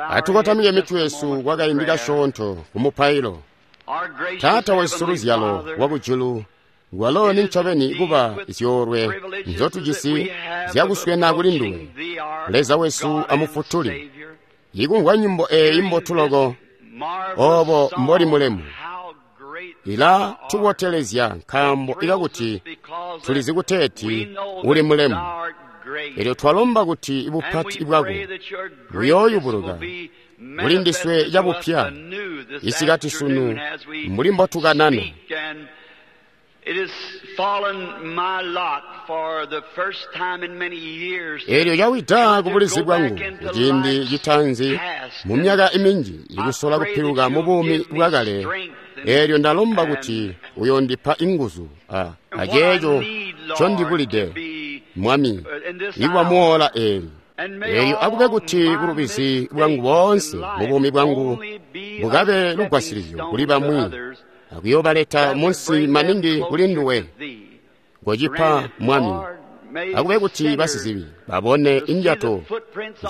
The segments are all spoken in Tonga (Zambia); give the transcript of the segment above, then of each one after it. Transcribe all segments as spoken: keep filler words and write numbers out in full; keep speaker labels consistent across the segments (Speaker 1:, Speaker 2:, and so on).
Speaker 1: Atukotamike mitwe yesu kwakaindi kasyoonto kumupailo. Taata wesu luzyalo wakujulu, walo ni ncobeni kuba zyoolwe nzotujisi zyakuswena kuli nduwe, Leza wesu amufutuli. Ikumvwa nyimbo eeyi mbotu loko, oobo mboli mulemu, ila tubotelezya nkaambo ikakuti tulizi kuteeti uli mulemu. Elyo twalomba kuti bupati bwako buyooyubuluka kuli ndiswe cabupya isikati sunu mbuli mbotukanana. Elyo cawida kubulizi bwangu kuciindi citaanzi mu myaka minji ikusola kupiluka mu buumi bwakale. Elyo ndalomba kuti uyondipa inguzu a aceeco ncondibulide, Mwami, ikuba muola eeli. Elyo akube kuti bulubizi bwangu boonse mu buumi bwangu bukabe lugwasilizyo kuli bamwi akuyoobaleta munsi maningi kuli nduwe. Kocipa, Mwami, akube kuti basizibi babone injato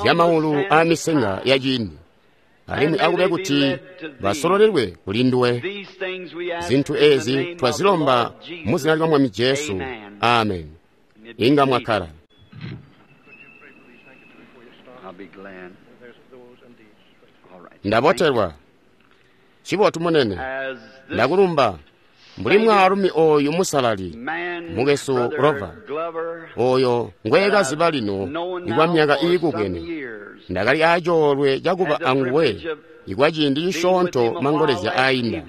Speaker 1: zyamaulu aamisenga yaciindi, alimwi akube kuti basololelwe kuli nduwe. Zintu ezi twazilomba mu zina lya Mwami Jesu. Amen. Inga mwakkala. Ndabotelwa. Cibotu munene. Ndakulumba. Mbuli mwaalumi oyu musalali, mukwesu Glover, oyo ngweekaziba lino ikwa myaka iikubwene, ndakali acoolwe cakuba anguwe ikwa ciindi cisyoonto mangolezya aainda.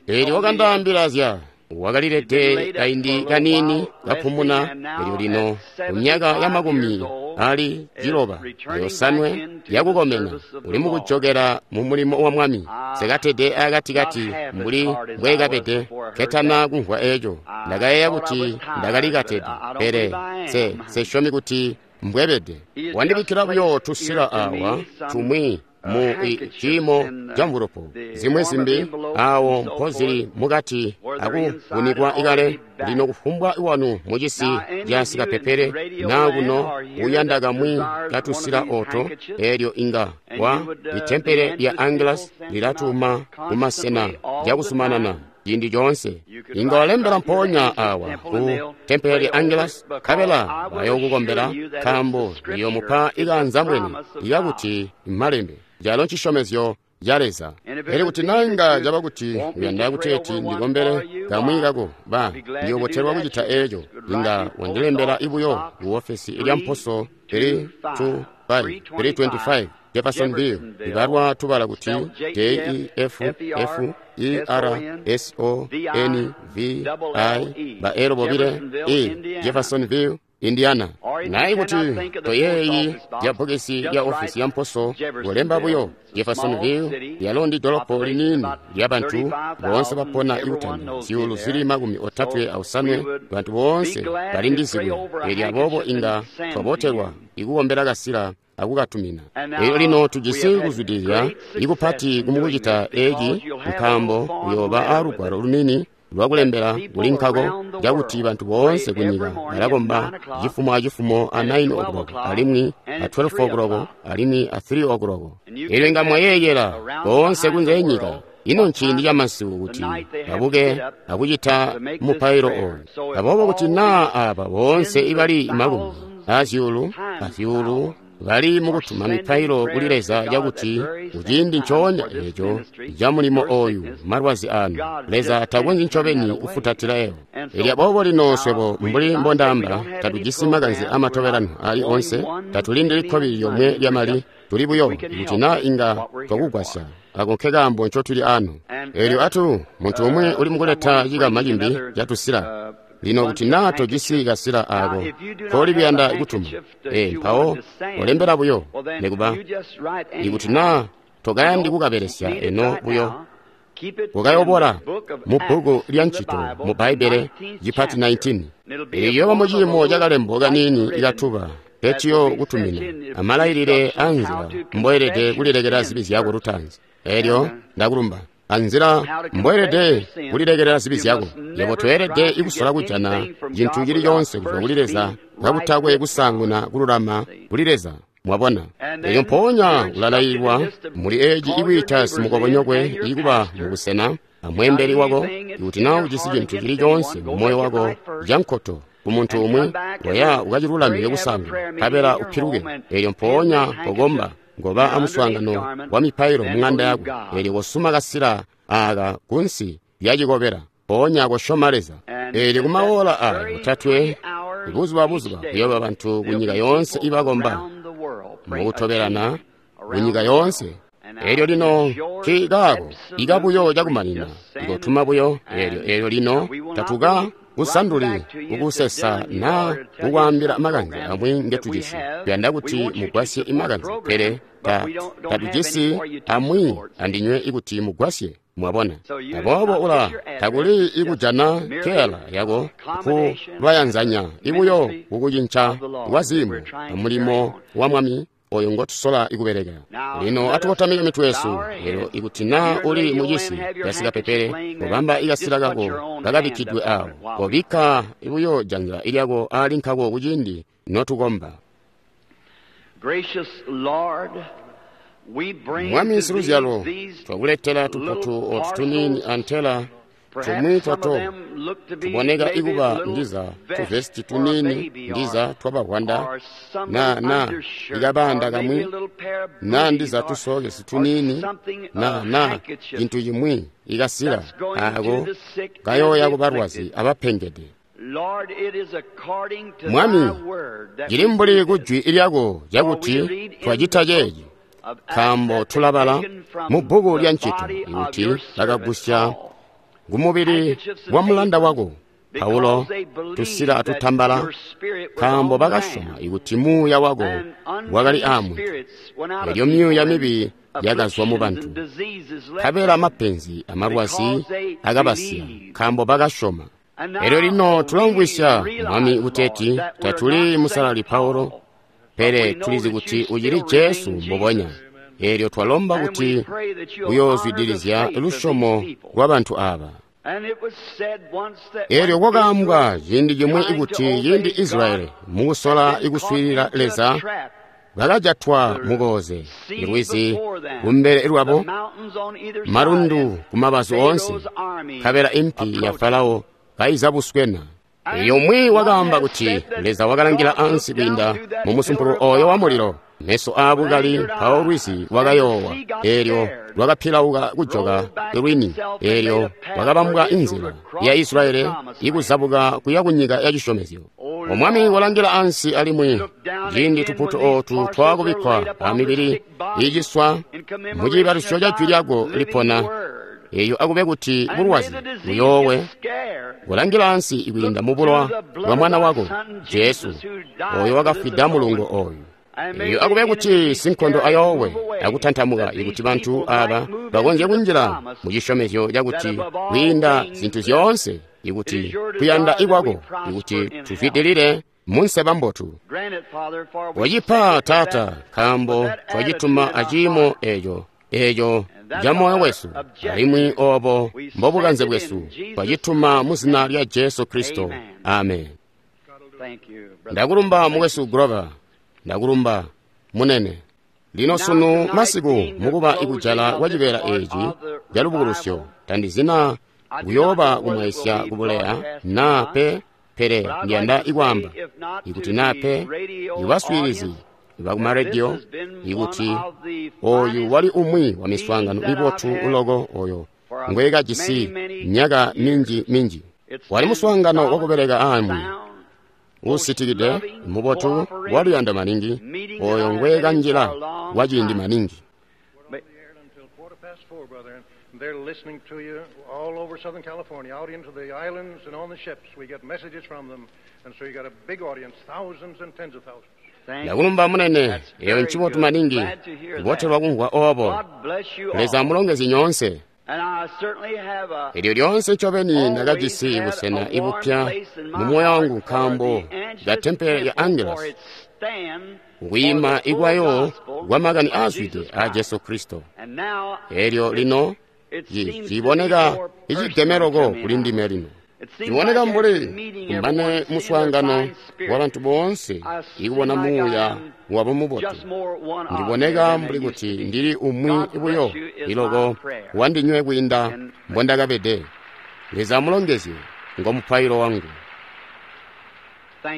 Speaker 1: Eelyo wakandaambila zya wakalilede kaindi kaniini kapumuna, elyo lino ku myaka ya makumi ali ciloba yosanwe yakukomena uli mukujokela mu mulimo wa Mwami. Sekatede akatikati mbuli mbweekabede ketana kumvwa eco. Ndakayeeya kuti ndakali katede, pele se sesyomi kuti mbwebede. Wandibikkila buyo tusila awa tumwi mu ciimo ca mvulupu, zimwi zimbi awo mpozili mukati akuvunikwa ikale. Lino kufumbwa wanu mucisi ca sikapepele naa kuno uyanda kamwi katusila oto, elyo inga wa itempele lya Angelus lilatuma kumasena cakusumanana ciindi coonse. Inga walembela mpoonya awa ku tempele lya Angelus, nkabela bayookukombela, nkaambo liyoomupa ikaanzambwene ikakuti malembe calo ncisyomezyo ca Leza. Pele kuti naa caba kuti uyanda kuteeti ndikombele kamwi kako, ba ndiyoobotelwa kucita eeco. Inga wandilembela ibuyo ku ofesi lya mposo three two five three twenty-five Jeffersonville, ibarwa tubala kuti J E F F E R S O N V I ba elo bobile E Jeffersonville, Indiana. Naye kuti toyeeyi ya bokesi ya ofisi ya mposo kulemba buyo Jeffersonville, yalo ndi dolopo liniini lya bantu boonse bapona ikutanda zyuulu zili makumi otatwe ausanwe, bantu boonse bali ndizibwe. Elyo aboobo inga twabotelwa ikukombela kasila akukatumina. Elyo lino tujisi kuzwidilila ikupati kumukucita eeci, nkaambo uyooba alugwalo lunini lwakulembela kuli nkako cakuti bantu boonse kunyika balakomba cifumo acifumo a nine o'clock alimwi a twelve o'clock alimwi a three o'clock. Elyo inga mwayeeyela boonse kunze enyika. Ino nciindi camasiku kuti babuke akucita mupailo oyu. Aboobo kuti naa aba boonse ibali makumi azyuulu azyuulu bali mukutuma mipailo kuli Leza cakuti kuciindi ncoonya eeco ca mulimo oyu malwazi anu, Leza takonzyi ncobeni kufutatila ewo. Elyo aboobo lino swebo mbuli mbondaamba, tatujisi makanze amatobelano ali onse, tatulindili kkobili lyomwe lyamali, tuli buyo kuti naa inga twakugwasya. Ako nke kaambo ncotuli ano. Elyo atu muntu umwi uli mukuleta cikama cimbi catusila. Lino kuti naa tojisi kasila ako koli kuyanda kutuma, e mpawo olembela buyo. Nekuba ikuti naa tokayandi kukabelesya eno buyo, ukayobola mu bbuku lya ncito mu Bbaibbele cipati nineteen. Elyo mu ciimo cakalembo kaniini ikatuba keciyo kutumina amalailile anzila mboelede kulilekela zibi zyako lutaanzi. Elyo ndakulumba anzila mboelede kulilekelela zibi zyako. Yebo toelede ikusola kujana cintu cili coonse kuzwa kuli Leza kakutakwe kusaanguna kululama kuli Leza. Mwabona? Elyo mpoonya ulalailwa muli eci ikwiita simukobonyokwe ikuba mubusena amweembeli wako. Ikuti na ujisi cintu cili coonse mu moyo wako cankoto ku muntu umwi, koya ukacilulamike kusaanguna, nkabela upiluke. Elyo mpoonya kokomba, ngoba amuswaangano wa mipailo mu ng'anda yako. Elyo kosuma kasila aka kunsi lya cikobela, mpoonya kosyoma Leza. Elyo kumaola aya otatwe buzuba buzuba kuyooba bantu ku nyika yoonse ibakomba mukutobelana ku nyika yoonse. Elyo lino nkaako ikabuyo cakumanina ikotuma buyo. Elyo elyo lino tatuka kusanduli kukusesa na kukwaambila makanze amwi ngetujisi. Tuyanda kuti mugwasye imakanze, pele ta tatujisi amwi andinywe ikuti mugwasye. Mwabona? Aboobo ula takuli ikujana kela yako ku bayanzanya ibuyo kukucinca kwa ziimo mulimo wa Mwami oyo ngotusola ikubeleka. Lino atukotamike mitwe yesu. Lero ikuti na uli mucisi yasikapepele, kobamba ikasila kako kakabikkidwe awo, kobikka buyo janza ilyako ali nkako kuciindi notukomba. Mwami siluzyalo, twakuletela tuputu otu tuniini antela tumwi twato tuboneka ikuba ndiza tuvesti tuniini ndiza twabahwanda na na ikabanda kamwi na ndiza tusokesi tuniini na na cintu cimwi ikasila ako kayoya kubalwazi abapengede. Mwami, cili mbuli kujwi lyako cakuti twacita ceeci, nkaambo tulabala mu bbuku lya Ncito ikuti bakagusya kumubili wa mulanda wako Paulo tusila atutambala, nkaambo bakasyoma ikuti muuya wako wakali aamwi. Elyo myuuya mibi yakazwa mu bantu, nkabela mapenzi amalwazi akabasiya, nkaambo bakasyoma. Elyo lino tulamvwisya, Mwami, kuteeti tatuli musalali Paulo, pele tulizi kuti ucili Jesu mbubonya. Elyo twalomba kuti uyoozwidilizya lusyomo lwa bantu aba. Elyo kwakaambwa ciindi cimwi ikuti ciindi Israyeli mukusola ikuswiilila Leza bakajatwa mukooze lwizi kumbele lwabo, malundu kumabazu oonse, nkabela impi ya Farao kaiza buswena. Elyo umwi wakaamba kuti Leza wakalangila ansi kwiinda mu musumpulu oyo wa mulilo, meso aabukali mpawo lwizi lwakayoowa. Elyo lwakapilauka kujoka lwini. Elyo lwakabambwa inzila ya Israyeli ikuzabuka kuya kunyika ya cisyomezyo. Omwami walangila ansi alimwi ciindi tuputu ootu twakubikkwa amibili iciswa mu ciibalusyo ca jwi lyako lipona, eyo akube kuti bulwazi buyoowe. Kulangila ansi ikwiinda mu bulowa bwa mwana wako Jesu oyo wakafwida mulungo oyu. Eyo akube kuti sinkondo ayoowe akutantamuka ikuti bantu aba bakonzye kunjila mu cisyomezyo cakuti kwiinda zintu zyoonse ikuti kuyanda ikwako ikuti tuzwidilile munseba mbotu. Wacipa Taata, nkaambo twacituma aciimo eco eco ca moyo wesu, alimwi obo mbobukanze bwesu. Twacituma mu zina lya Jesu Kristo. Amen. Ndakulumba mukwesu Grover, ndakulumba munene. Lino sunu masiku mukuba ikujala kwa cibeela eci ca lubukulusyo, tandizina kuyooba kumwaisya kubuleya na pe, pele ndiyanda ikwaamba ikuti na pe ibaswiilizi bakumaredio ikuti oyu wali umwi wa miswaangano mibotu uloko oyo ngwekajisi myaka minji minji. Wali muswaangano wakubeleka aamwi usitikide mubotu waluyando maningi oyo ngwekanjila kwa ciindi maningi.
Speaker 2: They're listening to you all over Southern California, out into the islands and on the ships. We get messages from them, and so you got a big audience, thousands and tens of thousands.
Speaker 1: Ndakulumba munene, eyo ncibotu maningi, kubotelwa kumvwa obo. Leza amulongezye nyoonse. Elyo lyonse ncobeni ndakajisi busena ibupya mu moyo wangu nkaambo ka tempele ya Angelus, kwiima ikwayo kwa makani aazwide a Jesu Kristo. Elyo lino ciboneka icigemeloko kuli ndime lino. Ciboneka mbuli kumane muswaangano wabantu boonse ikubona muuya wabo mubotu. Ndiboneka mbuli kuti ndili umwi buyo iloko wandinywe kwiinda mbondakabede. Leza amulongezye, ngo mupailo wangu.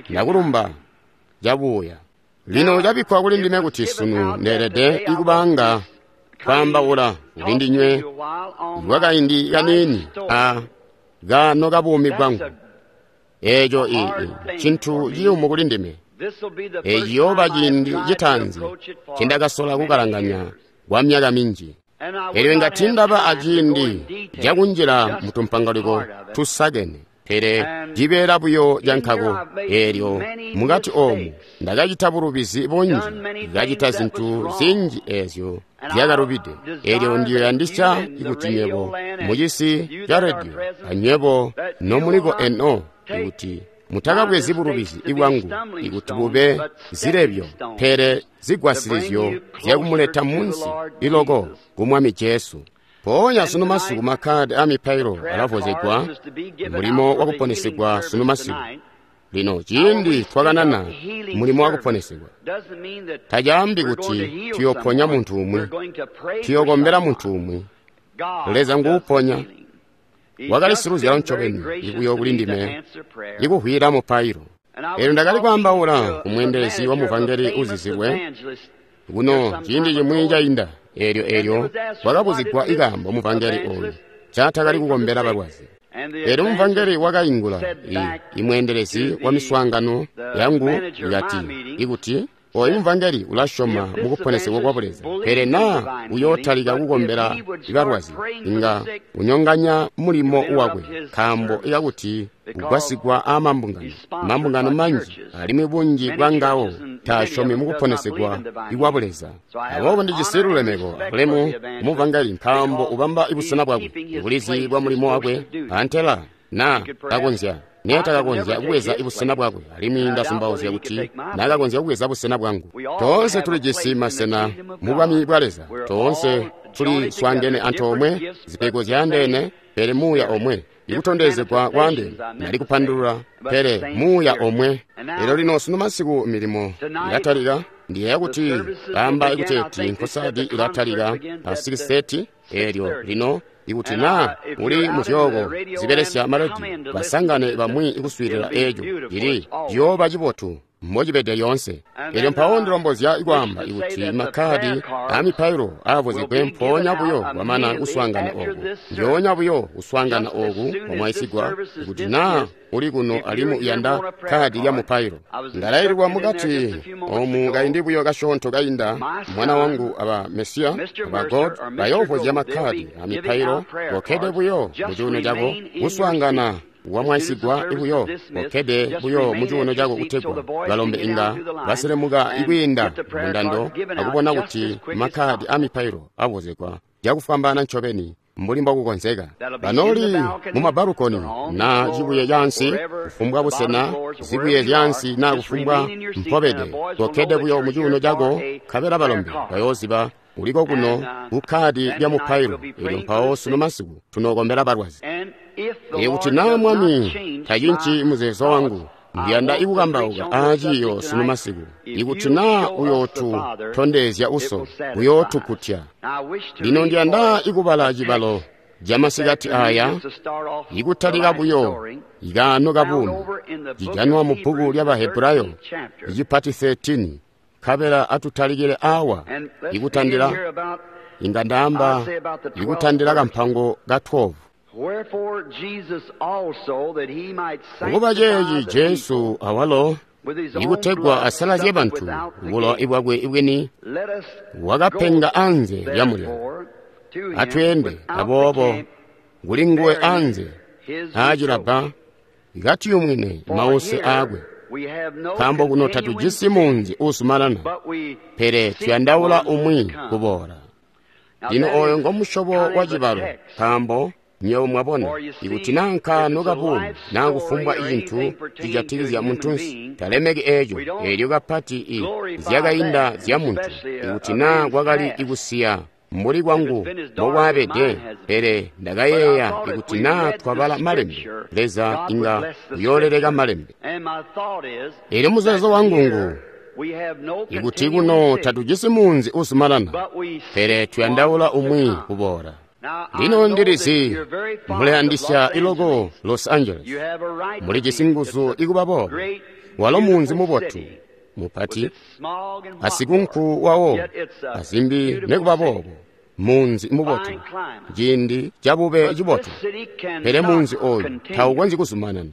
Speaker 1: Ndakulumba cabuuya. Lino cabikkwa kuli ndime kuti sunu ndeelede ikubaanga kwaambaula kuli ndinywe kwakaindi kaniini a kaano kabuumi bwangu. Eeco cintu ciyumu kuli ndime. Eeci ciyooba ciindi citaanzi ncindakasola kukalanganya kwa myaka minji. Elyo inga tiindaba aciindi cakunjila mutumpangaliko tusakene, pele cibeela buyo cankako. Eelyo mukati oomu ndakacita bulubizi bunji, ndakacita zintu zinji eezyo zyakalubide. Eelyo ndiyoyandisya kuti nywebo mucisi ca rediyo anywebo nomuliko eno ikuti mutakabwezi bulubizi bwangu ikuti bube zilebyo, pele zigwasilizyo zyakumuleta munsi iloko ku Mwami Jesu. Mpoonya sunu masiku makkadi amipailo alavwozegwa mulimo wakuponesegwa sunu masiku. Lino ciindi twakanana mulimo wakuponesegwa, tacaambi kuti tuyoponya muntu umwi, tuyokombela muntu umwi. Leza nguuponya. Wakali siluzyalo ncobeni ibuyo kuli ndime ikuhwila mupailo. Eelyo ndakali kwaambaula kumweendelezi wa muvangeli uzizilwe kuno ciindi cimwi cainda. Eelyo eelyo wakabuzigwa ikaambo muvangeli ooyu caatakali kukombela balwazi. Eelyo muvangeli wakaingula imweendelezi wa miswaangano yangu ikati ikuti oyu muvangeli ulasyoma mukuponesegwa kwa Buleza, pele naa uyootalika kukombela balwazi inga unyonganya mulimo wakwe, nkaambo ikakuti ugwasigwa aamambungano mambungano manji alimwi bunji bwangawo taasyomi mukuponesegwa kwa Buleza. Aboobo ndijisi lulemeko abulemu muvangeli nkaambo ubamba busena bwakwe, bulizi bwa mulimo wakwe antela naa kakonzya neetakakonzya kubweza busena bwakwe, alimwi ndazumbauzya kuti naakakonzya kubweza busena bwangu. Toonse tulijisi masena mu bwami bwa Leza, toonse tuli swaangene antoomwe, zipego zyaandeene, pele muuya omwe. Ikutondezegwa kwaandeene nali kupandulula, pele muuya omwe. Elyo lino sunu masiku milimo ilatalika. Ndiyeeya kuti baamba ikuteeti nkosadi ilatalika pa six thirty. Eelyo lino ikuti naa uli muzyooko zibelesya marediyo, basangane bamwi ikuswiilila eeco cili ciyooba cibotu mbocibede lyoonse. Eelyo mpawo ndilombozya kwaamba ikuti makkadi aamipailo aavwozegwe mpoonya buyo kwamana kuswaangana ooku, ndyoonya buyo kuswaangana ooku kwamwaisigwa. Ikuti naa uli kuno alimwi uyanda kkadi lya mupailo, ndalaililwa mukati oomu kaindi buyo kasyoonto kainda, mwana wangu aba Mesiya aba God bayoovwozya makkadi amipailo. Kokkede buyo mucuuno cako kuswaangana wamwaisigwa buyo, kokkede buyo mucuuno cako kutegwa balombe inga baselemuka ikwiinda mundando akubona kuti makkadi amipailo avwozegwa cakufwambaana ncobeni mbuli mbokukonzeka. Banoli mumabalukoni naa cibuye cansi, kufumbwa busena, zibuye zyansi naa kufumbwa mpobede, kokkede buyo mucuuno cako, nkabela balombe bayooziba uliko kuno kukkadi lya mupailo. Eelyo mpawo sunu masiku tunookombela balwazi. Ikuti naa Mwami tacinci muzeezo wangu, ndiyanda ikukambauka aaciiyo sunu masiku. Ikuti naa uyootutondezya uso, uyootukutya. Lino ndiyanda ikubala cibalo camasikati aya ikutalika buyo ikaano kabuumi cijanwa mu bbuku lya Bahebulayo icipati thirteen. Nkabela atutalikile awa ikutandila, inga ndaamba ikutandila kampango ka twelve. Kuba ceeci Jesu awalo ikutegwa asalazye bantu bulowa bwakwe bwini wakapenga anze lya mulyango. Atweende aboobo kuli nguwe anze aacilabba katiyumwine mause aakwe, nkaambo kuno tatujisi munzi uusumanana, pele tuyandaula umwi kuboola. Lino oyo ngomusyobo wa cibalo, nkaambo nywebo mwabona ikuti naa nkaano kabuumi naa kufumbwa icintu cijatikizya muntunsi, talemeki eeco eelyo kapati i zyakainda zya muntu. Ikuti naa kwakali ikusiya mbuli kwangu mbokwaabede, pele ndakayeeya ikuti naa twabala malembe, Leza inga uyooleleka malembe. Elyo muzeezo wangu ngu ikuti kuno tatujisi munzi uzumanana, pele tuyandaula umwi kuboola. Lino ndilizi mulayandisya iloko Los Angeles, mulijisi nguzu ikuba boobo. Walo munzi mubotu mupati, asikunku wawo azimbi nekuba boobo, munzi mubotu, ciindi cabube cibotu. Pele munzi oyu taukonzyi kuzumanana,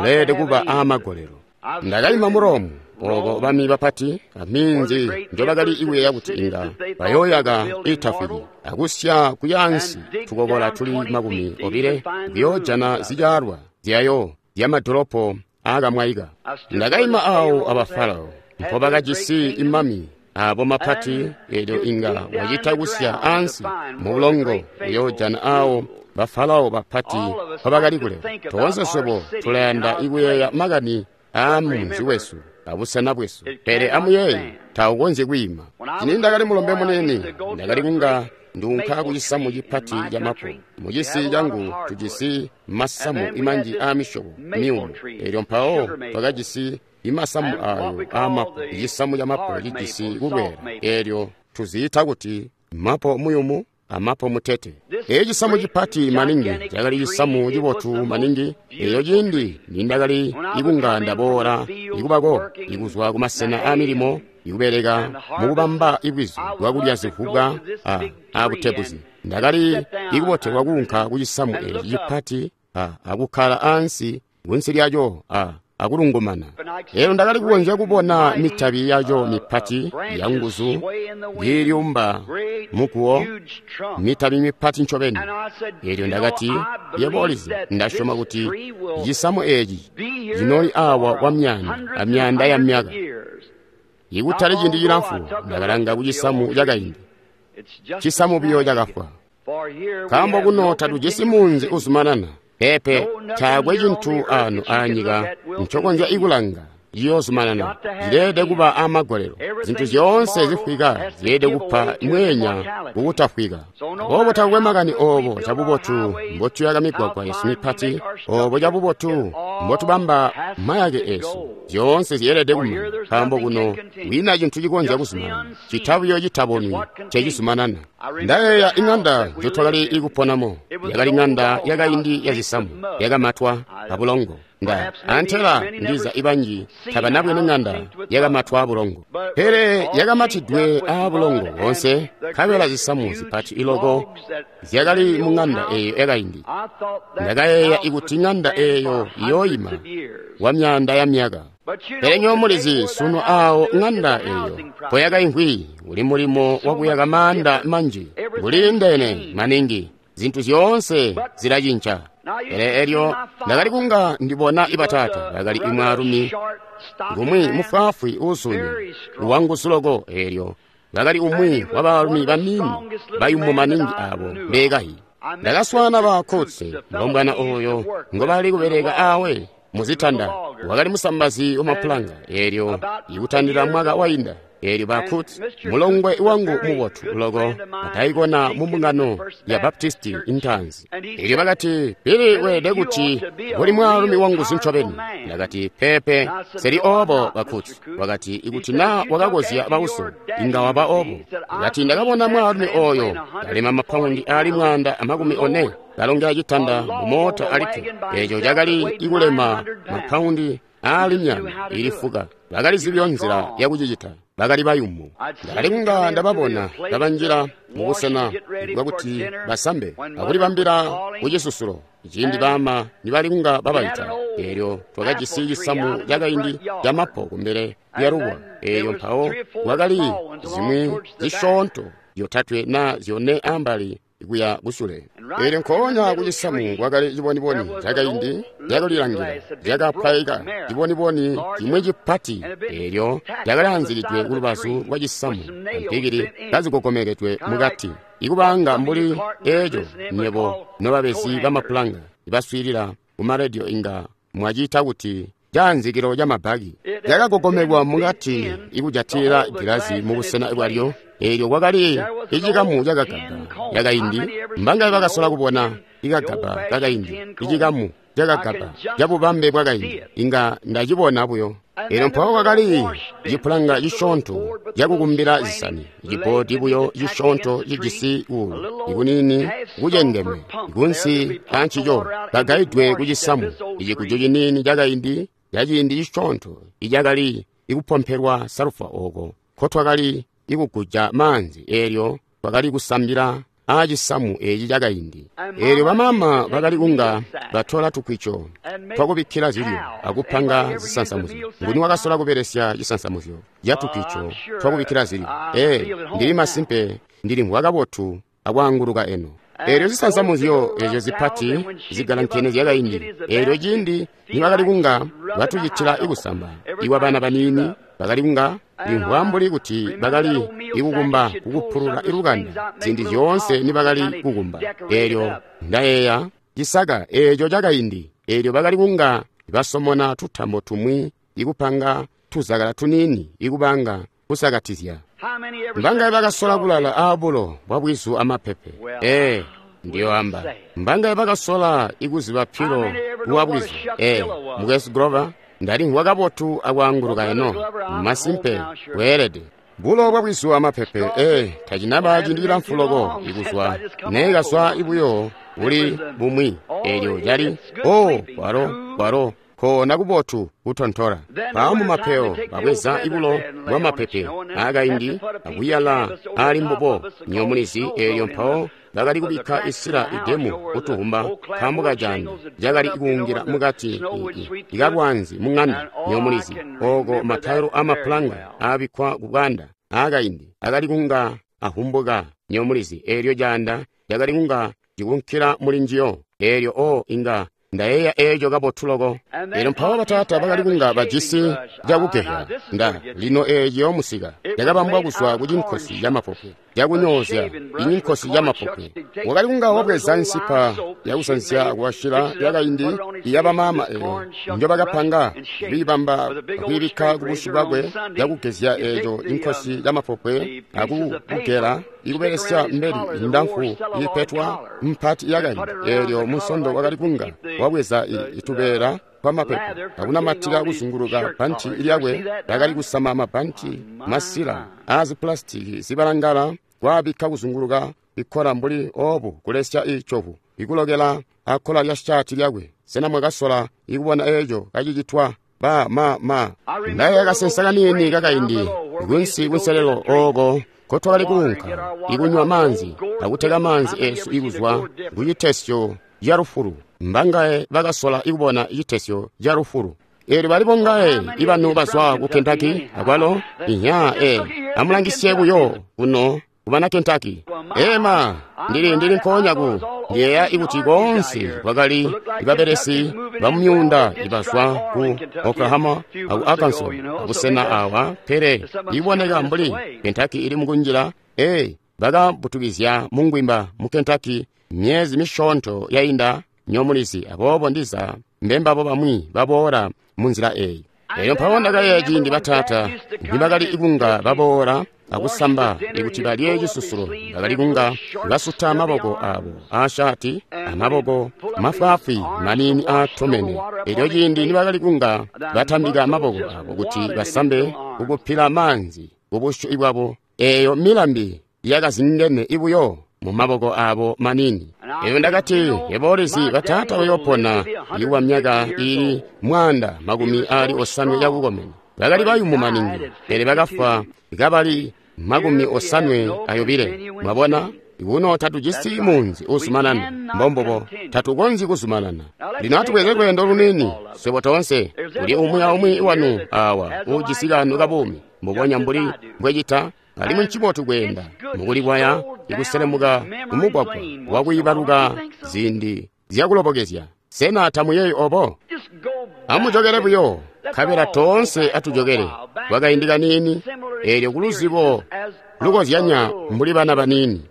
Speaker 1: uleelede kuba aamagolelo. Ndakaima mu Rome, ooko bami bapati aminzi njobakali ikuyeeya kuti inga bayooyaka itafwiki akusya kuyaansi tukokola tuli makumi obile kuyoojana zityaalwa zyayo zyamadolopo aakamwaika. Ndakaima awo aba Farao mpobakajisi imami abo mapati, elyo inga wacita kusya ansi mubulongo kuyoojana awo bafarao bapati mpobakali kulela. Toonse swebo tulayanda ikuyeeya makani aa munzi wesu abusena bwesu, pele amuyeeye taukonzyi kwiima. Cini ndakali mulombe munene, ndakali kunga nduunka kucisamu cipati ca mapo. Mucisi cangu tujisi masamu imanji aamisyobo miyumu, elyo mpawo twakajisi imasamu ayo aamapo. Icisamu ca mapo cijisi kulweela, elyo tuziita kuti mapo muyumu amapo mutete. Eeci cisamu cipati maningi cakali cisamu cibotu maningi. Eyo ciindi nindakali ikunga ndaboola ikubako ikuzwa kumasena aamilimo ikubeleka mukubamba ibwizu bwakulya zivubwa abutebuzi, ndakali ikubotelwa kuunka kucisamu eeci cipati akukkala ansi kunsi lyaco akulungumana. Elyo ndakali kukonzya kubona mitabi yaco mipati yanguzu kiilyumba muguwo, mitabi mipati ncobeni. Elyo ndakati, yebo ulizi, ndasyoma kuti cisamu eeci cinooli awa kwa myaanda amyaanda ya myaka. Ikutali ciindi cilamfu, ndakalanga kucisamu cakaindi, cisamu biyo cakafwa. Nkaambo kuno tatujisi munzi uzumanana. Pepe, taakwe cintu ano aanyika ncokonzya ikulanga ciyoozumanana. Zileelede kuba aamagolelo. Zintu zyoonse zifwika zileelede kupa mweenya kukutafwika. Aboobo takukwe makani oobo cabubotu mbotuyaka migwagwa yesu mipati, oobo cabubotu mbotubamba mayake eesu, zyoonse zyeelede kumana. Nkaambo kuno kwiina cintu cikonzya kuzumanana, cita buyo citabonwi ncecizumanana. Ndayeeya iŋanda njotwakali ikuponamo, yakali ŋanda yakaindi yazisamu, yakamatwa abulongo. Nda antela ndiza ibanji tabanabwene ŋanda yakamatwa abulongo, pele yakamatidwe aabulongo boonse, nkabela zisamu zipati iloko zyakali mu ŋanda eeyo yakaindi. Ndakayeeya ikuti ŋanda eeyo iyooyima kwa myaanda ya myaka. Pele nywebo mulizi sunu aawo ŋanda eeyo mpoyakaimvwi uli mulimo wakuyaka maanda manji, nguliindene maningi, zintu zyoonse zilacinca. Pele elyo ndakali kunga ndibona ibataata bakali imwaalumi ngumwi mufwaafwi uuzunya wanguzu loko, eelyo bakali umwi wabaalumi baniini bayumu maningi abo mbeekayi. Ndakaswaana ba Kotse, mulombwana oyo ngobali kubeleka awe muzitanda, wakali musambazi wamapulanga, eelyo ikutandila mwaka wainda. Eelyo ba Kutz, mulongwe wangu mubotu loko, ataikona mu mbungano ya Baptisti intanzi. Eelyo bakati, Billy weelede kuti uli mwaalumi wanguzu ncobeni. Ndakati, pepe, seli oobo ba Kutz. Wakati, ikuti naa wakakozya bauso, inga waba oobo. Ndakati, ndakabona mwaalumi oyo kalema mapaundi aali mwaanda amakumi one kalongela citanda mumoota alikke. Eeco cakali ikulema mapaundi aali myanda ili fuka. Bakalizibyo nzila yakucicita, bakali bayumu. Ndakali kunga ndababona kabanjila mubusena bwakuti basambe akulibambila kucisusulo ciindi baama nibali kunga babaita. Eelyo twakajisi cisamu cakaindi camapo kumbele lyalubuwa. Eelyo mpawo kwakali zimwi zisyoonto zyotatwe naa zyone ambali kuya kusule. Eelyo nkoonya kucisamu kwakali ciboniboni cakaindi cakulilangila cakapwaika, ciboniboni cimwi cipati, eelyo cakalaanzikidwe kulubazu lwa cisamu ampikili kazigogomekedwe mukati, ikubanga mbuli eeco nywebo nobabezi bamapulanga ibaswiilila kumarediyo inga mwaciita kuti caanzikilo ca mabaki. Cakagogomekwa mukati ikujatilila gilazi mubusena bwalyo, Eelyo kwakali icikamu cakagaba cakaindi. Mbangaye bakasola kubona ikagaba kakaindi, icikamu cakagaba cabubambe bwakaindi? Inga ndacibona buyo. Eelyo mpawo kwakali cipulanga cisyoonto cakukumbila zisani, ciboodi buyo cisyoonto cijisi kuulu ikuniini kucengeme kunsi ancico, kagaidwe kucisamu, iciguju ciniini cakaindi caciindi cisyoonto icakali ikupompelwa salufa ooko nkotwakali ikuguja maanzi. Eelyo twakali kusambila aacisamu eeci cakaindi. Eelyo bamaama bakali kunga batola tukwico twakubikkila zilyo akupanga zisansamuzyo. Nguni wakasola kubelesya cisansamuzyo ca tukwico twakubikkila zilyo? Ee, ndili masimpe ndilimvwa kabotu akwaanguluka eno. Eelyo zisansamuzyo eezyo zipati zigalankene zyakaindi, eelyo ciindi nibakali kunga batucitila ikusamba iwa bana baniini, bakali kunga limvwa mbuli kuti bakali ikukumba kukupulula ilukanda ziindi zyoonse nibakali kukumba. Eelyo ndayeeya cisaka eeco cakaindi, eelyo bakali kunga basomona tutambo tumwi ikupanga tuzakala tuniini ikubanga kusakatizya. Mbangaye bakasola kulala aabulo bwa bwizu amapepe? Ee, ndiyoamba. Mbangaye bakasola ikuziba pilo bwa bwizu? Ee, Mukwesu Grover, ndalimvwa kabotu akwaanguluka eno. Masimpe, weelede. Bulo bwa bwizu amapepe, ee, tacinaba ciindi cilamfu loko ikuzwa neekazwa ibuyo buli bumwi. Eelyo cali, oh, kwalo, kwalo, koona kubotu kutontola. Mpawo mumapeyo babweza ibulo bwa mapepe aakaindi akuyala aali mbubo nyomulizi. Eelyo mpawo bakali kubikka isila idemu kutuhumba nkaambo kacanda cakali kuungila mukati ikalwanzi mung'anda nyomulizi, ooko matayilo amapulanga aabikkwa kubwanda aakaindi akali kunga ahumbuka nyomulizi. Eelyo canda cakali kunga cikunkila muli njiyo. Eelyo o inga ndayeeya eeco kabotu loko. Eelyo mpawo bataata bakali kunga bajisi cakugehya nda lino eeco musika cakabambwa kuzwa ku cinkosi camapopwe cakunyoozya inkosi camapopwe. Wakali kunga wabweza nsipa yakusanzya kuwashila yakaindi iyabamaama eyo njobakapanga kwiibamba akwiibikka kubusyu bwakwe cakugezya eeco inkosi camapopwe akukugela ikubelesya mbeli ndamfu iipetwa mpati yakaindi. Eelyo musondo wakali kunga wabweza itubeela twamapepo akunamatila kuzunguluka bbanti lyakwe lyakali kusama mabbanti masila aazipulasitiki zibalangala kwaabikka kuzunguluka ikkola mbuli oobu kulesya icovu ikulokela akkola lya shaati lyakwe. Sena mwakasola ikubona eeco kacicitwa? Ba ma ma ndayeeya kasensa kaniini kakaindi kunsi kunselelo ooko nkotwakali kuunka ikunywa maanzi akuteka maanzi eesu ikuzwa kucitesyo ca lufulu. Mbangaye bakasola ikubona citesyo ca lufulu? Eelyo bali bongaye ibanu bazwa ku Kentucky akwalo? Inya, ee, amulangisye buyo kuno kubana Kentucky. Ema, ndili ndili nkoonya ku ndiyeeya ikuti koonse kwakali ibabelesi bamumyuunda ibazwa ku Oklahoma aku Arkansas abusena awa, pele iboneka mbuli Kentucky ili mukunjila. Ee, bakabutukizya mungwimba mu Kentucky myezi misyoonto yainda nyomulizi, aboobo ndiza mbembabo bamwi baboola munzila eyi. Eelyo mpawo ndakayeeya ciindi bataata nibakali ikunga baboola akusamba ikuti balye cisusulo, bakali kunga basuta maboko abo aashaati amaboko mafwaafwi maniini aatomene. Eelyo ciindi nibakali kunga batambika maboko abo kuti basambe kukupila maanzi kubusyu bwabo, eeyo milambi yakazingene ibuyo mu maboko abo maniini. Eyo ndakati, yebo ulizi bataata bayoopona ikuwa myaka ili mwanda makumi ali osanwe yakukomena. Bakali bayumu maningi, pele bakafwa kabali makumi osanwe ayobile. Mwabona, kuno tatujisi munzi uzumanana, mbombobo tatukonzyi kuzumanana. Lino atubweze lweendo luniini swebo toonse, kuli umwi aumwi wanu awa uujisi kanu kabuumi mbubonya mbuli mbwecita. Alimwi ncibotu kweenda mukulikwaya ikuselemuka kumugwagwa wakwiibaluka ziindi zyakulobokezya. Sena tamuyeeyi obo? Amujokele buyo, nkabela toonse atujokele kwakaindi kaniini, eelyo kuluzibo lukozyanya mbuli bana baniini.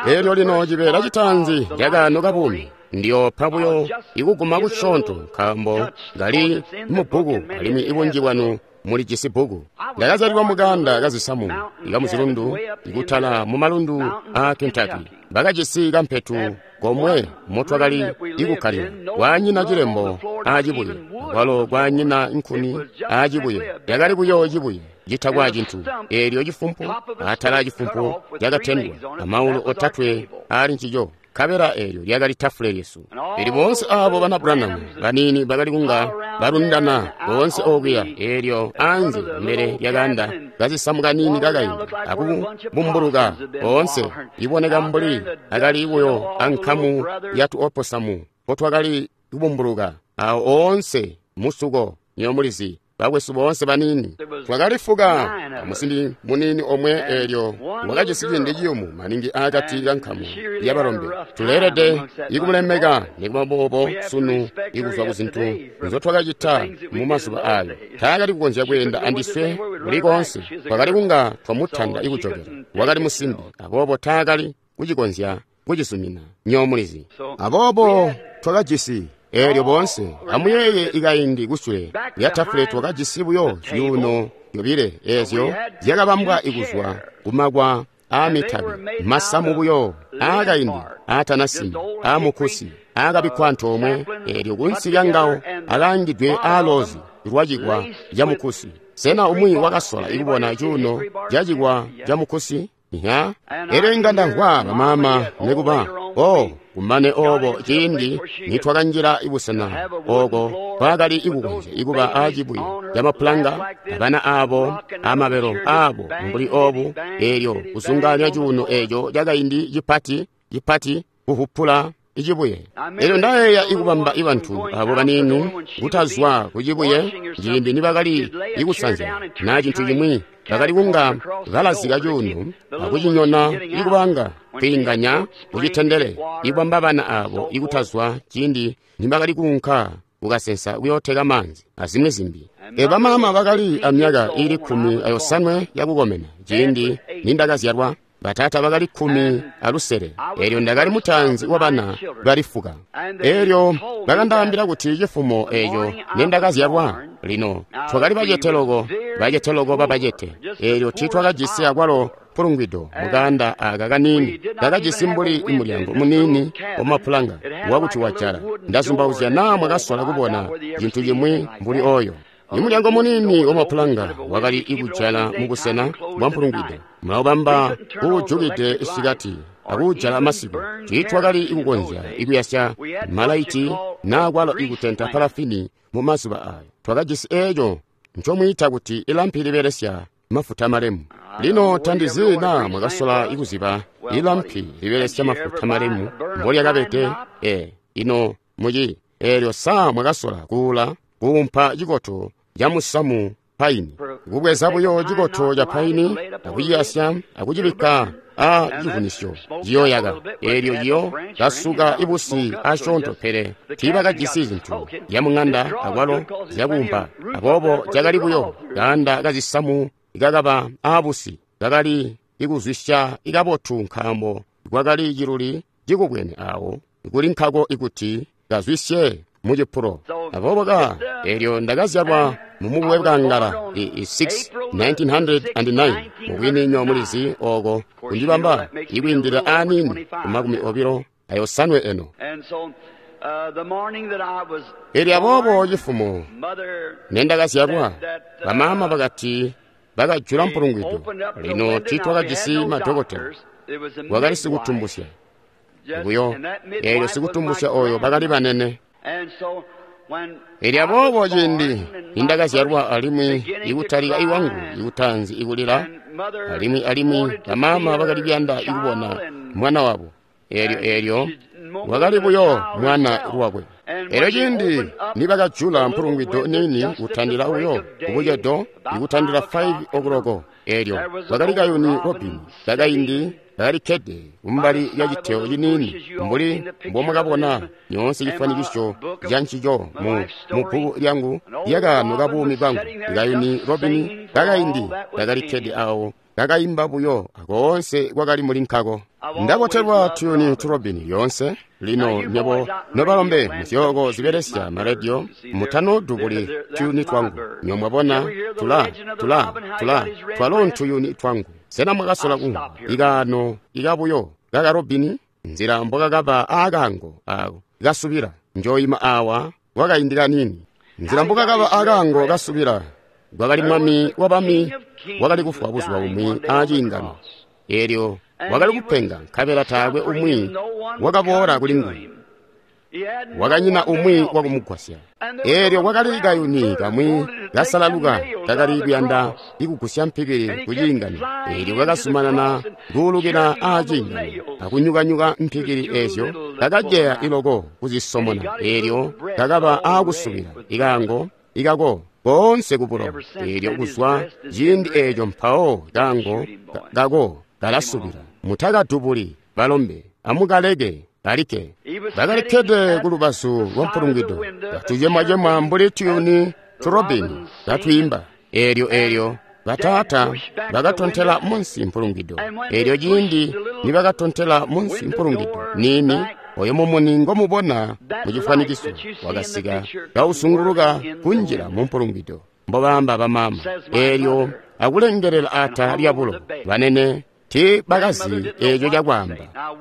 Speaker 1: Eelyo lino cibeela citaanzi cakaano kabuumi ndiyoopa buyo ikuguma kusyoonto, nkaambo kali mubbuku alimwi ibunji bwanu muli jisi bbuku. Ndakazyalilwa muganda kazisamu ikamuzilundu ikutala mumalundu a Kentucky. Bakajisi kampetu komwe motwakali ikukkalila, kwanyina cilembo acibuye, akwalo kwanyina nkuni acibuye. Yakali buyo cibuye citakwa cintu. Eelyo cifumpu atala cifumpu cakatendwa amaulu otatwe ali ncico, nkabela eelyo lyakali tafule lyesu. Pele boonse aabo bana Branham baniini bakali kunga balundana boonse okuya, eelyo anze mbele lyakanda kazisamu kaniini kakaindi akubumbuluka boonse, iboneka mbuli akali buyo ankamu yatu oposamu potwakali kubumbuluka awo oonse musuko. Nyomulizi bakwesu boonse baniini twakalifuka amusimbi muniini omwe, eelyo wakajisi ciindi ciyumu maningi akati kankamu yabalombe. Tuleelede ikumulemeka nikuba boobo sunu ikuzwa kuzintu nzotwakacita mumazuba ayo. Taakali kukonzya kweenda andiswe kuli koonse, twakali kunga twamutanda ikujokela. Wakali musimbi, aboobo taakali kucikonzya kucizumina. Nyomulizi aboobo twakajisi eelyo boonse. Amuyeeye ikaindi kusule lya tafule twakajisi buyo zyuuno zyobile eezyo zyakabambwa ikuzwa kumakwa aamitabi, masamu buyo aakaindi aatanasima aamukusi aakabikkwa antoomwe, eelyo kunsi lyangawo akaangidwe aaloozi lwacikwa camukusi. Sena umwi wakasola ikubona cuuno cacikwa camukusi? Ya, elyo inga ndamvwa bamaama nikuba o kumane obo ciindi nitwakanjila ibusena oko twakali ikukonzya ikuba acibuye camapulanga abana abo amabelo abo mbuli obu, eelyo kuzunganya cuuno eeco cakaindi cipati cipati kuhupula icibuye. Elyo ndayeeya ikubamba ibantu abo baniini kutazwa kucibuye ciindi nibakali ikusanzya na cintu cimwi, bakali kunga balazika cuuno akucinyona ikubanga kwiinganya kucitendele, ikubamba bana abo ikutazwa ciindi nibakali kuunka kukasensa kuyooteka maanzi azimwi zimbi. E bamaama bakali amyaka iili kkumi ayosanwe yakukomena ciindi nindakazyalwa. Batata bakali kkumi alusele, eelyo ndakali mutaanzi wabana bali fuka. Eelyo bakandaambila kuti cifumo eeco nindakazyalwa, lino twakali bacete loko, bacete loko babacete. Eelyo tiitwakajisi akwalo mpulungwido mukanda aka kaniini kakajisi mbuli mulyango muniini wamapulanga wakuti wajala. Ndazumbauzya naa mwakasola kubona cintu cimwi mbuli oyo. Imulyango muniini wamapulanga wakali ikujala mubusena bwa mpulungwido, mulaubamba kuujukide isikati akuujala masiku. Tiitwakali ikukonzya ikuyasya malaiti naa kwalo ikutenta palafini mumazuba ayo. Twakajisi eeco ncomwiita kuti ilampi libelesya mafuta malemu. Lino tandizi naa mwakasola ikuziba ilampi libelesya mafuta malemu mbolyakabede. E ino muci eelyo saa mwakasola kuula kuumpa cikoto camusamu paini, kubweza buyo cikoto ca paini akuciyasya akucibikka a civunisyo ciyoyaka, eelyo ciyo kasuka ibusi asyoonto. Pele tiibakajisi zintu zyamuŋanda akwalo zyakuumpa, aboobo cakali buyo kaanda kazisamu ikakaba aabusi kakali ikuzwisya ikabotu, nkaambo kwakali ciluli cikubwene awo kuli nkako ikuti kazwisye mucipulo. Aboobo ka eelyo ndakazyalwa mumubuwe bwangala i six nineteen hundred nine, mubwini nyomulizi oko kundibamba ikwiindilila aniini kumakumi obilo ayosanwe eno. Eelyo aboobo cifumo nendakazyalwa, bamaama bakati bakajula mpulungwido. Lino tiitwakajisi madokotela, wakali sikutumbusya buyo. Eelyo sikutumbusya oyo bakali banene. Elyo aboobo ciindi nindakazyalwa alimwi ikutalika iwangu ikutanzi ikulila, alimwi alimwi bamaama bakali kuyanda ikubona mwana wabo. Eelyo eelyo wakali buyo mwana lwakwe. Elyo ciindi nibakajula mpulungwido niini kutandila buyo kubucedo ikutandila five o'clock, eelyo kwakali kayuni robin kakaindi kakalikkede kumbali lya citeo ciniini mbuli mbomwakabona nyoonse cifwanikiso ca ncico mu mubbuku lyangu lyakaano kabuumi bwangu. Kayuni robin kakaindi kakalikkede awo kakaimba buyo akoonse kwakali muli nkako. Ndabotelwa tuyuni turobini lyoonse. Lino nywebo nobalombe muzyooko zibelesya maredio mutanodubuli tuyuni twangu. Nywebo mwabona, tula tula tula twalo ntuyuni twangu. Sena mwakasola kumvwa ikaano ikabuyo kakarobini? Nzila mbokakaba aakaango ako kasubila. Njoyima awa kwakaindi kaniini. Nzila mbokakaba aakaango kasubila. Kwakali mwami wabami wakali kufwa buzuba bumwi aaciingano. Eelyo wakali kupenga nkabela taakwe umwi wakaboola kuli nguwe. Wakanyina umwi wakumugwasya. Eelyo kwakali kayuni kamwi kasalaluka kakali kuyanda ikugusya mpikili ku ciingano. Eelyo kakazumanana kuulukila aaciingano akunyukanyuka mpikili eezyo, kakajeya iloko kuzisomona. Eelyo kakaba aakusubila ikaango ikako koonse kubulo. Eelyo kuzwa ciindi eeco mpawo kaango kako kalasubila. Mutakadubuli balombe, amukaleke kalike. Bakalikkede ku lubazu lwa mpulungwido, katucemwacemwa mbuli tuyuni turobini katwiimba. Eelyo eelyo bataata bakatontela munsi mpulungwido. Eelyo ciindi nibakatontela munsi mpulungwido niini, oyo mumuni ngomubona mucifwanikiso wakasika kausunguluka kunjila mu mpulungwido, mbobaamba bamaama. Eelyo akulengelela ata lyabulo banene tiibakazi eeco cakwaamba.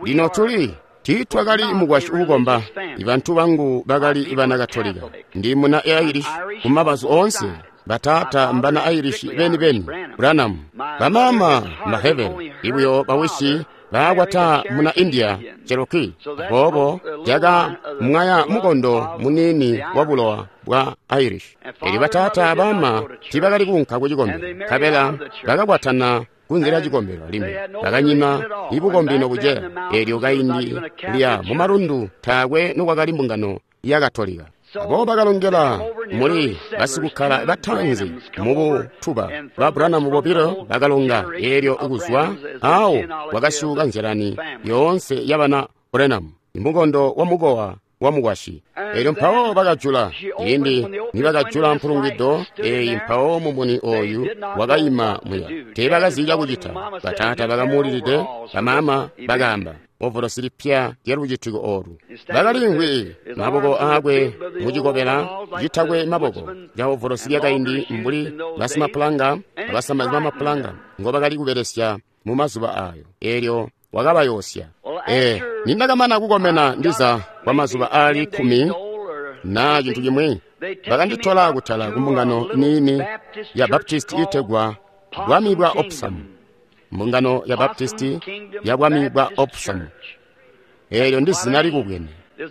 Speaker 1: Lino tuli tiitwakali mukwasyi uukomba. Ibantu bangu bakali bana Katolika. Ndi muna Irish kumabazu oonse. Bataata mbana Irish beni-beni Branham. Bamaama Maheve ibuyo bawisi baakwata muna India Cherokee. Aboobo caka mwaya mukondo muniini wa bulowa bwa Irish. Eelyo bataata abama tiibakali kuunka ku cikombelo, nkabela bakakwatana kunze lya cikombelo alimwi bakanyina ibukombi nobuceya. Eelyo kaindi lya mumalundu taakwe nokwakali mbungano ya Katolika. Aboobo bakalongela muli basikukkala bataanzi mubutuba ba Branham bobilo bakalonga. Eelyo kuzwa awo kwakasyuuka nzyalani yoonse yabana Branham, imukondo wa mukowa wa mukwasyi. Eelyo mpawo bakajula. Ciindi nibakajula mpulungwido eeyi, mpawo mumuni oyu wakayima muya. Teebakazi cakucita. Bataata bakamuulilide, bamaama bakaamba, ovolosi lipya lyalucitiko oolu. Bakaliimvwi maboko aakwe mucikobela citakwe maboko ca ovolosi lyakaindi mbuli basimapulanga abasamazi bamapulanga ngobakali kubelesya mu mazuba aayo. Eelyo wakabayoosya. Ee, nindakamana kukomena ndiza kwa mazuba aali kkumi na cintu cimwi, bakanditola kutala kumbungano niini ya Baptist iitegwa Bwami bwa Opsam. Mbungano ya Baptisti ya Bwami bwa Opsam. Eelyo ndi zina likubwene.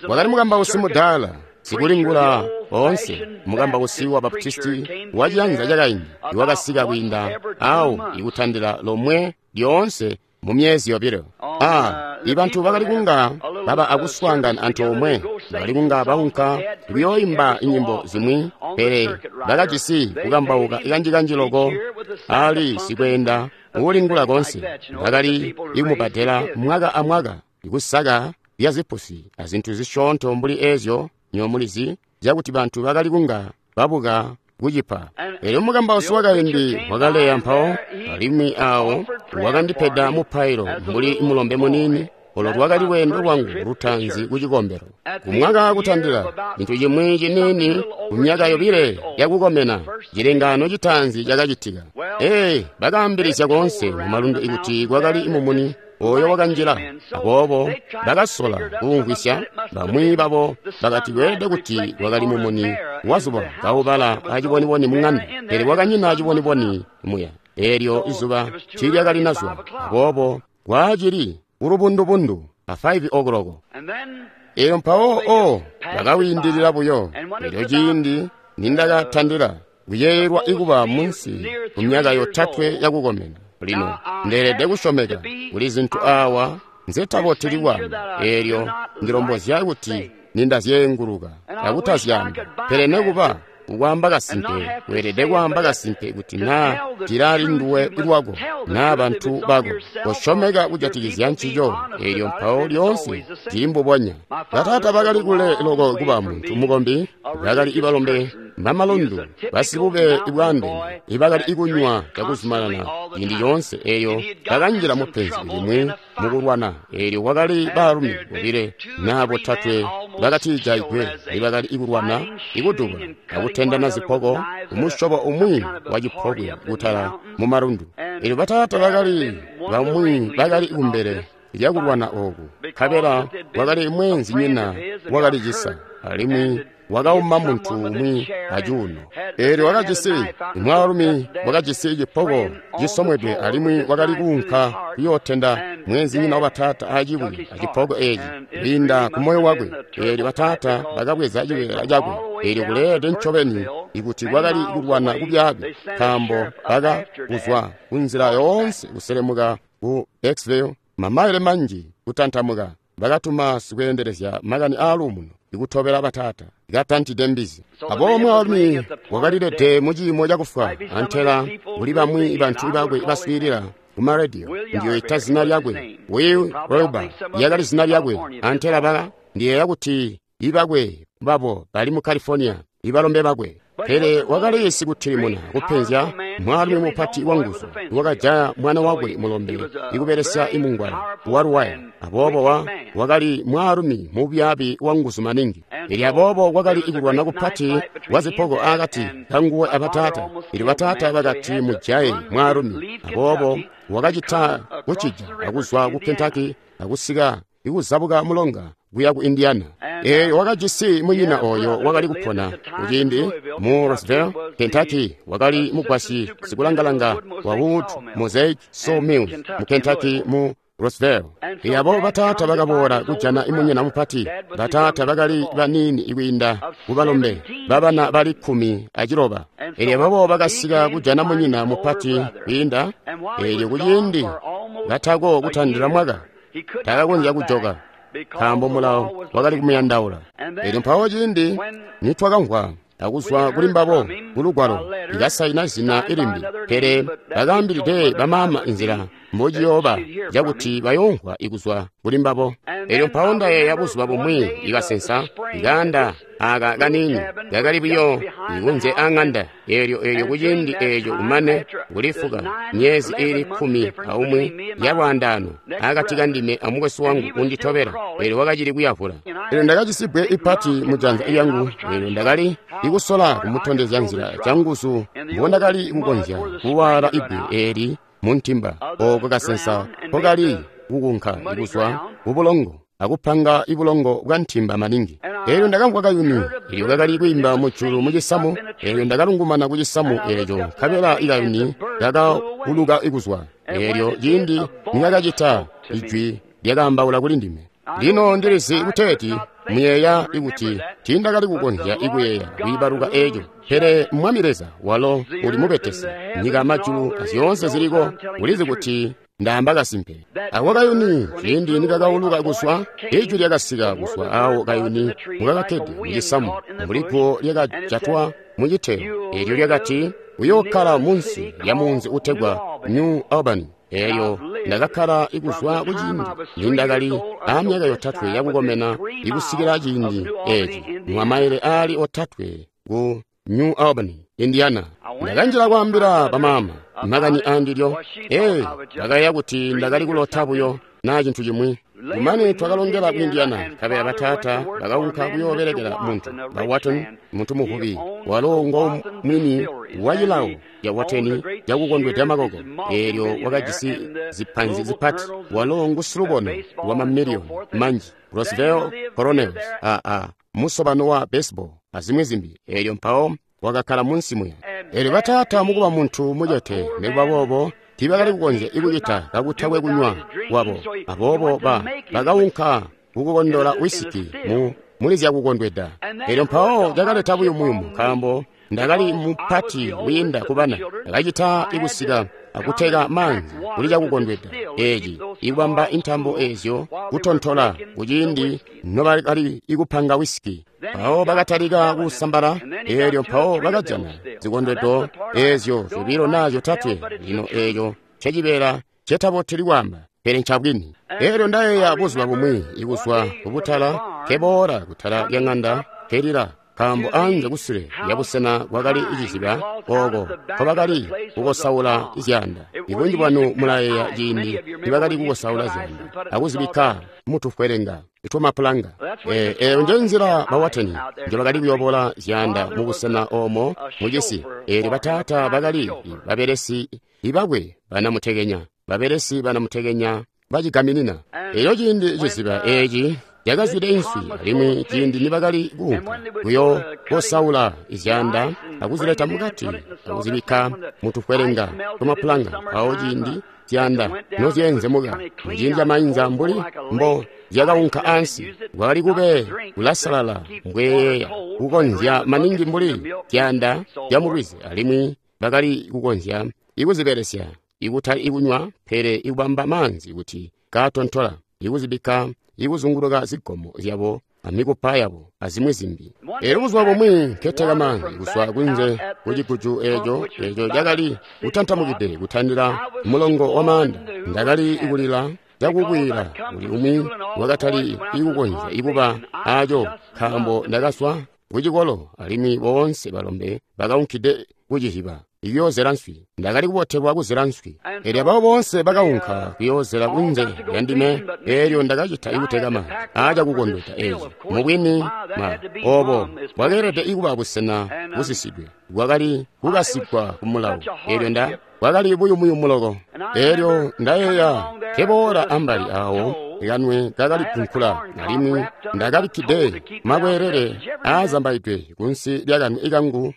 Speaker 1: Wakali mukambausi mudaala, sikulingula oonse, mukambausi wa Baptisti wa ciyanza cakaindi iwakasika kwiinda awo ikutandila lomwe lyoonse mu myezi yobilo. Ah, ibantu bakali kunga baba akuswaangana antoomwe, bakali kunga baunka kuyooimba nyimbo zimwi, pele bakajisi kukambauka kanjikanji loko ali sikweenda uulingula konse. Bakali ikumubadela mwaka amwaka ikusaka lya zipusi azintu zisyoonto mbuli eezyo nyomulizi zyakuti bantu bakali kunga babuka kucipa. Eelyo mukambausi wakaindi wakaleya mpawo, alimwi awo wakandipeda mupailo mbuli mulombe muniini. Olo lwakali lweendo lwangu lutaanzi ku cikombelo. Kumwaka kutandila cintu cimwi ciniini ku myaka yobile yakukomena, cilengaano citaanzi cakacitika. Ee, bakaambilizya koonse mumalundu ikuti kwakali mumuni oyo wakanjila. Aboobo bakasola kuwumvwisya. Bamwi babo bakati kweelede kuti kwakali mumuni wazuba kaubala aciboniboni muŋanda, pele kwakanyina aciboniboni muya. Eelyo izuba tiilyakalinazwa. Aboobo kwaacili ulubundubundu a five o'clock. Eelyo mpawo o bakawiindilila buyo. Eelyo ciindi nindakatandila kuyeeyelwa ikuba munsi ku myaka yotatwe yakukomena. Lino ndeelede kusyomeka kuli zintu awa nzetaboteli kwaamba. Eelyo ndilombozya kuti nindazyeenguluka akutazyaamba, pele nekuba kukwaamba kasimpe weelede kwaamba kasimpe kuti naa cilali nduwe lwako naa bantu bako. Kosyomeka kujatikizya ncico. Eelyo mpawo lyoonse cili mbubonya. Bataata bakali kule loko kuba muntu mukombi, bakali balombe Bamalundu basibube bwaandeene ibakali kunywa cakuzumanana ciindi coonse eeyo bakanjila mupenzi limwi mukulwana. Eelyo kwakali baalumi bobile naa botatwe bakatijaigwe ibakali kulwana, ikudubula akutendana zipoko kumusyobo umwi wa cipokwe kutala mumalundu. Eelyo bataata bakali bamwi bakali kumbele lyakulwana ooku, nkabela wakali mweenzinyina wakalicisa alimwi wakauma muntu umwi acuuno. Eelyo wakajisi mwaalumi wakajisi cipoko cisomwedwe alimwi wakali kuunka kuyootenda mweenzinyina wa bataata acibwi acipoko eeci kwiinda ku moyo wakwe. Eelyo bataata bakabweza cibeela cakwe. Eelyo kuleelede ncobeni ikuti kwakali kulwana kubyaabi, nkaambo baka kuzwa kunzila yoonse kuselemuka ku Exville, mamaile manji kutantamuka. Bakatuma sikweendelezya makani aaluumuno ikutobela bataata katantide mbizi. Aboobo mwaalumi wakalilede muciimo cakufwa, antela kuli bamwi bantu bakwe baswiilila kumarediyo ndiyoita zina lyakwe, Will Wilbur lyakali zina lyakwe, antela baka ndiyeeya kuti ibakwe babo bali mu California, ibalombe bakwe. Pele wakali sikutilimuna kupenzya mwaalumi mupati wanguzu wakajaya mwana wakwe mulombe ikubelesya imungwala waluwaya. Aboobo wa wakali mwaalumi mubyaabi wanguzu maningi. Ili aboobo kwakali ikulwana kupati kwa zipoko akati kanguwe abataata. Ili bataata bakati mujaye mwaalumi. Aboobo wakacita kucija akuzwa ku Kentucky akusika ikuzabuka mulonga kuya ku Indiana. Eeyo wakajisi munyina oyo wakali kupona kuciindi mu Roseville, Kentucky, wakali mugwasyi sikulangalanga wa Wood Mosaic Sawmills mu Kentucky mu Roseville. Abo bataata bakaboola kujana imunyina mupati. Bataata bakali baniini ikwiinda kubalombe babana bali kkumi aciloba. Elyo aboobo bakasika kujana munyina mupati kwiinda. Eelyo kuciindi katako kutandila mwaka takakonzya kujoka, nkaambo mulawo wakali kumuyandaula. Eelyo mpawo ciindi nitwakamvwa akuzwa kuli mbabo kulugwalo ikasaina zina ilimbi, pele bakaambilide bamaama inzila mbociyooba cakuti bayoomvwa ikuzwa kuli mbabo. Eelyo mpawo ndayeeya buzuba bumwi ikasensa ikaanda aka kaniini kakali buyo ikunze aŋanda. Eelyo eelyo kuciindi eeco kumane kulifuka myezi iili kkumi aumwi yalwaandaano akati kandime amukwesu wangu unditobela. Eelyo wakacili kuyavula. Eelyo ndakajisi bbwe ipati mujanza lyangu. Eelyo ndakali ikusola kumutondezya nzila canguzu mbondakali kukonzya kuwaala ibbwe eeli muntimba ooko kasensa kokali kukunka ikuzwa kubulongo akupanga ibulongo bwa ntimba maningi. Eelyo ndakamvwa kayuni eelyo kakali kwiimba mujulu mucisamu. Eelyo ndakalungumana ku cisamu eeco, nkabela ikayuni kakawuluka ikuzwa. Eelyo ciindi nikakacita, ijwi lyakaambaula kuli ndime. Lino ndilizi kuteeti muyeeya ikuti tiindakali kukonzya ikuyeeya kwiibaluka eeco, pele Mwami Leza walo uli mubetesi, nyika amajulu azyoonse ziliko, ulizi kuti ndaamba kasimpe. Ako kayuni ciindi nikakawuluka kuzwa, ijwi lyakasika kuzwa awo kayuni mukakakkede mucisamu, mbuli guwo lyakajatwa muciteyo. Eelyo lyakati, uyookkala munsi lya munzi utegwa New Albany. Eelyo ndakakkala ikuzwa kuciindi nindakali aamyaka yotatwe yakukomena ikusikila ciindi eeci mwamaile aali otatwe ku New Albany, Indiana. Ndakanjila kwaambila bamaama makani aandilyo. Ee, bakayeeya kuti ndakali kulota buyo naa cintu cimwi. Kumane twakalongela ku Indiana, nkabela bataata bakaunka kuyoobelekela muntu ba Watton, muntu muvubi, walo ngo mwini wa cilawo ca Watton cakukondweda makoko. Eelyo wakajisi zipanzi zipati, walo ngu silubono wa mamiliyoni manji, Roseville Colonels, aa musobano wa baseball azimwi zimbi. Eelyo mpawo wakakkala munsi muya. Eelyo bataata mukuba muntu mucete, nikuba boobo tiibakali kukonzya ikucita kakutakwe kunywa kwabo. Aboobo ba bakaunka kukukondola wisiki mu muli zyakukondweda. Eelyo mpawo cakaleta buyumuyumu, nkaambo ndakali mupati wiinda kubana. Ndakacita ikusika akuteka maanzi kuli cakukondweda eeci, ikubamba intambo eezyo kutontola kuciindi nobakali ikupanga wisiki. Mpawo bakatalika kusambala. Eelyo mpawo bakajana zikondwedo eezyo zyobilo naa zyotatwe. Lino eeco ncecibeela cetaboteli kwaamba, pele ncabwini. Eelyo ndayeeya buzuba bumwi ikuzwa kubutala keboola kutala lya ŋanda kelila, nkaambo anze kusule lyabusena kwakali iciziba ooko nkobakali kukosaula zyaanda. Ibunji bwanu mulayeeya ciindi nibakali kukosaula zyaanda akuzibikka mutufwelenga twamapulanga. Eeyo nje nzila bawateni njobakali kuyobola zyaanda mubusena oomo mucisi. Eelyo bataata bakali babelesi ibakwe banamutekenya, babelesi banamutekenya bacigaminina. Eelyo ciindi ciziba eeci cakazwide inswi, alimwi ciindi nibakali kuunka kuyokosaula zyaanda akuzileta mukati akuzibikka mutufwelenga twamapulanga, mpawo ciindi zyaanda nozyeenzemuka muciindi camainza mbuli mbo zyakaunka ansi, kwakali kube kulasalala mbweyeeya kukonzya maningi mbuli zyaanda zyamulwizi, alimwi bakali kukonzya ikuzibelesya ikutali ikunywa pele ikubamba maanzi kuti kaatontola, ikuzibikka ikuzunguluka zigomo zyabo amikupa yabo azimwi zimbi. Eelyo buzuba bumwi nketeka maanzi kuzwa kunze kuciguju eeco eeco cakali kutantamukide kutandila mulongo wa maanda, ndakali kulila cakukwiila kuli umwi wakatali ikukonzya ikuba aaco, nkaambo ndakazwa kucikolo alimwi boonse balombe bakaunkide kuciziba ikuyoozela nswi. Ndakali kubotelwa kuzela nswi. Eelyo ababo boonse bakaunka kuyoozela kunze lyandime. Eelyo ndakacita ikuteka maanzi aacakukondweda eeci. Mubwini ma oobo bwakeelede ikuba busena busisidwe, bwakali kukasigwa kumulawo. Eelyo nda bwakali buyumuyumu loko. Eelyo ndayeeya nkeboola ambali aawo kanwe kakali kunkula, alimwi ndakabikkide makweelele aazambaidwe kunsi lyakanwe kangu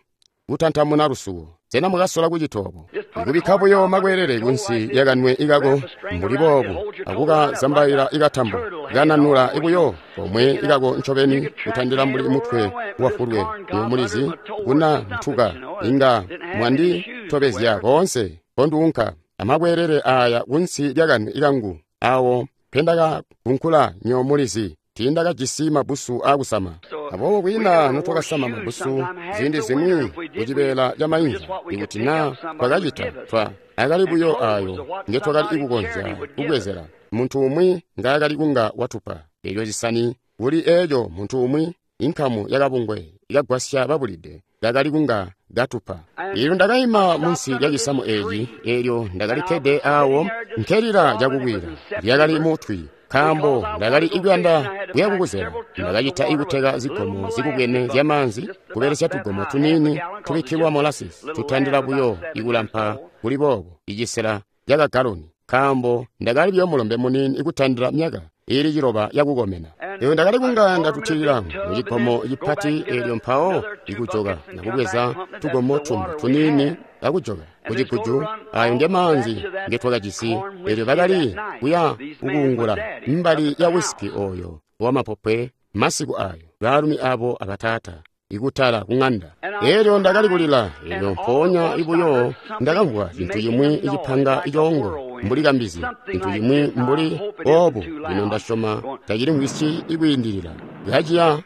Speaker 1: kutantamuna lusuwo. Sena mwakasola kucita obo? Ikubikka buyo makweelele kunsi lyakanwe ikako mbuli boobo akukazambaila ikatambo kananula buyo komwe ikako ncobeni kutandila mbuli mutwe wafulwe. Mulizi kuna ntuka inga mwanditobezya koonse konduunka amakweelele aya kunsi lyakanwe ikangu awo mpendakakunkula nyo mulizi. Tiindakajisi mabbusu aakusama, aboobo kwiina notwakasama mabbusu ziindi zimwi kucibeela camainza. Ikuti naa twakacita, twa akali buyo aayo ngetwakali kukonzya kubwezela muntu umwi ngaakali kunga watupa. Eelyo zisani kuli eeco muntu umwi inkamu yakabungwe ikagwasya babulide kakali kunga katupa. Eelyo ndakaima munsi lyacisamu eeci, eelyo ndakalikkede aawo nkelila cakukwiila. Lyakali mutwi, nkaambo ndakali ikuyanda kuya kukuzela. Ndakacita ikuteka zigomo zikubwene zyamaanzi kubelesya tugomo tuniini tubikkilwa molasses tutandila buyo ikulampa kuli boobo icisela cakagaloni, nkaambo ndakali buyo mulombe muniini ikutandila myaka iili ciloba yakukomena. Eelyo ndakali kunga ndatutilila mucigomo cipati, eelyo mpawo ikujoka nakubweza tugomo tumbi tuniini akujoka kuciguju. Ayo nge maanzi ngetwakajisi. Eelyo bakali kuya kukuungula mbali ya wisiki oyo wamapopwe masiku ayo, baalumi abo abataata ikutala kung'anda. Eelyo ndakali kulila. Eelyo mpoonya ibuyo ndakamvwa cintu cimwi icipanga icoongo mbuli kambizi, cintu cimwi mbuli oobu. Lino ndasyoma tacilimvwisyi ikwiindilila kaciya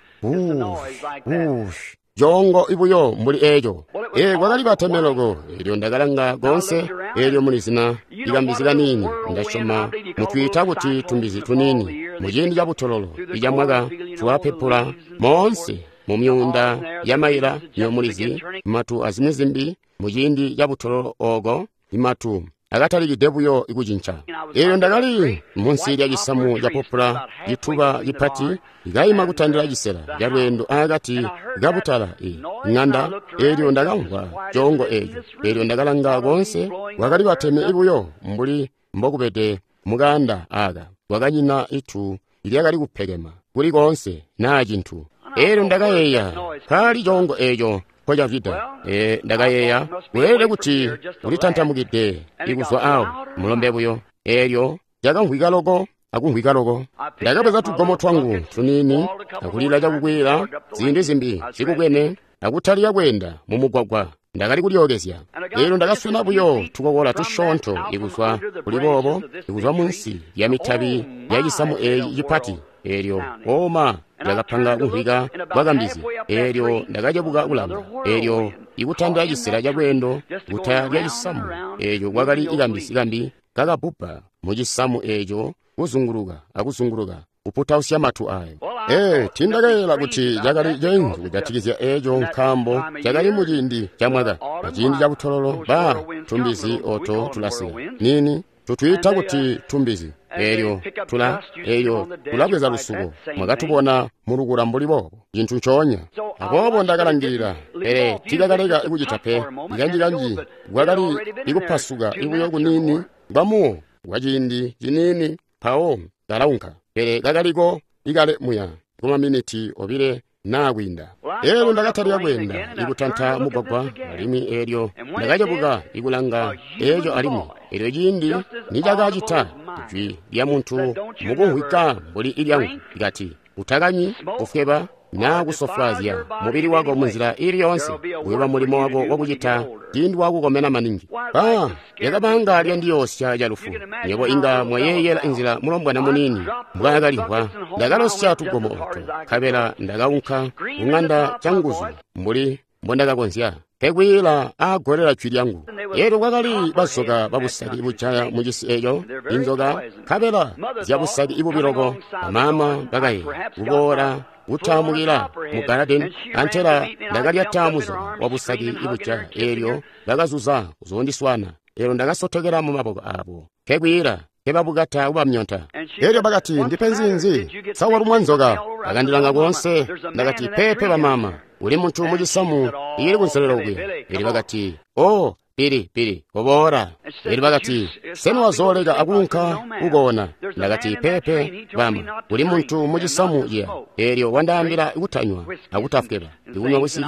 Speaker 1: wuush coongo ibuyo mbuli eeco. Ee, kwakali bateme loko. Eelyo ndakalanga koonse. Eelyo mulizina ikambizi kaniini, ndasyoma mutwiita kuti tumbizi tuniini, muciindi cabutololo icamwaka twapepula moonse mumyuunda yamaila nyomulizi matu azimwi zimbi. Muciindi cabutololo ooko imatu akatalikide buyo ikucinca. Eelyo ndakali munsi lya cisamu ca popula cituba cipati, ikaima kutandila cisela calweendo aakati kabutala i ng'anda. Eelyo ndakamvwa coongo eeco. Eelyo ndakalanga koonse, kwakali bateme buyo mbuli mbokubede mukaanda aaka. Kwakanyina itu lyakali kupekema kuli koonse naa cintu. Eelyo ndakayeeya kaali coongo eeco nkocavida. Ee, ndakayeeya weelede kuti ulitantamukide ikuzwa awo mulombe buyo. Eelyo cakamvwika loko akumvwika loko. Ndakabweza tugomo twangu tuniini akulila cakukwiila ziindi zimbi zikubwene akutalika kweenda mumugwagwa. Ndakali kulyookezya. Eelyo ndakaswena buyo tukokola tusyoonto ikuzwa kuli boobo, ikuzwa munsi lya mitabi ya cisamu eeci cipati. Eelyo oma ndakapanga kumvwika kwa kambizi. Eelyo ndakacebuka kulanga. Eelyo ikutandila cisela calweendo kuta lya cisamu eeco kwakali ikambizi kambi kakabbuba mucisamu eeco kuzunguluka akuzunguluka kuputausya matu ayo. Ee, tiindakayeeyela kuti cakali ceenzu kujatikizya eco nkaambo cakali muciindi ca mwaka aciindi ca butololo ba tumbizi oto tulasika nini tutwiita kuti tumbizi eelyo tula eelyo tulabweza lusuko mwakatubona mulukula mbuli boobo cintu ncoonya. Aboobo ndakalangilila, pele tiikakaleka kucita pe. Kanjikanji kwakali ikupasuka ibuyo kuniini kwamuwo kwa ciindi ciniini mpawo kalaunka, pele kakaliko ikale muya kumaminiti obile naa kwiinda. Eelyo ndakatalika kweenda ikutanta mugwagwa alimwi eelyo ndakacebuka ikulanga eeco alimwi. Eelyo ciindi nicakacita, jwi lya muntu mukumvwika mbuli ilyangu likati, utakanywi, kufweba naa kusofwaazya mubili wako munzila iili yoonse, kuyooba mulimo wako wakucita ciindi wakukomena maningi. Ba lyakabanga lyandiyoosya calufu. Nywebo inga mwayeeyela inzila mulombwana muniini mbwaakalimvwa. Ndakalosya tugomo oto, nkabela ndakaunka kuŋanda canguzu mbuli mbondakakonzya, nkekwiila aagolela jwi lyangu. Eelyo kwakali bazoka babusaki bujaya mucisi eeco, inzoka nkabela zyabusaki ibubiloko. Bamaama bakayeeya kuboola kutaamukila mu galadeni, antela ndakalyata muzoka wabusaki ibujaya. Eelyo bakazuza kuzoondiswana. Eelyo ndakasotokela mu maboko aabo, nkekwiila nkebabukata kubamyonta. Eelyo bakati, ndipenzi nzi? Sa walumwa nzoka? Bakandilanga koonse. Ndakati, peepe bamaama, uli muntu mucisamu ili kunselelo okuya. Eelyo bakati, o pili pili koboola. Eelyo bakati, sena wazooleka akuunka kukoona? Ndakati, peepe bama, uli muntu mucisamu ciya. Eelyo wandaambila kutanywa akutafweba, ikunywa wisiki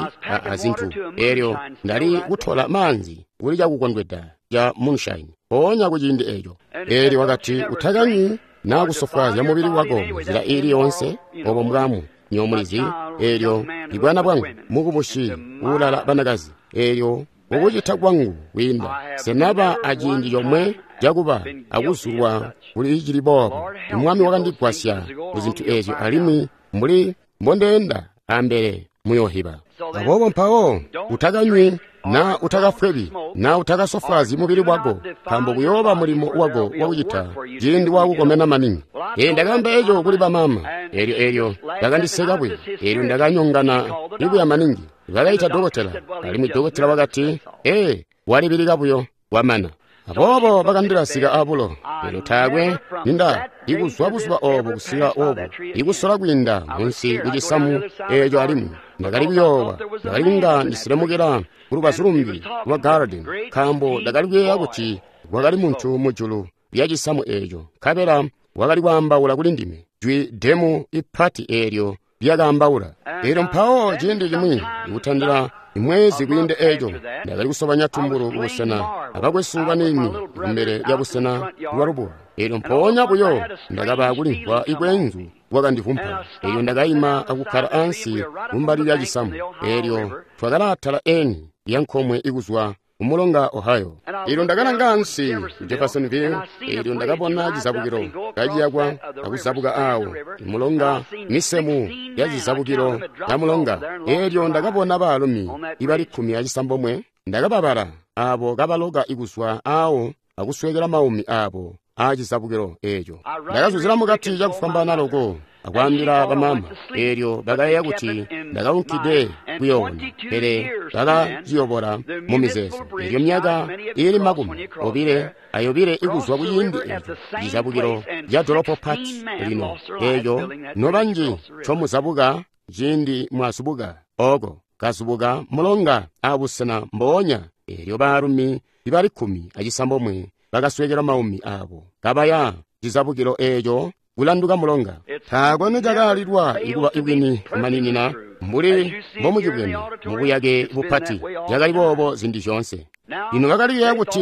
Speaker 1: azintu. Eelyo ndali kutola maanzi kuli cakukondweda ca moonshine mpoonya kuciindi eeco. Eelyo wakati, utakanywi naa kusofwaazya mubili wako munzila iili yoonse, obo mbwamu nyomulizi. Eelyo ibwana bwangu mukubushi uulala banakazi. Eelyo ukucita kwangu kwiinda senaba aciindi comwe cakuba akuzulwa kuli cili boobo. Mwami wakandigwasya kuzintu eezyo, alimwi mbuli mbondeenda ambele muyoohiba. Aboobo mpawo utakanywi naa utakafwebi naa utakasofwaazyi mubili wako, nkaambo kuyooba mulimo wako wakucita ciindi wakukomena maningi. Ee, ndakaamba eco kuli bamaama. Eelyo eelyo bakandiseka buyo. Eelyo ndakanyongana ibuya maningi. Bakaita dokotela, alimwi dokotela wakati, ee, walibilika buyo wamana. Aboobo bakandilasika abulo. Eelyo taakwe ninda ikuzwa buzuba oobo kusika oobo ikusola kwiinda munsi kucisamu eeco alimwi. Ndakali kuyoowa, ndakali kunga ndisilemukela kulubazu lumbi lwa garden, nkaambo ndakali kuyeeya kuti kwakali muntu mujulu lya cisamu eeco, nkabela wakali kwaambaula kuli ndime jwi demu ipati eelyo lyakaambaula. Eelyo mpawo ciindi cimwi ikutandila imwezi kwiinde eeco, ndakali kusobanya tumbulu kubusena abakwesu baniini kumbele lya busena bwa lubuwa. Eelyo mpoonya buyo ndakaba kulimvwa ikwenzu kwakandivumpa. Eelyo ndakaima akukkala ansi kumbali lya cisamu. Eelyo twakalaatala eni lya nkomwe ikuzwa kumulonga Ohio. Eelyo ndakalanga ansi ku Jeffersonville. Eelyo ndakabona cizabukilo kaciyakwa akuzabuka aawo mulonga, misemu ya cizabukilo ya mulonga. Eelyo ndakabona baalumi ibali kkumi acisambomwe. Ndakababala aabo kabaloka ikuzwa aawo akuswekela maumi aabo aacizabukilo eeco. Ndakazuzila mukati cakufwambaana loko akwaambila bamaama. Eelyo bakayeeya kuti ndakaunkide kuyoona, pele bakaciyobola mu mizeezo. Eelyo myaka iili makumi obile ayobile ikuzwa kuciindi eeco, cizabukilo ca dolopo pati lino eeco nobanji ncomuzabuka ciindi mwazubuka ooko kazubuka mulonga abusena mboonya. Eelyo baalumi ibali kkumi acisambomwe bakaswekela maumi aabo kabaya cizabukilo eeco kulanduka mulonga. Taakwe nicakaalilwa ikuba ibwini kumaninina mbuli mbomucibwene mubuyake bupati. Cakali boobo ziindi zyoonse. Lino bakali kuyeeya kuti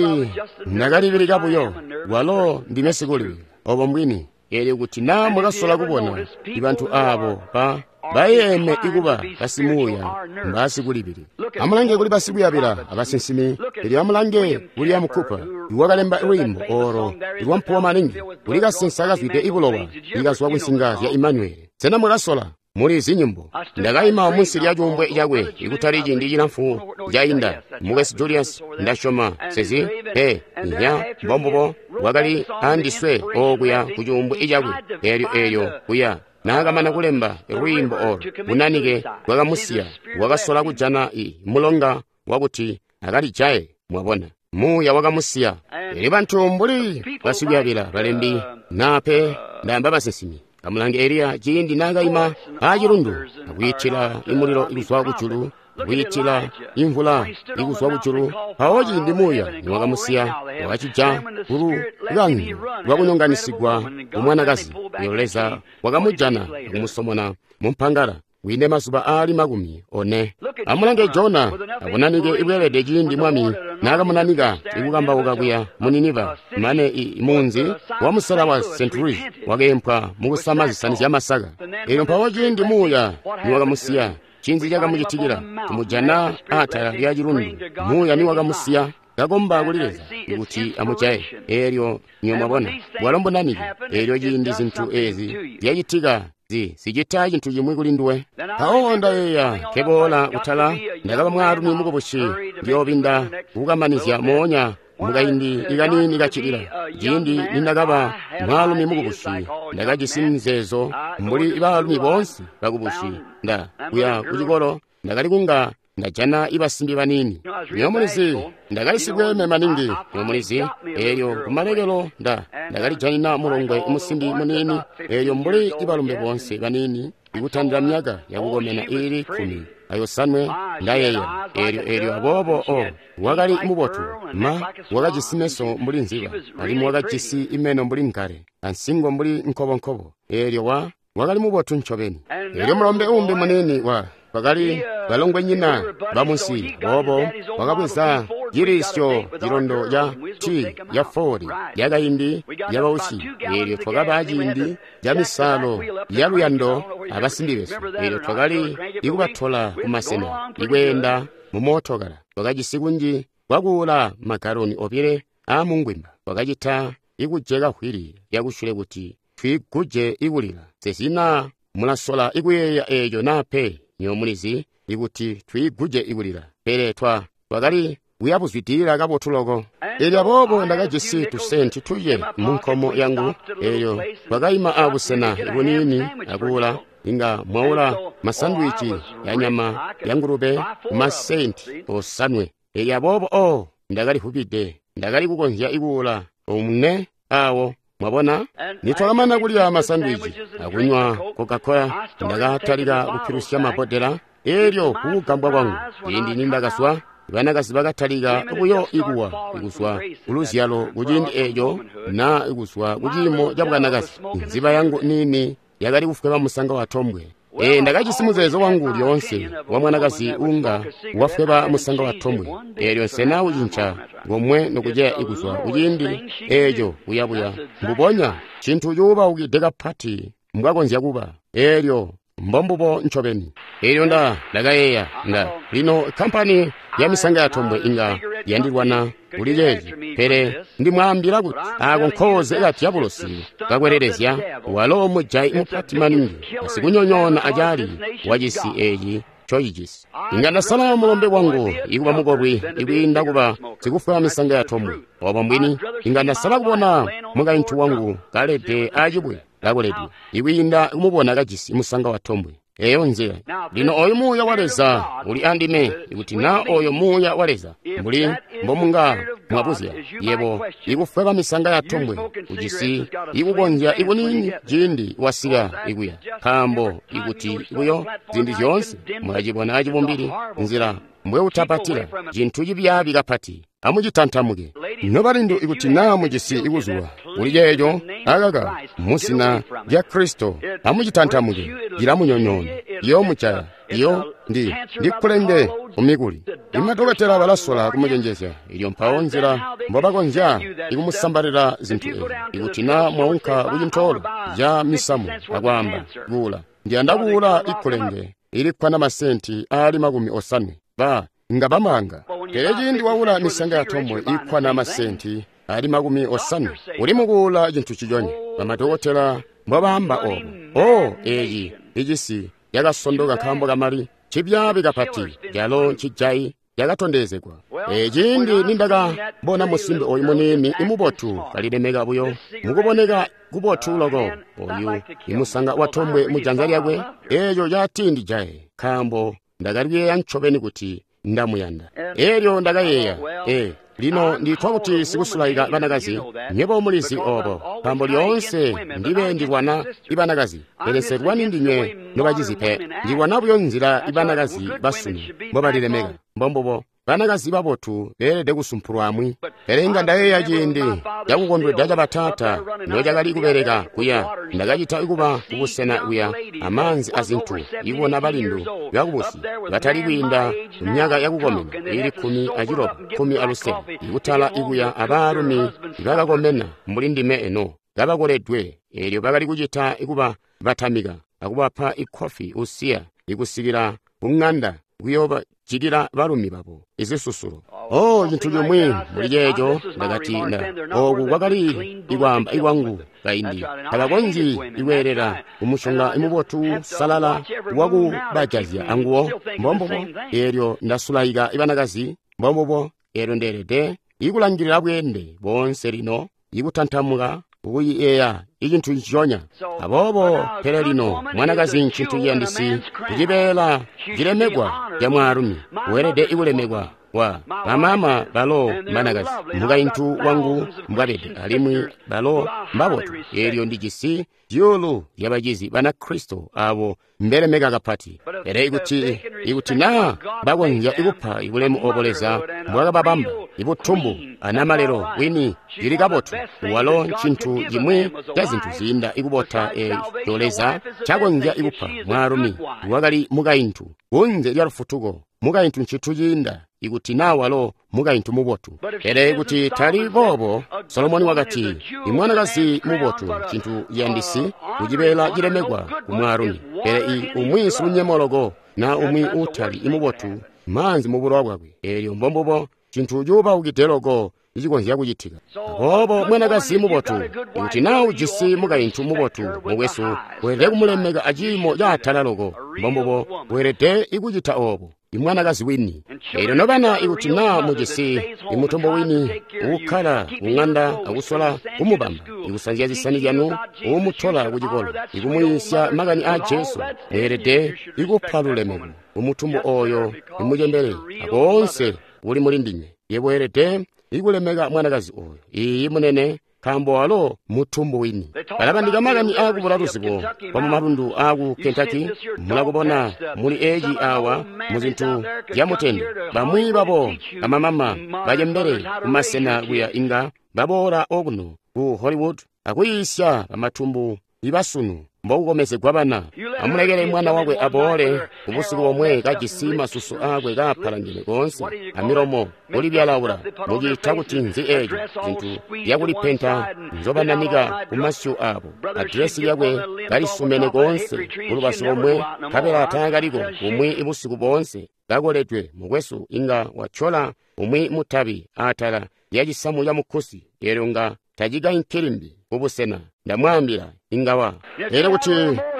Speaker 1: ndakalibilika buyo, walo ndime sikulibila. Obo mbwini. Eelyo kuti naa mwakasola kubona ibantu aabo ba bayeeme ikuba basimuuya mbasikulibili. Amulange kuli basikuyabila abasinsimi. Eelyo amulange William Cooper iwakalemba lwiimbo oolo lwampuwo maningi, kuli kasensa kazwide ibulowa ikazwa kunsinga zya Emmanuel. Sena mwakasola? Muli zinyimbo. Ndakaima munsi lya cuumbwe cakwe ikutali ciindi cilamfu cainda. Mukwesu Julius, ndasyoma sezi pe nya mbombubo wakali andiswe okuya ku cuumbwe cakwe. Eelyo eelyo kuya naakamana kulemba lwiimbo olo, bunanike bwakamusiya, wakasola kujana i mulonga wakuti akalijaye. Mwabona, muuya wakamusiya. Elyo bantu mbuli basikuyabila balembi nape ndaamba basinsimi. Amulange Eliya ciindi naakaima aacilundu akwiitila imulilo ikuzwa kujulu, akwiitila imvula ikuzwa kujulu. Mpawo ciindi muuya niwakamusiya, wakacija kulukandu lwakunyonganisigwa kumwanakazi. Elyo Leza wakamujana akumusomona mumpangala wiinde mazuba aali makumi one. Amulange Jona abunanike ibweelede ciindi Mwami naakamunanika ikukambauka kuya mu Niniva, mane i munzi wamusela wa Saint Louis wakeempwa mukusama zisani zyamasaka. Elyo mpawo ciindi muuya niwakamusiya, cinzi cakamucitikila? Kumujana atala lya cilundu, muuya niwakamusiya kakomba kuli Leza kuti amujaye. Elyo niyo mwabona bwalo mbunanike. Elyo ciindi zintu ezi zyacitika, zi zicita cintu cimwi kuli nduwe. Mpawo ndayeeya nkeboola kutala, ndakaba mwaalumi mukubusi, ndiyoobinda kukamanizya moonya mukaindi ikaniini kacilila. Ciindi nindakaba mwaalumi mukubusi, ndakajisi mizeezo mbuli baalumi boonse bakubusi. Nda kuya kucikolo, ndakali kunga ndajana ibasimbi baniini. Nyo mulizi, ndakali sibweeme maningi. Nyo mulizi, elyo kumalekelo nda ndakalijanina mulongwe musimbi muniini. Elyo mbuli ibalumbe boonse baniini, ikutandila myaka yakukomena iili kkumi ayosanwe, ndayeeya. Elyo elyo aboobo o wakali mubotu ma, wakajisi meso mbuli nziba, alimwi wakajisi imeno mbuli nkale, ansingo mbuli nkobonkobo. Elyo wa wakali mubotu ncobeni. Elyo mulombe umbi muniini wa bakali balongwenyina bamunsi, boobo wakabweza cilisyo cilondo ca ti ya foli yakaindi yabausi. Elyo twakaba ciindi ca misalo ya luyando abasimbi besu. Elyo twakali ikubatola kumasena ikweenda mu mootokala. Twakajisi kunji kwakuula magaloni obile aamungwimba. Twakacita ikujeka hwili lyakusyule kuti twiguje ikulila. Sesina mulasola ikuyeeya eeco naa pe. Nyo mulizi ikuti twiiguje ikulila, pele twa twakali kuyabuzwidilila kabotu loko. Elyo aboobo ndakajisi tusenti tuye mu nkomo yangu. Elyo twakaima abusena buniini akuula, inga mwaula masandwici ya nyama ya ngulube kumasenti osanwe. Elyo aboobo o ndakali vubide, ndakali kukonzya ikuula omune awo. Mwabona, nitwakamana kulya masandwici akunywa Coca-Cola, ndakatalika kupilusya mabodela. Elyo kukugambwa kwangu, ciindi nindakazwa, banakazi bakatalika buyo ikuwa ikuzwa kuluzyalo kuciindi eco na ikuzwa kuciimo ca bwanakazi. Nziba yangu niini yakali kufweba musanga wa tombwe. E, ndakajisi muzeezo wangu lyoonse wa mwanakazi unga wafweba musanga wa tombwe. Elyo nsena ucinca ngomwe nokuceya ikuzwa kuciindi eco kuyabuya. Mbubonya cintu cuubaukide kapati mbwakonzya kuba. Elyo mbombubo ncobeni. Elyo nda ndakayeeya nda lino kampani ya misanga ya tombwe inga yandilwana kuli ceeci, pele ndimwaambila kuti ako nkooze ka dyabulosi kakwelelezya. Walo mujayi mupati maningi, asikunyonyoona acaali wacisi eeci ncocijisi. Inga ndasala mulombe wangu ikuba mukolwi ikwiinda kuba sikufweba misanga ya tombwe. Obo mbwini, inga ndasala kubona mukaintu wangu kalede acibwe kakoledwe ikwiinda kumubona kajisi musanga wa tombwe. Eyo nzila. Lino oyu muuya wa Leza uli andime, ikuti na oyo muuya wa Leza mbuli mbomunga mwabuzya yebo ikufweba misanga ya tombwe ujisi ikukonzya ikuniini ciindi wasika ikuya, nkaambo ikuti buyo ziindi zyoonse mwacibona acibumbili nzila mbweutapatila cintu cibyaabi kapati. Amucitantamuke nobalindu, ikuti naa mujisi ikuzulwa kuli ceeco, akaka muzina lya Kristo, amucitantamuke. Cilamunyonyoona, ciyoomujaya. Iyo ndi ndikulenge kumikuli. Imadokotela balasola kumucenjezya. Ilyo mpawo nzila mbobakonzya ikumusambalila zintu ezi. Ikuti naa mwaunka kucintoolo ca misamu akwaamba kuula, ndiyanda kuula ikulenge ilikkwana masenti aali makumi osanwe, ba nga bamanga. Pele ciindi waula misanga ya tombwe ikkwana masenti ali makumi osanwe, uli mukuula cintu ciconye. Bamadokotela mbobaamba obo. O eeci icisi yakasondoka nkaambo kamali cibyaabi kapati, calo ncijayi yakatondezegwa. E ciindi nindakabona musimbi oyu muniini imubotu kalilemeka buyo mukuboneka kubotu loko oyu imusanga watombwe mu janza lyakwe, eeco catindijaye nkaambo ndakali kuyeeya ncobeni kuti ndamuyanda. Elyo ndakayeeya, e lino nditwa kuti sikusulaika banakazi, nywebo mulizi obo, nkaambo lyoonse ndibe ndilwana ibanakazi, pele nselwani ndinywe nobacizi pe. Ndilwana buyo nzila ibanakazi basunu mbobalilemeka. Mbombubo, banakazi babotu beelede kusumpulwa amwi. Pele inga ndayeeya ciindi cakukondweda ca bataata nocakali kubeleka kuya, ndakacita kuba kubusena kuya amaanzi azintu, ibona balindu bakubusi batali kwiinda myaka yakukomena ili kkumi aciloba kkumi alusele, ikutala ikuya abaalumi bakakomena mbuli ndime eno kabakoledwe. Eelyo bakali kucita kuba batamika akubapa ikkofi usiya ikusikila kung'anda kuyobajikila balumi babo izisusulo. Oh, cintu cimwi muli ceeco, ndakati nda oku kwakali ikwaamba ikwangu kaindi. Tabakonzyi ikweelela kumushonga imubotu salala wakubajazya anguwo. Mbombubo, eelyo ndasulaika ibanakazi. Mbombubo, eelyo ndeelede ikulangilila bweende boonse lino ikutantamuka ukuyeeya icintu nciconya. Aboobo pele lino mwanakazi ncintu ciyandisi, icibeela cilemekwa ca mwaalumi, weelede ikulemekwa wa bamama balo mbanakazi, mukaintu wangu mbwabede, alimwi balo mbabotu. Eelyo ndijisi zyuulu lyabacizi Banakristo abo mbelemeka kapati. Pele ikuti ikuti naa bakonzya ikupa ibulemu obo Leza mbwakababamba, ibutumbu anamalelo wini cili kabotu, walo ncintu cimwi ca zintu ziinda ikubota eco Leza cakonzya ikupa mwaalumi wakali mukaintu. Kunze lya lufutuko, mukaintu ncintu ciinda ikuti naa walo mukaintu mubotu. Pele kuti tali boobo, Solomoni wakati, imwanakazi mubotu ncintu ciyandisi kucibeela cilemekwa ku mwaalumi, pele i umwi silunyemo na umwi uutali imubotu maanzi mu bulowa bwakwe. Eelyo mbombubo cintu cuubaukide loko icikonzya kucitika. Aboobo mwanakazi mubotu, ikuti naa ujisi mukaintu mubotu, mukwesu, weelede kumulemeka aciimo caatala loko. Mbombubo, weelede ikucita oobo imwanakazi wini. Eelyo nobana, ikuti naa mujisi imutombo wini uukkala kung'anda akusola kumubamba, ikusanzya zisani zyanu, uumutola kucikolo, ikumuyiisya makani aa Jesu, mweelede ikupa lulemeko umutumbu oyo imucembele akoonse uli muli ndinywe. Yebo weelede ikulemeka mwanakazi oyo. Iiyi munene, nkaambo walo mutumbu wini. Balabandika makani aakubula luzibo kwa mumalundu aaku Kentucky. Mulakubona muli eeci awa muzintu zyamutende. Bamwi babo bamamama bacembele kumasena kuya inga baboola okuno ku Hollywood akuyiisya bamatumbu ibasunu mbokukomezegwa bana. Amulekele mwana wakwe aboole kubusiku bomwe kajisi masusu aakwe kaapalangene koonse amilomo kulibyalaula. Muciita kuti nzi eeco? Zintu zyakulipenta nzobananika kumasyu aabo. Adiresi lyakwe kalisumene koonse kulubazu lomwe, nkabela taakaliko kumwi ibusiku boonse kakoledwe. Mukwesu inga watyola umwi mutabi atala lyacisamu ca mukkusi, eelyo nga tacikainki limbi kubusena. Ndamwaambila inga wa. Pele kuti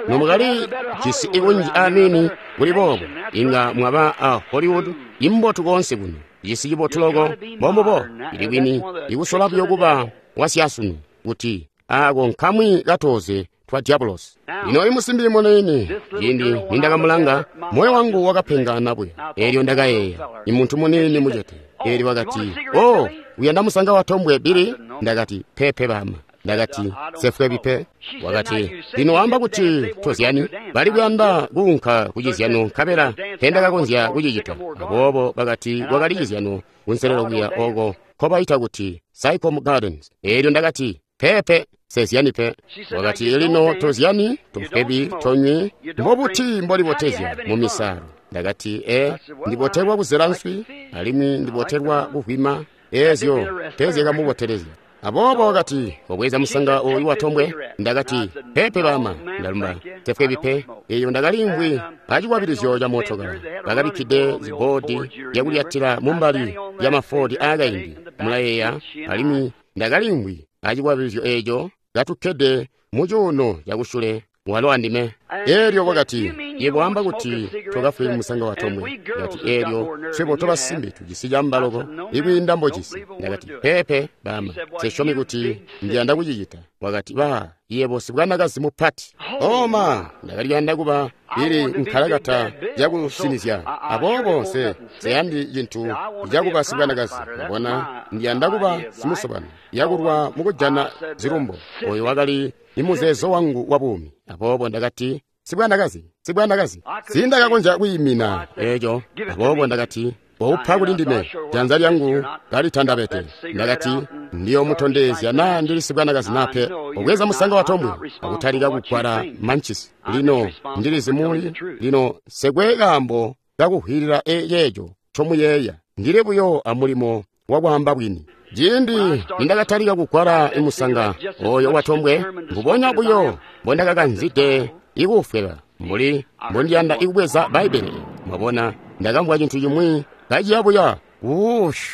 Speaker 1: nomukali jisi ikunji aniini kuli boobo, inga mwaba a Hollywood imbotu koonse kuno, cisi cibotu loko. Mbombubo, ili kwini ikusola buyo kuba wasyasunu kuti aako nkamwi katoze twa diabolosi. Lino imusimbi muniini, ciindi nindakamulanga, moyo wangu wakapengana buya. Eelyo ndakayeeya, imuntu muniini mucete. Eelyo wakati, oh, uyanda musanga wa tombwe Billy? Ndakati, pepe bama. Ndakati, sefwebi pe. Wakati, lino wamba kuti tozyani? Bali kuyanda kuunka kucizyano nkabela tendakakonzya kucicita. Aboobo bakati kwakali cizyano kunselelo kuya oko nkobaita kuti Sycamore Gardens. Eelyo ndakati, pepe, sezyani pe. Wakati, lino tozyani, tofwebi, tonywi, mbobuti mbolibotezya mu misalo? Ndakati, e, ndibotelwa kuzela nswi, alimwi ndibotelwa kuvwima. Eezyo tezyakamubotelezya. Aboobo wakati, obweza musanga oyu watombwe. Ndakati, pepe bama. Ndalumba, tefwebi pe. Eyo ndakalimvwi acikwabilizyo ca mootokala. Bakabikkide ziboodi zyakulyatila mumbali lya mafoodi aakaindi, mulayeeya, alimwi ndakalimvwi acikwabilizyo eeco katukkede mucuuno cakusyule Walo andime. Elyo wakati, yebo wamba kuti tokafwi musanga wa tombwe. Ndakati, elyo swebo tobasimbi tujisi camba loko ikwiinda mbojisi. Ndakati, peepe bama, nsesyomi kuti ndiyanda kucicita. Wakati, ba, yebo sibwanakazi mupati. Oma, ndakali kuyanda kuba ili nkalakata yakusinizya. Aboobo nse nseyandi cintu cakuba sibwanakazi. Mwabona, ndiyanda kuba simusobano yakulwa mukujana zilumbo. Oyo wakali imuzeezo wangu wa buumi. Aboobo ndakati, sibwanakazi, sibwanakazi. Sindakakonzya kwiimina eco. Aboobo ndakati, waupa kuli ndime, janza lyangu kalitandabete. Ndakati, ndiyomutondezya naa ndili sibwanakazi nape. Obweza musanga wa tombwe akutalika kugwala manchisi. Lino ndilizi muli, lino sekwe kaambo kakuhwilila eyeeco ncomuyeeya. Ndili buyo amulimo wakwaamba bwini. Ciindi nindakatalika kugwala imusanga oyo watombwe, mbubonya buyo mbondakakanzide ikuufweba, mbuli mbondiyanda ikubweza Bbaibbele. Mwabona, ndakamvwa cintu cimwi kaciya buya wuush.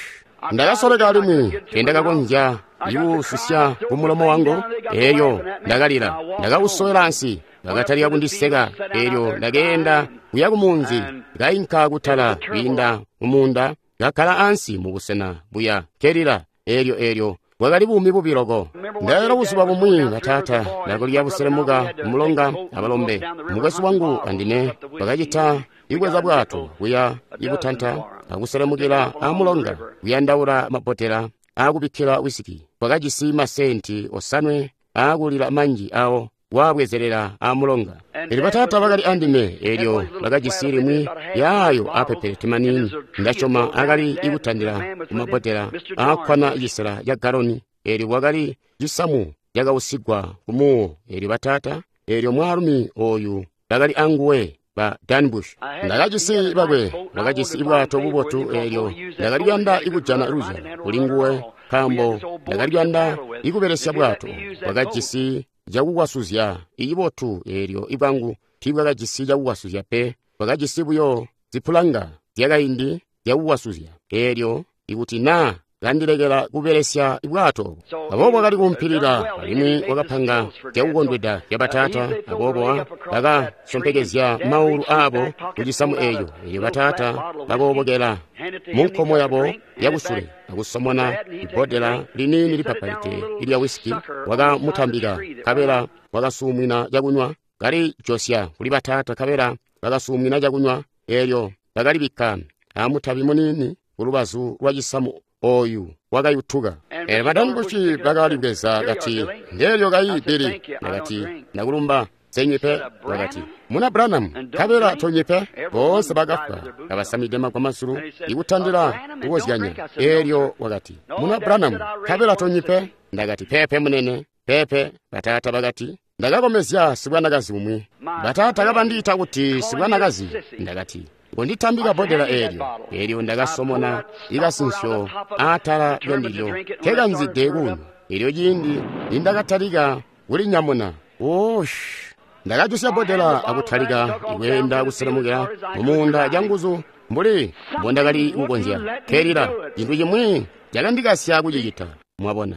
Speaker 1: Ndakasoleka alimwi teendakakonzya ikuusisya kumulomo wangu. Elyo ndakalila, ndakausowela ansi. Bakatalika kundiseka. Elyo ndakeenda kuya kumunzi, kainka kutala kwiinda mumuunda, kakkala ansi mubusena buya kelila. Elyo elyo bwakali buumi bubi loko. Ndaela buzuba bumwi bataata ndakulya buselemuka mulonga abalombe. Mukwesu wangu andime bakacita ibweza bwato kuya ibutanta akuselemukila amulonga kuyandaula mabotela akubikkila wisiki. Twakajisi masenti osanwe aakulila manji awo wabwezelela amulonga. Elyo bataata bakali andime. Elyo bakajisi limwi yaayo apepelete maniini, ndasyoma akali ikutandila kumabotela aakkwana cisela ca galoni. Elyo kwakali cisamu cakausigwa kumuwo. Elyo bataata, elyo mwaalumi oyu bakali anguwe, ba Dan Bush. Ndakajisi bakwe, bakajisi ibwato bubotu. Elyo ndakali kuyanda ikujana luzyalo kuli nguwe, nkaambo ndakali kuyanda ikubelesya bwato. Bakajisi cakukwasuzya ibotu. Elyo ibwangu tiibwakajisi cakukwasuzya pe, bwakajisi buyo zipulanga zyakaindi zyakukwasuzya. Elyo ikuti naa kandilekela kubelesya bwato, aboobo wakali kumpilila, alimwi wakapanga zyakukondweda zya bataata. Aboobo bakasompekezya maulu aabo kucisamu eeco. Elyo bataata bakoobokela munkomo yabo yakusule akusomona ibbodela liniini lipapalite ilya wisiki. Wakamutambika, nkabela wakasuumwina cakunywa, kalijosya kuli bataata, nkabela bakasuumwina cakunywa. Elyo bakalibikka amutabi muniini kulubazu lwa cisamu oyu wakayutuka. Elyo badanbushi bakalibweza kati, ndeelyo kayi Bili. Ndakati, ndakulumba, nsenywi pe. Wakati, muna Branham, nkabela tonywi pe. Boonse bakafwa kabasamide magwamasulu ikutandila kukozyanya. Elyo wakati, muna Branham, nkabela tonywi pe. Ndakati, pepe munene, pepe. Bataata bakati, ndakakomezya sibwanakazi umwi. Bataata kabandiita kuti sibwanakazi. Ndakati, ngonditambika bbodela eelyo. Elyo ndakasomona ikasinsyo aatala lyandilyo, nkekanzide kunywa. Elyo ciindi nindakatalika kulinyamuna, woosh, ndakajusya bbodela akutalika ikweenda kuselemukila mumuunda canguzu mbuli mbondakali kukonzya. Kelila, cintu cimwi cakandikasya kucicita. Mwabona,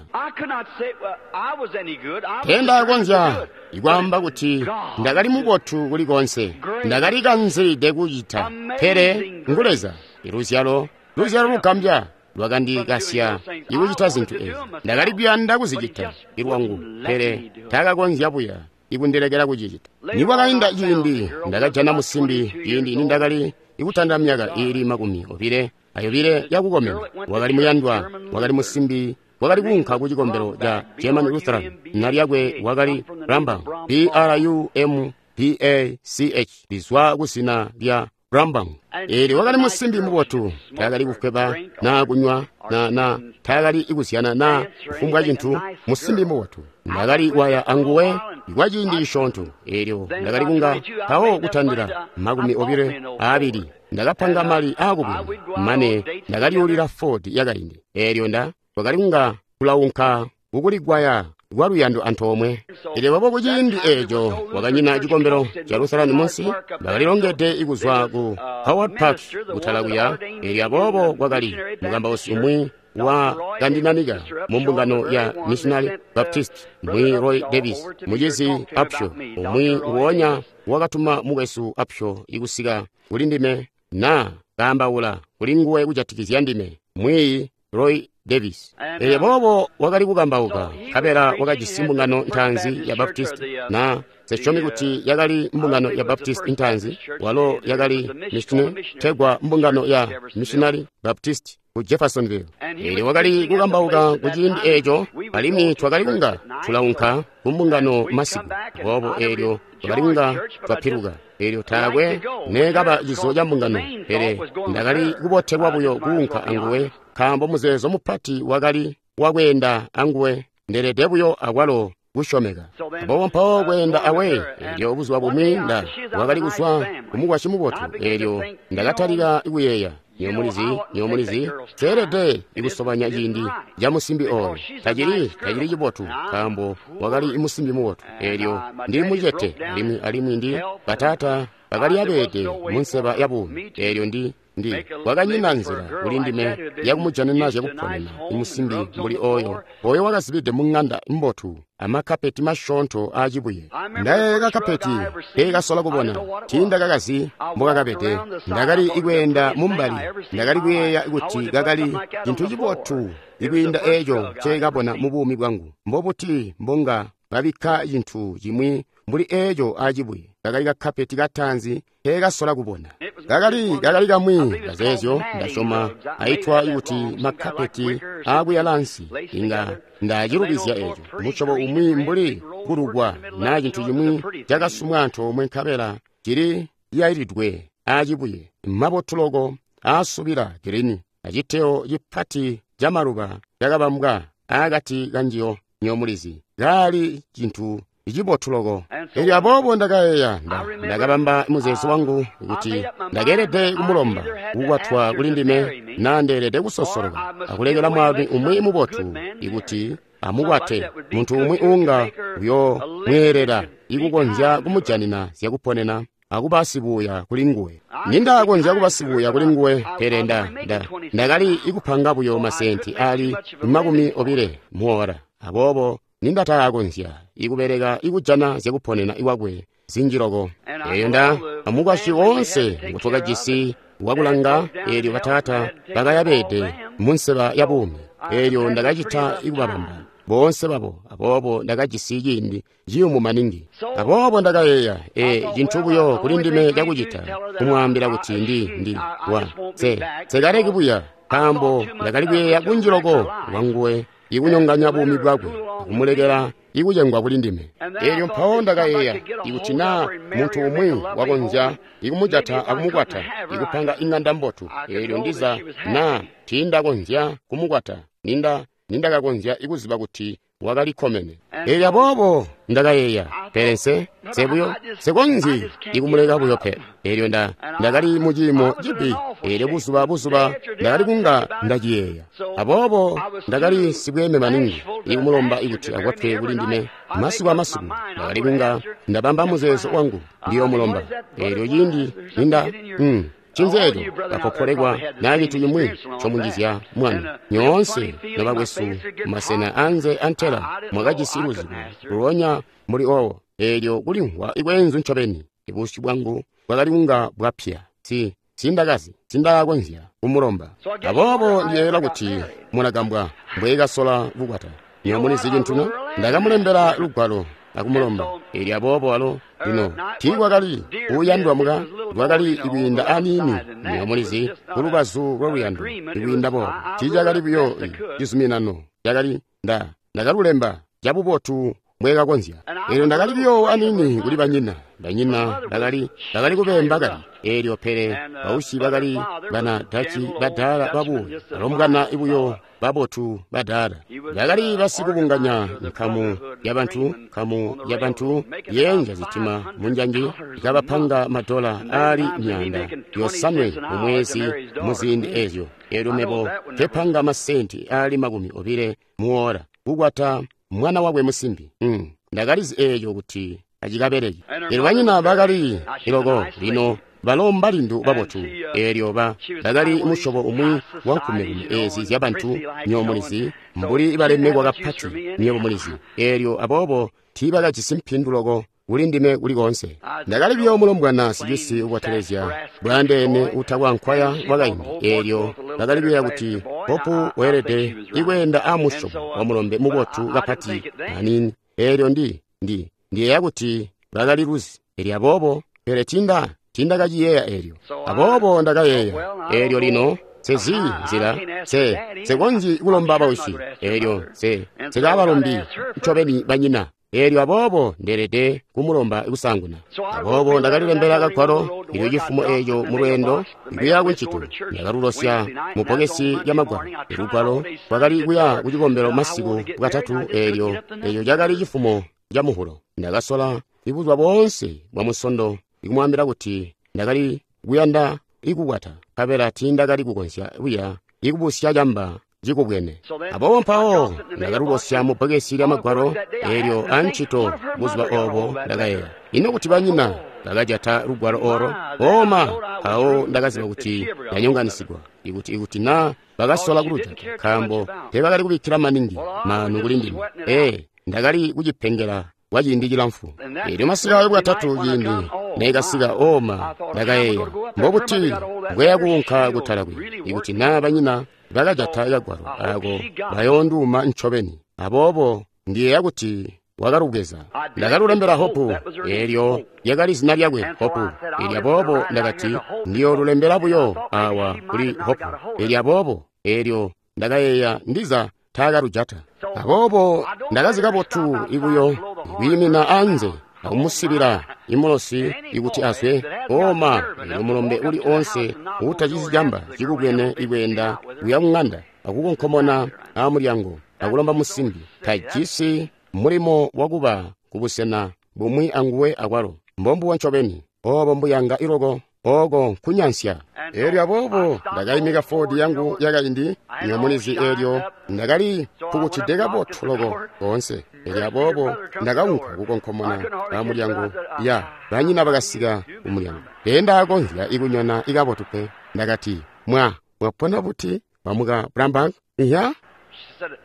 Speaker 1: teendakonzya ikwaamba kuti ndakali mubotu kuli konse, ndakali kanzide kucita, pele ngu Leza. Iluzyalo, luzyalo lugambya lwakandikasya ikucita zintu ezi. Ndakali kuyanda kuzicita ilwangu, pele taakakonzya buya ikundilekela kucicita. Nikwakainda ciindi, ndakajana musimbi ciindi nindakali ikutanda myaka iili makumi obile ayobile yakukomena. Wakali muyandwa, wakali musimbi wakali kuunka ku cikombelo ca German Lutheran. Zina lyakwe wakali Rambam, B R U M B A C H, lizwa kuzina lya Rambam. Eelyo wakali musimbi mubotu, taakali kufweba naa kunywa na na taakali ikuzyana naa kufumbwa cintu, musimbi mubotu. Ndakali waya anguwe kwa ciindi cisyoonto. Eelyo ndakali kunga mpawo kutandila makumi obile aabili ndakapanga mali aakubwina, mane ndakaliulila Ford yakaindi. Eelyo nda twakali kunga tulaunka kukuligwaya kwa luyando antoomwe. Elyo babo kuciindi eeco wakanyina cikombelo ca Lutheran munsi, bakalilongede ikuzwa ku Howard Park kutala kuya. Elyo aboobo kwakali mukambausi umwi wa kandinanika mu mbungano ya Missionary Baptist, Mwi Roy Davis, mucizi Upshaw, umwi nguonya wakatuma mukwesu Upshaw ikusika kuli ndime na kaambaula kuli nguwe kujatikizya ndime, Mwi Roy Davis. Elyo boobo wakali kukambauka, nkabela wakajisi mbungano ntaanzi ya Baptist, na sesyomi kuti yakali mbungano ya Baptist ntaanzi, walo yakali missionary, tegwa mbungano ya Missionary Baptist ku Jeffersonville. Elyo wakali kukambauka ku ciindi eco, alimwi twakali kunga tulaunka ku mbungano masiku. Boobo elyo twakali kunga twapiluka. Elyo taakwe neekaba cizo ca mbungano, pele ndakali kubotelwa buyo kuunka anguwe, nkaambo muzeezo mupati wakali wakweenda anguwe, ndelede buyo akwalo kusyomeka. Aboobo mpawo kweenda awe, elyo buzuba bumwi nda wakali kuzwa kumukwasyi mubotu, elyo ndakatalika kuyeeya, nyomulizi, nyomulizi, teelede ikusobanya ciindi ca musimbi oyo. Tacili, tacili cibotu, nkaambo wakali musimbi mubotu. Elyo ndili mucete, alimwi, alimwi ndi bataata bakali abeede mu nseba ya buumi. Elyo ndi ndi kwakanyina nzila kuli ndime yakumujanina zyakuponena musimbi mbuli oyo, oyo wakazibide mu ng'anda mbotu amakapeti masyoonto aacibuye. Ndayeeya kakapeti nkekasola kubona, tiindakakazi mbokakabede. Ndakali kweenda mumbali, ndakali kuyeeya kuti kakali cintu cibotu ikwiinda eeco nceekabona mu buumi bwangu. Mbobuti mbonga babikka cintu cimwi mbuli eeco aacibuye? Kakali kakapeti kataanzi nkekasola kubona. Kakali kakali kamwi kazeezyo ndasyoma aitwa kuti makapeti aakuyala ansi. Inga ndacilubizya eco, musyobo umwi mbuli kulugwa naa cintu cimwi cakasumwa antoomwe nkabela cili yailidwe aacibuye, mabotu loko aasubila girini, aciteo cipati camaluba cakabambwa aakati kanjiyo. Nyomulizi, kaali cintu cibotu loko. Elyo aboobo ndakayeeya, ndakabamba muzeezo wangu kuti ndakeelede kumulomba kukwatwa kuli ndime, na ndeelede kusosoloka akulekela mwaalumi umwi mubotu ikuti amukwate, muntu umwi uunga uyomweelela ikukonzya kumujanina zyakuponena akuba sibuya kuli nguwe. Nindakonzya kuba sibuya kuli nguwe, pele nda nda ndakali ikupanga buyo masenti ali makumi obile muora. Aboobo nindataakonzya ikubeleka ikujana zyakuponena iwakwe zinji loko. Elyo nda amukwasyi woonse ngutwakajisi wakulanga, elyo bataata bakayabede mu nseba ya buumi. Elyo ndakacita ikubabamba boonse babo, aboobo ndakajisi ciindi ciyumu maningi. Aboobo ndakayeeya, e cintu buyo kuli ndime cakucita kumwaambila kuti ndi ndi wa nse nsekaleki buya, nkaambo ndakali kuyeeya kunji loko lwanguwe ikunyonganya buumi bwakwe akumulekela ikucengwa kuli ndime. Elyo mpawo ndakayeeya ikuti naa muntu umwi wakonzya ikumujata akumukwata ikupanga ing'anda mbotu, elyo ndiza naa tiindakonzya kumukwata, ninda nindakakonzya ikuziba kuti wakali kkomene. Elyo aboobo ndakayeeya, pele nse nse buyo nsekonzyi ikumuleka buyo pe. Elyo nda ndakali mu ciimo cibi. Elyo buzuba buzuba ndakali kunga ndaciyeeya. Aboobo ndakali sibweeme maningi ikumulomba ikuti akwatwe kuli ndime. Masiku amasiku ndakali kunga ndabamba muzeezo wangu ndiyomulomba. Elyo ciindi ninda mm, cinzeeco kapopolekwa naa cintu cimwi ncomunjizya mwana. Nyoonse nobakwesu mumasena anze antela mwakajisi luzibo lulonya muli owo. Elyo kulimvwa ikweenzu ncobeni, ibusyu bwangu bwakali kunga bwapya. Si sindakazi sindakakonzya kumulomba. Aboobo ndiyeeyela kuti mulagambwa mbweekasola kukwata. Nyomulizi cintu, ndakamulembela lugwalo akumulomba. Elyo aboobo alo lino tiikwakali kuyandwa muka, lwakali ikwiinda aniini. Nyomulizi kulubazu lwaluyando ikwiinda boobo tiicakali buyo cizuminano, cakali nda ndakalulemba cabubotu mbwekakonzya. Elyo ndakali buyo aniini kuli banyina. Banyina bakali bakali kubemba kali. Elyo pele bausyi bakali bana Dachi badaala babuya, balombwana buyo babotu badaala. Bakali basikubunganya nkamu yabantu, nkamu yabantu yenja zitima munjanji, kabapanga madola aali myaanda yosanwe mu mwezi muziindi ezyo. Elyo mebo nkepanga masenti aali makumi obile muora kukwata mwana wakwe musimbi. Mm. Ndakalizi eeco kuti acikabeleki. Elyo banyina bakali iloko lino Balo mbalindu babotu. Eelyo ba bakali musyobo umwi wa nkumekume eezi zyabantu, nywebo mulizi, mbuli balemekwa kapati, nywebo mulizi. Eelyo aboobo tiibakajisi mpindu loko kuli ndime kulikonse. Ndakali buyo mulombwana sicisi ubotelezya bwaandeene utakwa nkwaya wakaindi. Eelyo bakali kuyeeya kuti Hopu weelede ikweenda a musyobo wa mulombe mubotu kapati aniini. Eelyo ndi ndi ndiyeeya kuti bakali luzi. Eelyo aboobo, pele tinda tindakaciyeeya eelyo. Aboobo ndakayeeya, eelyo lino sezi nzila se sekonzyi kulomba bausyi. Eelyo se sekabalombi ncobeni banyina. Eelyo aboobo ndeelede kumulomba kusaanguna. Aboobo ndakalilembela kagwalo ilyo cifumo eeco mu lweendo kuya kuncito. Ndakalulosya mu bbokesi lya magwalo. Lugwalo lwakali kuya ku cikombelo masiku bwatatu. Eelyo eeco cakali cifumo ca Muhulo. Ndakasola ibuzuba boonse bwa Musondo ikumwaambila kuti ndakali kuyanda ikukwata, nkabela tiindakali kukonzya buya ikubusya camba cikubwene. Aboobo mpawo ndakalulosya mu bbokesi lya magwalo eelyo ancito buzuba oobo. Ndakayeeya, ino kuti banyina bakajata lugwalo oro? Oma, mpawo ndakaziba kuti ndanyonganisigwa, ikuti ikuti na bakasola kulujata, nkaambo teebakali kubikkila maningi maanu kuli ndime. Ee, ndakali kucipengela kwa ciindi cilamfu. Eelyo masika ayo bwatatu ciindi neekasika, oma, ndakayeeya, mbobuti mbweya kuunka kutala kwi ikuti na banyina bakajata kagwalo ako bayoonduuma ncobeni. Aboobo ndiyeeya kuti wakalubweza. Ndakalulembela Hopu. Eelyo lyakali zina lyakwe, Hopu. Eelyo aboobo ndakati ndiyoolulembela buyo awa kuli Hopu. Eelyo aboobo eelyo ndakayeeya ndiza taakalujata. Aboobo ndakazi kabotu ibuyo kwiimina anze akumusibila imulosi ikuti azwe. Oma, eelyo mulombe uli onse uutacizi camba cikubwene ikweenda kuya kuŋanda akukonkomona aamulyango akulomba musimbi tajisi mulimo wakuba kubusena bumwi anguwe akwalo. Mbombubo ncobeni, oobo mbuyanga iloko, ooko nkunyansya. Eelyo aboobo ndakaimika Ford yangu yakaindi, nywebo mulizi, eelyo ndakali pukutide kabotu loko koonse. Eelyo aboobo ndakaunka kukonkomona amulyango ya banyina bakasika kumulyango. Teendaakonzya ikunyona ikabotu pe. Ndakati, mwa mwapona buti bamuka Brambang? Iya?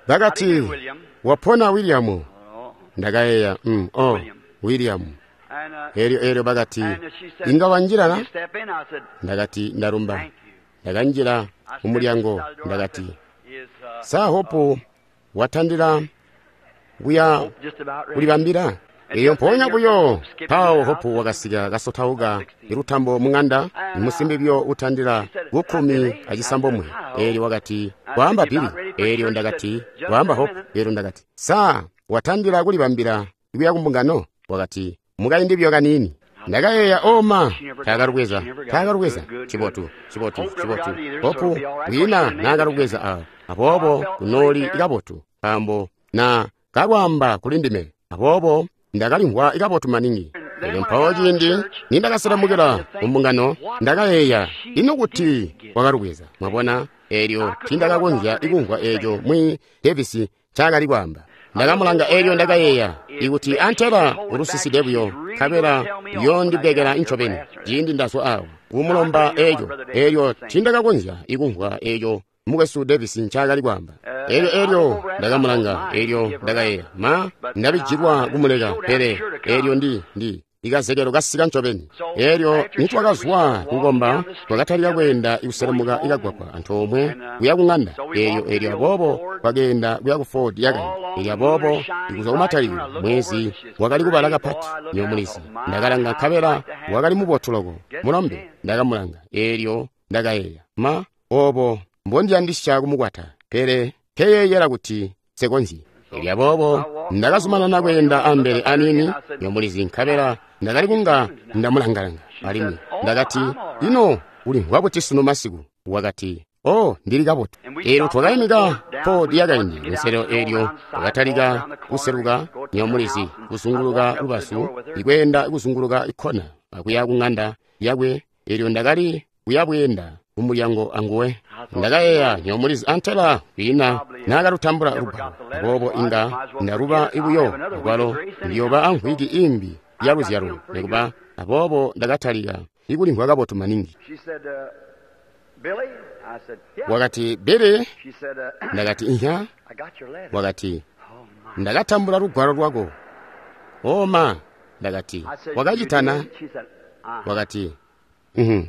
Speaker 1: Bakati, wapona William. Ndakayeeya, mm, oh, William. Eelyo eelyo bakati, inga wanjila na? Ndakati, ndarumba. Ndakanjila kumulyango. Ndakati, sa Hopu watandila kuya kulibambila? Eyo mpoonya buyo mpawo Hopu wakasika kasotauka ilutambo mung'anda, musimbi buyo utandila kukkumi acisambomwe. Eelyo wakati, waamba Bili. Eelyo ndakati, waamba Hopu. Eelyo ndakati, sa watandila kulibambila kuya kumbungano? Wakati, mukaindi buyo kaniini. Ndakayeeya, oma, taakalubweza, taakalubweza. Cibotu, cibotu, cibotu. Hopu kwiina naakalubweza awa. Aboobo kunooli kabotu, nkaambo na kalwaamba kuli ndime. Aboobo ndakalimvwa kabotu maningi. Eelyo mpawo ciindi nindakaselamukila kumbungano, ndakayeeya, ino kuti wakalubweza? Mwabona, eelyo tiindakakonzya ikumvwa eeco mwi Davis ncaakali kwaamba. Ndakamulanga eelyo ndakayeeya, ikuti antela ulusiside buyo, nkabela yoondibekela ncobeni ciindi ndazwa awa kumulomba eeco. Eelyo tiindakakonzya ikumvwa eeco mukwesu Davis ncaakali kwaamba. Eelyo eelyo ndakamulanga, eelyo ndakayeeya, ma ndabijilwa kumuleka, pele eelyo ndi ndi ikazekelo kasika ncobeni. Eelyo nitwakazwa kukomba, twakatalika kweenda ikuselemuka ikagwagwa antoomwe kuya kuŋanda. Eelyo eelyo aboobo twakeenda kuya ku Ford yakaindi. Eelyo aboobo ikuzwa kumatalikilo mwezi wakali kubala kapati, nywebo mulizi. Ndakalanga nkabela wakali mubotu loko mulombe. Ndakamulanga, eelyo ndakayeeya, ma oobo mbondiyandisya kumukwata, pele nkeyeeyela kuti nsekonzyi. Eelyo aboobo ndakazumanana kweenda ambele aniini, nywebo mulizi, nkabela ndakali kunga ndamulangalanga alimwi ndakati, ino ulimvwa buti sunu masiku? Wakati, oh, ndili kabotu. Eelyo twakaimika Ford yakaindi kunselelo. Eelyo twakatalika kuseluka, nywebo mulizi, kuzunguluka lubazu, ikweenda kuzunguluka ikkona akuya kuŋanda yakwe. Eelyo ndakali kuyabweenda kumulyango anguwe. Ndakayeeya, nywebo mulizi, antela kwiina naakalutambula lugwalo, aboobo inga ndaluba ibuyo lugwalo, ndiyooba amvwiki imbi ya luzyalo nikuba. Aboobo ndakatalika ikulimvwa kabotu maningi. Wakati, Billy, ndakati, ihya. Wakati, ndakatambula lugwalo lwako. Oh ma, ndakati, wakacitana? Wakati, mhm.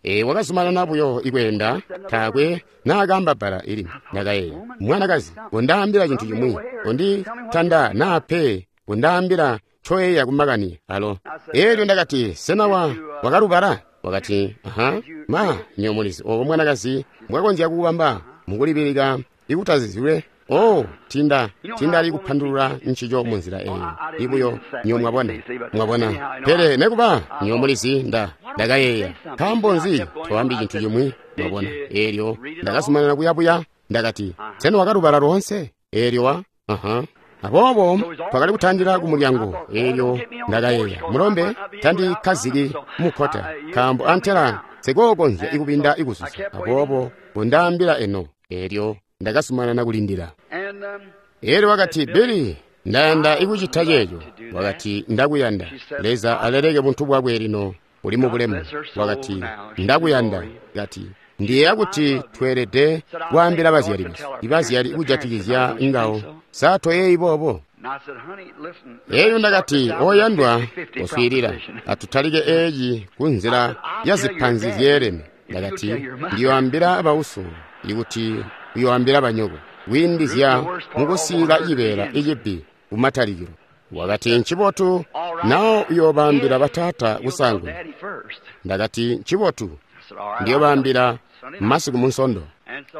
Speaker 1: E, wakazumanana buyo ikweenda, taakwe naakamba bbala ili. Ndakayeeya, mwanakazi, kondaambila cintu cimwi, konditanda naa pe, kondaambila ncoyeeya kumakani alo. Elyo ndakati, sena wa wakalubala? Wakati, aha, ma, nyo mulizi obo mwanakazi mbwakonzya kubamba mukulibilika ikutazizilwe. Oh, tinda, tindali kupandulula ncico munzila eyo. Ibuyo, nyo mwabona, mwabona. Pele nekuba, nyo mulizi nda, ndakayeeya. Nkaambo nzi toambi cintu cimwi, mwabona. Elyo, ndakazumanana kuyabuya, ndakati, sena wakalubala loonse? Elyo wa, aha. Aboobo twakali kutandila ku mulyango. Elyo ndakayeeya, mulombe tandikkaziki mukkota, nkaambo antela nsikookonzya ikubinda ikuzuza. Aboobo kondaambila eno. Elyo ndakazumanana kulindila. Elyo wakati, Billy, ndayanda ikucita ceeco. Wakati, ndakuyanda. Leza aleleke buntu bwakwe lino uli mu bulemu. Wakati, ndakuyanda. Kati, ndiyeeya kuti tweelede kwaambila bazyali besu, ibazyali kujatikizya ngawo. Sa toyeeyi boobo? Elyo ndakati, oyandwa, oswiilila, atutalike eeci ku nzila ya zipanzi zyeelene. Ndakati, ndiyoambila bauso ikuti uyoambila banyoko, kwiindizya mukusiila cibeela icibbi kumatalikilo. Wakati, ncibotu, nawo uyoobambila bataata kusaanguna. Ndakati, ncibotu, ndiyoobambila masiku munsondo.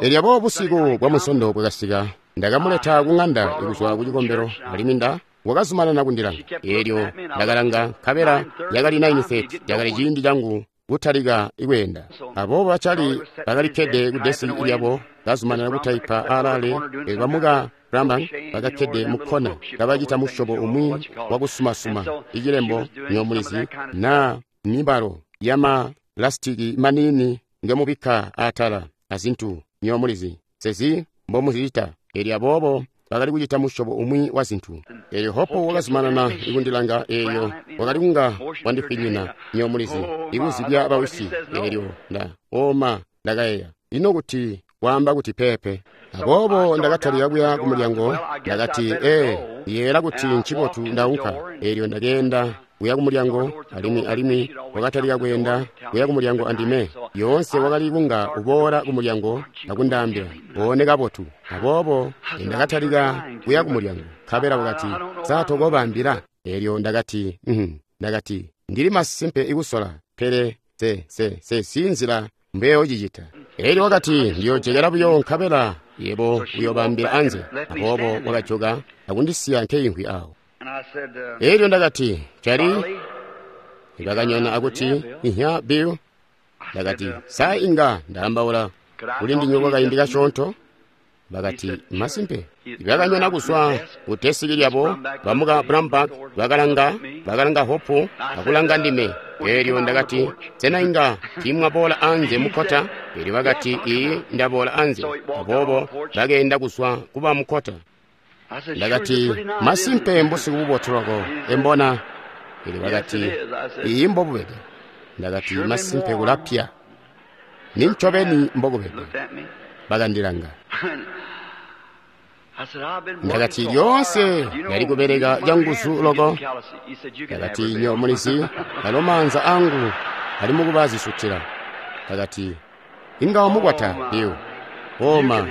Speaker 1: Elyo aboobo busiku bwa munsondo bwakasika, ndakamuleta ku ŋanda kuzwa ku cikombelo, alimwi nda wakazumanana kundilanga. Elyo ndakalanga, nkabela yakali nine thirty, yakali ciindi cangu kutalika ikweenda. Aboobo bacali bakalikkede ku desiki lyabo, bazumanana kutaipa alaale. Bamuka Grambang bakakkede mu kkona, kabacita musyobo umwi wakusumasuma icilembo nyomulizi naa mibalo yama lasitiki maniini ngemubikka atala azintu nyomulizi sezi mbomuzicita. Elyo aboobo bakali kucita musyobo umwi wa zintu. Elyo Hopo wakazumanana ikundilanga. Elyo wakali kunga wandifwinyina nyomulizi ikuzibya bawisi. Elyo nda oma ndakayeeya, ino kuti waamba kuti pepe. Aboobo ndakatalika kuya ku mulyango. Ndakati, ee, yeela kuti ncibotu ndaunka. Elyo ndakeenda kuya ku mulyango, alimwi alimwi wakatalika kweenda kuya ku mulyango andime. Yoonse wakali kunga uboola ku mulyango akundaambila, one kabotu. Aboobo ndakatalika kuya ku mulyango, nkabela wakati, sa tokobaambila? Elyo ndakati, mhm. Ndakati, ndili masimpe ikusola, pele se se se si nzila mbeyocicita. Elyo wakati, ndiyojekela buyo nkabela yebo uyoobambila anze. Aboobo wakajoka akundisiya nkeyimvwi awo. Elyo ndakati, Cali? Bakanyona akuti, ihya, Bill. Ndakati, sa inga ndaambaula kuli ndinywe kwakaindi kasyoonto? Bakati, masimpe. Bakanyona kuzwa ku desiki lyabo, bamuka Brambach bakalanga, bakalanga Hopu akulanga ndime. Elyo ndakati, sena inga tiimwaboola anze mukkota? Elyo bakati, ii, ndaboola anze. Aboobo bakeenda kuzwa kuba mukkota. Ndakati, masimpe mbusiku bubotu loko, embona. Elyo bakati, ii, mbobubede. Ndakati, masimpe kulapya. Nincobeni mbokubede. Bakandilanga. Ndakati, lyoonse ndali kubeleka canguzu loko. Ndakati, nyo mulizi, alo maanza angu ali mukuba zisutila. Ndakati, inga wamukwata, Bill. Oma,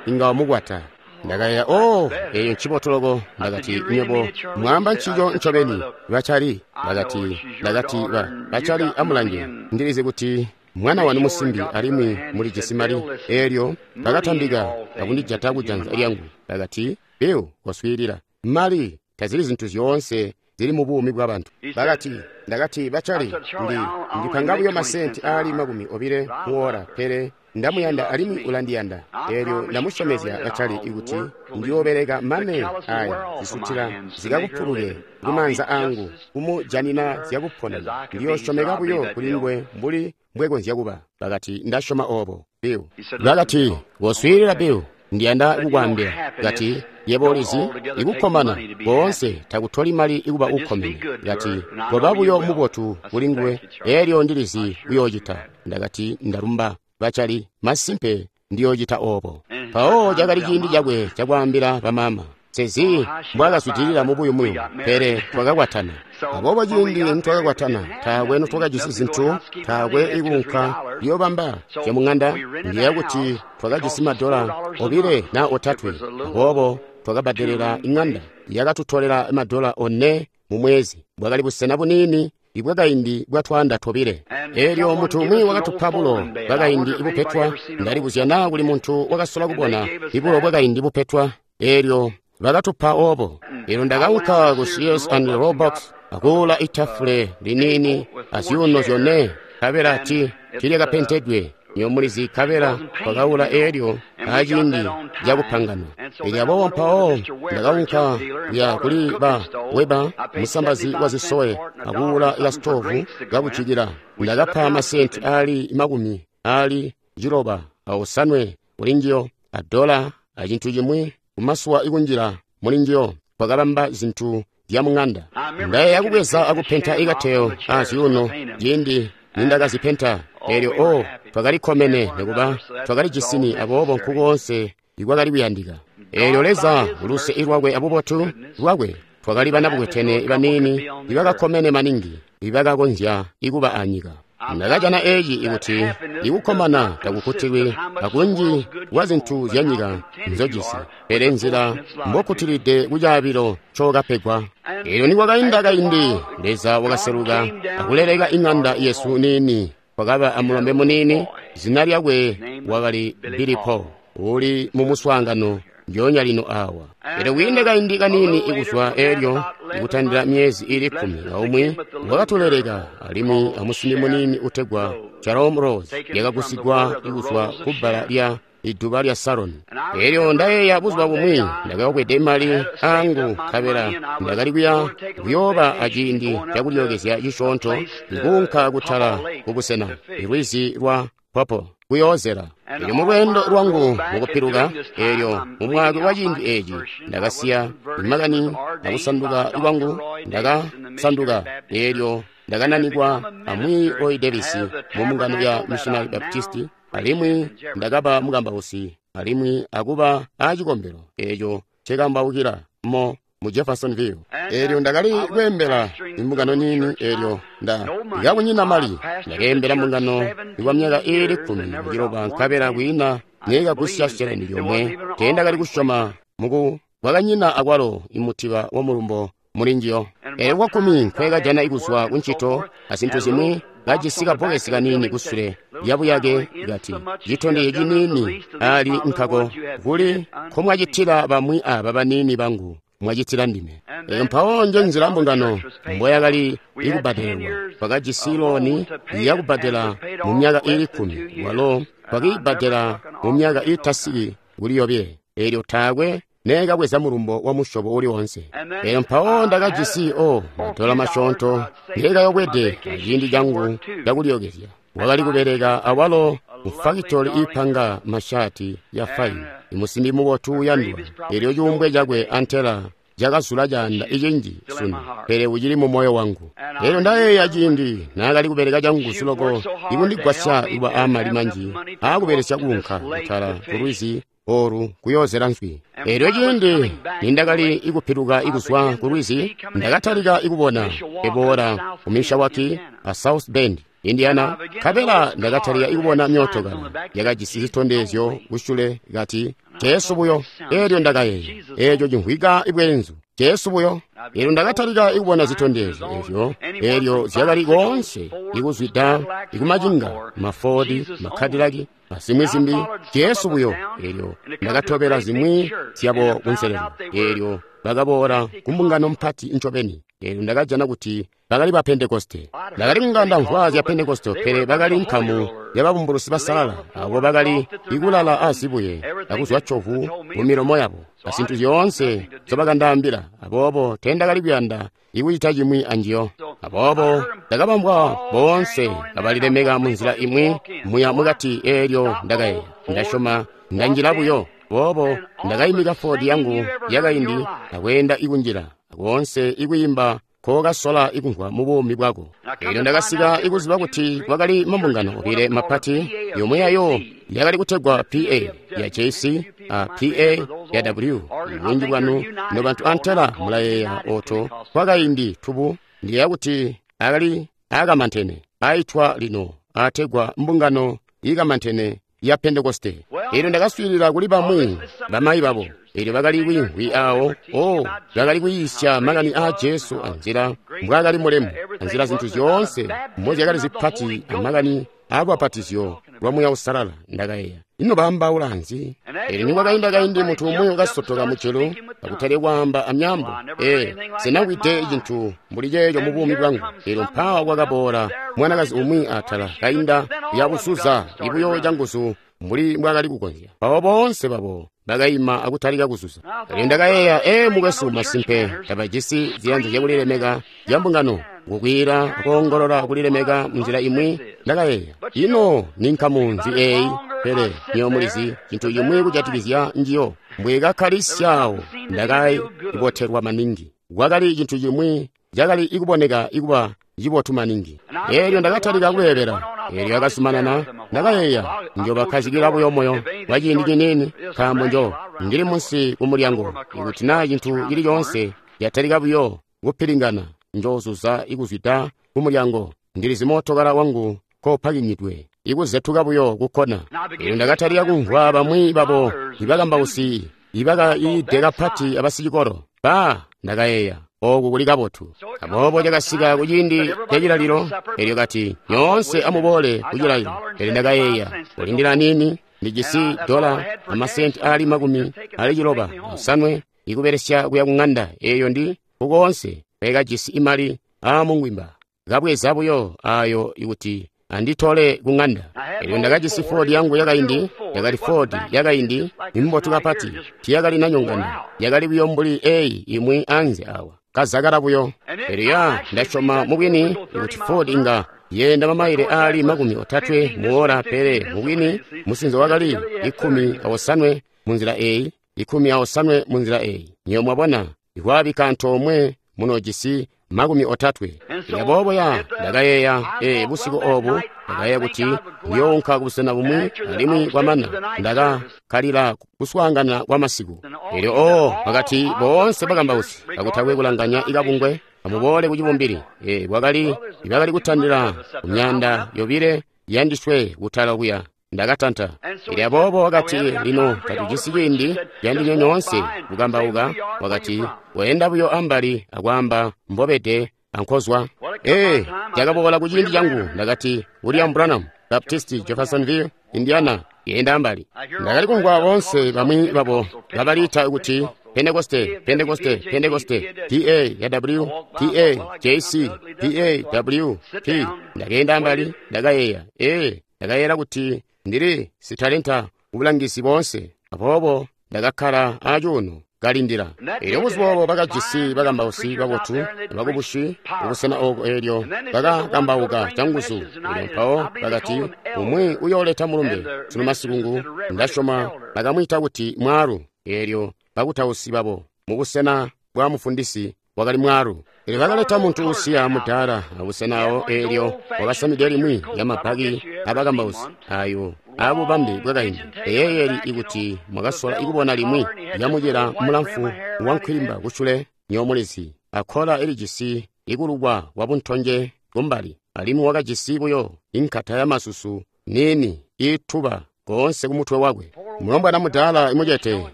Speaker 1: inga wamukwata. Ndakayeeya, oh, eyo ncibotu loko. Ndakati, nywebo mwaamba ncico ncobeni, bacali. Ndakati, ndakati, ba, bacali amulange. Ndilizi kuti mwana wanu musimbi alimwi mulijisi mali. Elyo bakatambika akundijata kujanza lyangu. Bakati, Bill, koswiilila. Mali tazili zintu zyoonse zili mu buumi bw'abantu. Bakati, ndakati, bacali, ndi ndipanga buyo masenti aali makumi obile muora, pele ndamuyanda alimwi ulandiyanda. Elyo ndamusyomezya bacali ikuti ndiyoobeleka mane aya zisutila zikakupuluke kumaanza angu kumujanina zyakuponena. Ndiyoosyomeka buyo kuli nguwe mbuli mbwekonzya kuba. Bakati, ndasyoma obo, Bill. Bakati, koswiilila, Bill. Ndiyanda kukwaambila. Kati, yebo ulizi, ikukkomana koonse takutoli mali ikuba ukkomene. Kati, koba buyo mubotu kuli nguwe, elyo ndilizi uyoocita. Ndakati, ndalumba, bacali, masimpe ndiyoocita obo. Mpawo cakali ciindi cakwe cakwaambila bamama. Sezi mbwakazwidilila mubuyumuyumu, pele twakakwatana. Aboobo ciindi nitwakakwatana, taakwe notwakajisi zintu, taakwe ikuunka liyobamba zyamuŋanda. Ndiyeeya kuti twakajisi madola obile na otatwe. Aboobo twakabbadelela iŋanda yakatutolela madola one mu mwezi. Bwakali busena buniini ibwakaindi bwa twaanda tobile. Elyo muntu umwi wakatupa bulo bwakaindi ibupetwa. Ndalibuzya naa kuli muntu wakasola kubona ibulo bwakaindi bupetwa. Elyo bakatupa obo. Elyo ndakaunka ku Sears and Roebucks akuula itafule liniini azyuuno zyone, nkabela ti tilyakapentedwe nyomulizi, nkabela twakaula elyo aciindi cakupangana. Elyo aboobo mpawo ndakaunka kuya kuli ba Weber, musambazi wa zisowe, akuula kasitovu kakujikila. Ndakapa masenti aali makumi aali ciloba aosanwe kulinjiyo, adola acintu cimwi kumasuwa ikunjila mulinjiyo. Twakabamba zintu zyamuŋanda. Ndayeeya kubweza akupenta ikateyo azyuuno ciindi nindakazipenta. Elyo o twakalikkomene nikuba twakalijisini, aboobo nkukoonse ikwakali kuyandika. Elyo Leza uluse lwakwe abubotu lwakwe, twakali banabukwetene baniini ibakakkomene maningi ibakakonzya ikuba anyika. Ndakajana eci ikuti ikukkomana takukkutilwi akunji kwa zintu zyanyika nzojisi, pele nzila mbokkutilide kucaabilo ncokapegwa. Elyo nikwakainda kaindi, Leza wakaseluka akuleleka iŋanda yesu niini. Kwakaba amulombe muniini, zina lyakwe wakali Billy Paul, uli mu muswaangano ndyoonya lino awa. Elyo kwiinde kaindi kaniini ikuzwa elyo, ikutandila myezi ili kkumi aumwi, wakatuleleka alimwi amusimbi muniini utegwa Jerome Rose, yakagusigwa ikuzwa kubbala lya iduba lya Saroni. Elyo ndayeeya buzuba bumwi ndakakwede mali angu, nkabela ndakali kuya kuyooba aciindi cakulyookezya cisyoonto, ikuunka kutala kubusena ilwizi lwa Popo kuyoozela. Elyo mulweendo lwangu mukupiluka, elyo mumwaka wa ciindi eci ndakasiya makani akusanduka lwangu, ndakasanduka. Elyo ndakananikwa amwi Roy Davis mu mbungano ya Missionary Baptist, alimwi ndakaba mukambausi alimwi akuba aacikombelo eco ncekambaukila mo mu Jeffersonville. Elyo ndakali kweembela imbungano niini. Elyo nda kakunyina mali ndakeembela mbungano kwa myaka iili kkumi aciloba, nkabela kwiina neekagusya sheleni lyomwe. Teendakali kusyoma muku kwakanyina akwalo imutiba wa mulumbo mulinjiyo. Elyo kwakkumi nkweekajana ikuzwa kuncito azintu zimwi, kajisi kabbokesi kaniini kusule lyabuyake, kati, citondezyo ciniini ali nkako kuli nkomwacitila bamwi aba baniini bangu, mwacitila ndime. Elyo mpawo nje nzila mbungano mboyakali ikubbadelelwa. Twakajisi looni yakubbadela mu myaka iili kkumi, walo twakiibbadela mu myaka iitasiki kuli yobile. Elyo taakwe neekabweza mulumbo wa musyobo uli woonse. Elyo mpawo ndakajisi o madola masyoonto ngeekayobwede aciindi cangu cakulyookezya. Wakali kubeleka awalo mufakitoli iipanga mashaati ya faini, imusimbi mubotu uyandwa. Elyo cuumbwe cakwe antela cakazula caanda icinji sunu, pele ucili mu moyo wangu. Elyo ndayeeya ciindi naakali kubeleka canguzu loko ikundigwasya kuba aamali manji aakubelesya kuunka kutala kulwizi oru kuyoozela nswi. Elyo ciindi nindakali ikupiluka ikuzwa kulwizi, ndakatalika ikubona ebola ku Mishawaki a South Bend, Indiana, nkabela ndakatalika ikubona myootokala yakajisi zitondezyo kusyule kati, Jesu buyo. Elyo ndakayeeya, eco cimvwika ibweenzu, Jesu buyo. Elyo ndakatalika ikubona zitondezyo ezyo, elyo zyakali koonse ikuzwida ikumacinga, mafodi, makadilaki azimwi zimbi, Jesu buyo. Elyo ndakatobela zimwi zyabo kunselelo. Elyo bakaboola kumbungano mpati ncobeni. Elyo ndakajana kuti bakali ba Pentekoste. Ndakali kunga ndamvwa zya Pentekoste, pele bakali nkamu yababumbulusi basalala, abo bakali ikulala azibuye akuzwa covu mu milomo yabo azintu zyoonse nzobakandaambila. Aboobo teendakali kuyanda ikucita cimwi anjiyo. Aboobo ndakabambwa boonse kabalilemeka munzila imwi muya mukati. Elyo ndakayeeya, ndasyoma ndanjila buyo. Boobo ndakaimika Ford yangu yakaindi akweenda ikunjila koonse ikwiimba kokasola ikumvwa mu buumi bwako. Eelyo ndakasika ikuziba kuti kwakali mambungano obile mapati, yomwe yayo yakali kutegwa P A ya J C a P A ya W. Bunji bwanu nobantu antela mulayeeya oto kwakaindi tubu ndiyeeya kuti akali akamantene aitwa lino ategwa mbungano ikamantene ya Pentekoste. Eelyo ndakaswiilila kuli bamwi bamayi babo. Eelyo bakali kwiimvwi awo, oh, bakali kuyiisya makani aa Jesu anzila mbwaakali mulemu, anzila zintu zyoonse mbozyakali zipati amakani aalubapatizyo lwa Muuya Uusalala. Ndakayeeya, ino baambaula nzi? Eelyo nikwakainda kaindi muntu umwi wakasotoka mujulu akutali kwaamba amyaambo. Ee, sinamvwide cintu mbuli ceeco mu buumi bwangu. Eelyo mpaawa kwakaboola mwanakazi umwi atala kainda yakuzuza ibuyo canguzu mbuli mbwaakali kukonzya. Mpawo boonse babo bakaima akutalika kuzuza. Eelyo ndakayeeya, ee, mukwesu, masimpe tabajisi ziyanza zyakulilemeka zya mbungano, kukwiila akoongolola kulilemeka munzila imwi. Ndakayeeya, ino ni nkamu nzi eeyi? Pele nywebo mulizi cintu cimwi kujatikizya njiyo. Mbwekakkalisyawo ndakaibotelwa maningi. Kwakali cintu cimwi cakali ikuboneka ikuba cibotu maningi. Eelyo ndakatalika kubeebela. Eelyo akazumanana. Ndakayeeya, njobakkazikila buyo moyo kwa ciindi ciniini, nkaambo njo ndili munsi kumulyango. Ikuti naa cintu cili coonse catalika buyo kupilingana, njozuza ikuzwida kumulyango. Ndilizi mootokala wangu kopakinyidwe ikuzetuka buyo kukkona. Eelyo ndakatalika kumvwa bamwi babo ibakambausi ibakayiide kapati abasicikolo. Ba, ndakayeeya, oku kuli kabotu. Aboobo cakasika kuciindi cacilalilo. Eelyo kati, nyoonse amuboole kucilalilo. Pele ndakayeeya, kulindila nini, ndijisi dola amasenti aali makumi ali ciloba osanwe ikubelesya kuya kuŋanda. Eeyo ndi kukoonse kwekajisi imali aamungwimba. Kabweza buyo ayo ikuti anditole kuŋanda. Eelyo ndakajisi Ford yangu yakaindi, yakali Ford yakaindi imbotu kapati, tiyakali nanyongana, yakali buyo mbuli eyi imwi anze awa, kazakala buyo. Eelyo ya ndasyoma mubwini kuti Ford inga yenda mamaile aali makumi otatwe muola, pele mubwini musinzo wakali ikumi awosanwe munzila eyi, ikumi awosanwe munzila eyi. Nywebo mwabona, ikwabika antoomwe munojisi makumi otatwe. Aboobo ya ndakayeeya, ee, busiku obu ndakayeeya kuti ndiyounka kubusena bumwi alimwi kwamana ndakakkalila kuswaangana kwa masiku. Eelyo oo bakati boonse bakambausi kakutakwe kulanganya ikabungwe amuboole kucibumbili. Ee, kwakali ibakali kutandila ku myanda yobile yandiswe kutala kuya. Ndakatanta. Eelyo aboobo wakati, lino tatujisi ciindi candinywe nyoonse kukambauka. Wakati, weenda buyo ambali akwaamba mbobede ankozwa. Ee, cakaboola kuciindi cangu. Ndakati, William Branham, Baptist, Jeffersonville, Indiana, yenda ambali. Ndakali kumvwa boonse bamwi babo kabaliita kuti Pentekoste, Pentekoste, Pentekoste, P A ya W, P A J C, P A W P. Ndakenda ambali, ndakayeeya, ee, ndakayeera kuti ndili sitalenta kubulangizi boonse. Aboobo ndakakkala acuuno kalindila. Eelyo buzuba obo bakajisi bakambausi babotu bakubushi kubusena ooko. Eelyo bakakambauka canguzu. Eelyo mpawo bakati, umwi uyooleta mulumbe sunu masikungu. Ndasyoma bakamwiita kuti mwaalu. Eelyo bakutausi babo mubusena bwa mufundisi wakali mwaalu. Eelyo bakaleta muntu usiya mudaala abusena awo. Eelyo wakasamide limwi lyamabaki abakambausi ayo abubambe bwakaindi. Eyeeyeli ikuti mwakasola ikubona limwi lyamucila mulamfu wankwilimba kusyule, nyomulizi akkola ilijisi ikulukwa kwabuntonje kumbali, alimwi wakajisi buyo inkata yamasusu niini iituba koonse kumutwe wakwe. Mulombwana mudaala imucete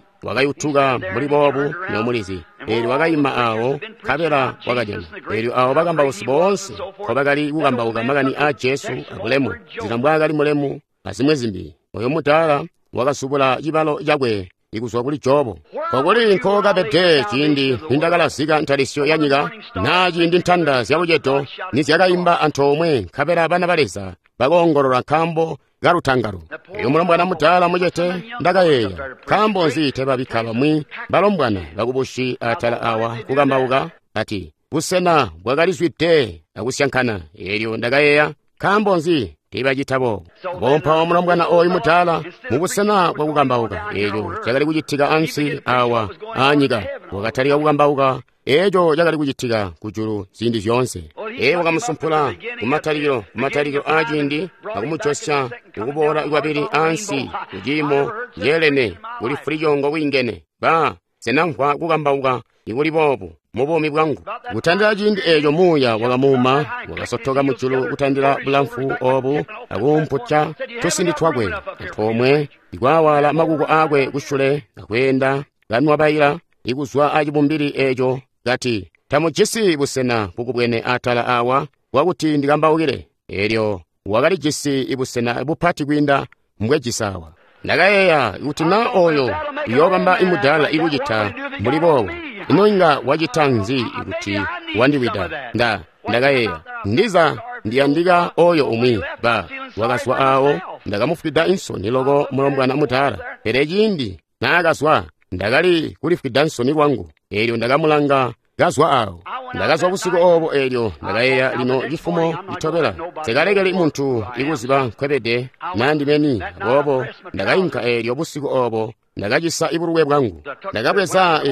Speaker 1: wakayutuka mbuli boobu, nyomulizi. Eelyo wakayima awo nkabela wakajana. Eelyo awo bakambausi boonse nkobakali kukambauka makani aa Jesu abulemu, nzila mbwaakali mulemu azimwi zimbi. Oyo mudaala wakasubula cibalo cakwe ikuzwa kuli Jobo. Kokuli nkokabede ciindi nindakalazika ntalisyo ya nyika, naa ciindi ntanda zyabucedo nizyakaimba antoomwe, nkabela bana ba Leza bakoongolola nkaambo kalutangalo. Eyo mulombwana mudaala mucete, ndakayeeya, nkaambo nzi tebabikka bamwi balombwana bakubushi atala awa kukambauka? Ati busena bwakalizwide akusyankana. Eelyo ndakayeeya, nkaambo nzi Tiibacita boobo. Bompawo mulombwana oyu mudaala mubusena bwakukambauka, eeco cakali kucitika ansi awa aanyika, wakatalika kukambauka eeco cakali kucitika kujulu ziindi zyoonse. Ee, wakamusumpula kumatalikilo, kumatalikilo aaciindi, akumujosya kukuboola kwabili ansi kuciimo ceelene kuli fulicoongo wiingene. Ba senamvwa kukambauka ikuli boobu mu buumi bwangu. Kutandila ciindi eeco muuya wakamuuma, wakasotoka mujulu kutandila bulamfu oobu akuumputya tusindi twakwe antoomwe, ikwaawala makuko aakwe kusyule akweenda kanwabaila ikuzwa acibumbili eeco kati, tamujisi busena bukubwene atala awa bwakuti ndikambaukile. Eelyo wakalijisi busena bupati kwiinda mbwejisi awa. Ndakayeeya kuti na oyo uyoobamba imudaala ikucita mbuli boobo, ino inga wacita nzi kuti wandiwida? Nda ndakayeeya ndiza ndiyandika oyo umwi. Ba wakazwa awo, ndakamufwida insoni loko mulombwana mudaala. Pele ciindi naakazwa ndakali kulifwida nsoni lwangu. Eelyo ndakamulanga kazwa awo. Ndakazwa busiku oobo. Eelyo ndakayeeya lino cifumo citobela nsikalekeli muntu ikuziba nkwebede nandimeni. Aboobo ndakayinka. Eelyo busiku oobo ndakacisa ibulwe bwangu. Ndakabweza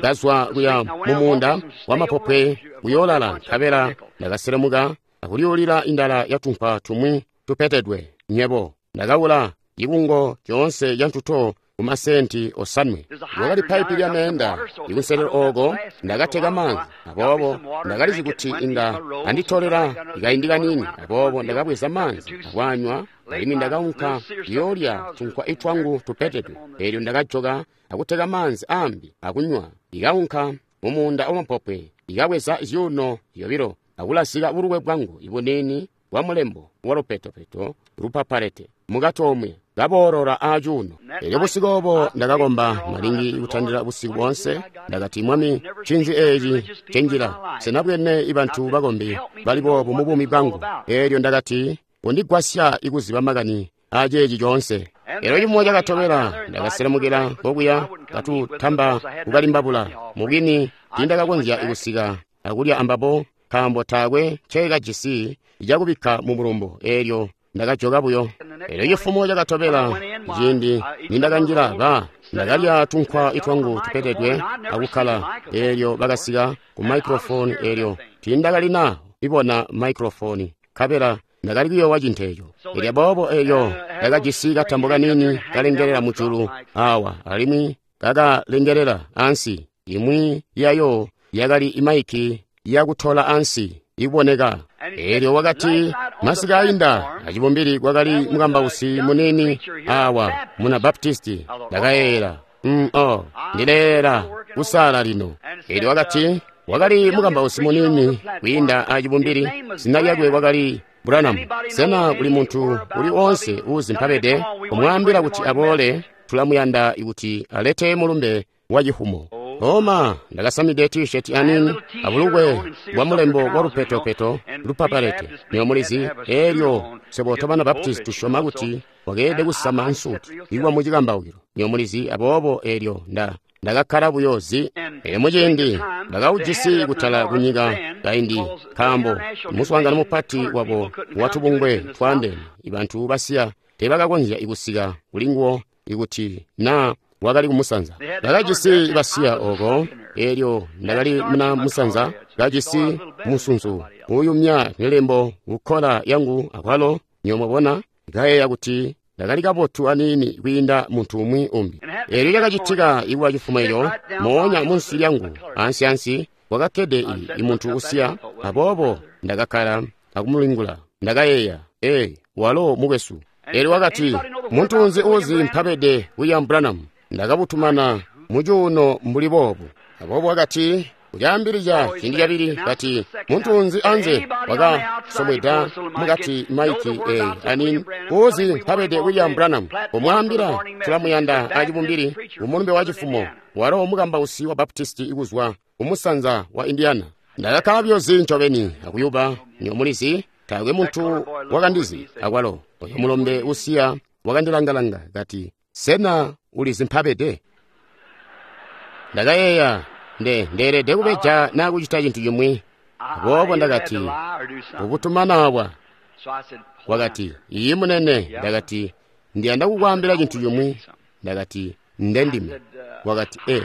Speaker 1: kazwa kuya mumuunda wamapopwe kuyoolala, nkabela ndakaselemuka akulyuulila indala yatunkwa tumwi tupetedwe. Nyebo ndakawula cikungo coonse cantuto kumasenti osanwe. Wakali paipi lya meenda ikunselelo ooko ndakateka maanzi. Aboobo ndakalizi kuti inga anditolela kaindi kaniini. Aboobo ndakabweza maanzi akwanywa, alimwi ndakaunka kuyoolya tunkwa itwangu tupetedwe. Eelyo ndakajoka akuteka maanzi ambi akunywa. Ndikaunka mumuunda wamapopwe, ndikabweza zyuuno zyobilo akulasika bulukwe bwangu ibuniini bwa mulembo wa lupetopeto lupapalete mukati omwe kaboolola aacuuno. Eelyo busiku oobo ndakakomba malingi kutandila busiku boonse. Ndakati, Mwami, ncinzi eeci cenjila? Senabwene ibantu bakombi bali boobu mu buumi bwangu. Eelyo ndakati, undigwasya ikuziba makani aaceeci coonse. Eelyo cifumo cakatobela ndakaselemukila kokuya katutamba kukalimbabula. Mubwini tiindakakonzya kusika akulya ambabo nkaambo taakwe nceekajisi cakubikka mu mulumbo. Eelyo ndakajoka buyo. Eelyo cifumo cakatobela ciindi nindakanjila, ba ndakalya tunkwa itwangu tupetedwe akukkala. Eelyo bakasika ku microphone. Eelyo tiindakalina ibona microphone, nkabela ndakali kuyoowa cintu eeco. Eelyo aboobo eelyo ndakajisi katambo kaniini kalengelela mujulu awa alimwi kakalengelela ansi. Imwi yayo yakali imaiki yakutola ansi iboneka. Eelyo wakati, masiku ainda acibumbili kwakali mukambausi munini awa muna Baptisti. Ndakayeeyela, mm, oh, ndileela kusala lino. Eelyo wakati, wakali mukambausi munini kwiinda acibumbili, zina lyakwe wakali Branham. Sena kuli muntu uli oonse uuzi mpabede? Kumwaambila kuti aboole, tulamuyanda kuti alete mulumbe wa cifumo. Oma ndakasamide t-shirt anini abulukwe bwa mulembo wa lupetopeto lupapalete. Niyo mulizi, eelyo swebo tobana Baptist tusyoma kuti wakeelede kusama nsuti ikuwa mu cikambaukilo. Niyo mulizi, aboobo eelyo nda ndakakkala buyo zi. Eelyo muciindi ndakaujisi kutala kunyika kaindi, nkaambo muswaangano mupati wabo watubungwe twaandeene, ibantu basiya teebakakonzya kusika kulinguwo ikuti naa wakali kumusanza. Ndakajisi basiya oko. Eelyo ndakali muna musanza, kajisi musunzu uuyumya milembo kukkola yangu akwalo. Niyo mwabona, ndakayeeya kuti ndakali kabotu aniini kwiinda muntu umwi umbi. Eelyo lyakacitika ikuba cifumo eco, moonya munsi lyangu ansi-ansi kwakakkede imuntu usiya. Aboobo ndakakkala akumulingula. Ndakayeeya, ee, walo mukwesu. Eelyo wakati, muntu nzi uuzi mpabede William Branham? Ndakabutumana mucuuno mbuli boobu. Aboobo wakati, kulyaambilizya ciindi cabili, kati, muntu nzi anze wakasomweda mukati maiki eyi anini uuzi mpabede William Branham? Kumwaambila tulamuyanda acibumbili kumulumbe wa cifumo, walo mukambausi wa Baptisti ikuzwa kumusanza wa Indiana. Ndakakkala buyo zi ncobeni akuyuba. Niyo mulizi, taakwe muntu wakandizi akwalo. Oyo mulombe usiya wakandilangalanga kati, sena ulizi mpabede? Ndakayeeya, nde ndeelede kubeja naa kucita cintu cimwi. Aboobo ndakati, ubutumana awa. Wakati, iyi munene. Ndakati, ndiyanda kukwaambila cintu cimwi. Ndakati, nde ndime. Wakati, e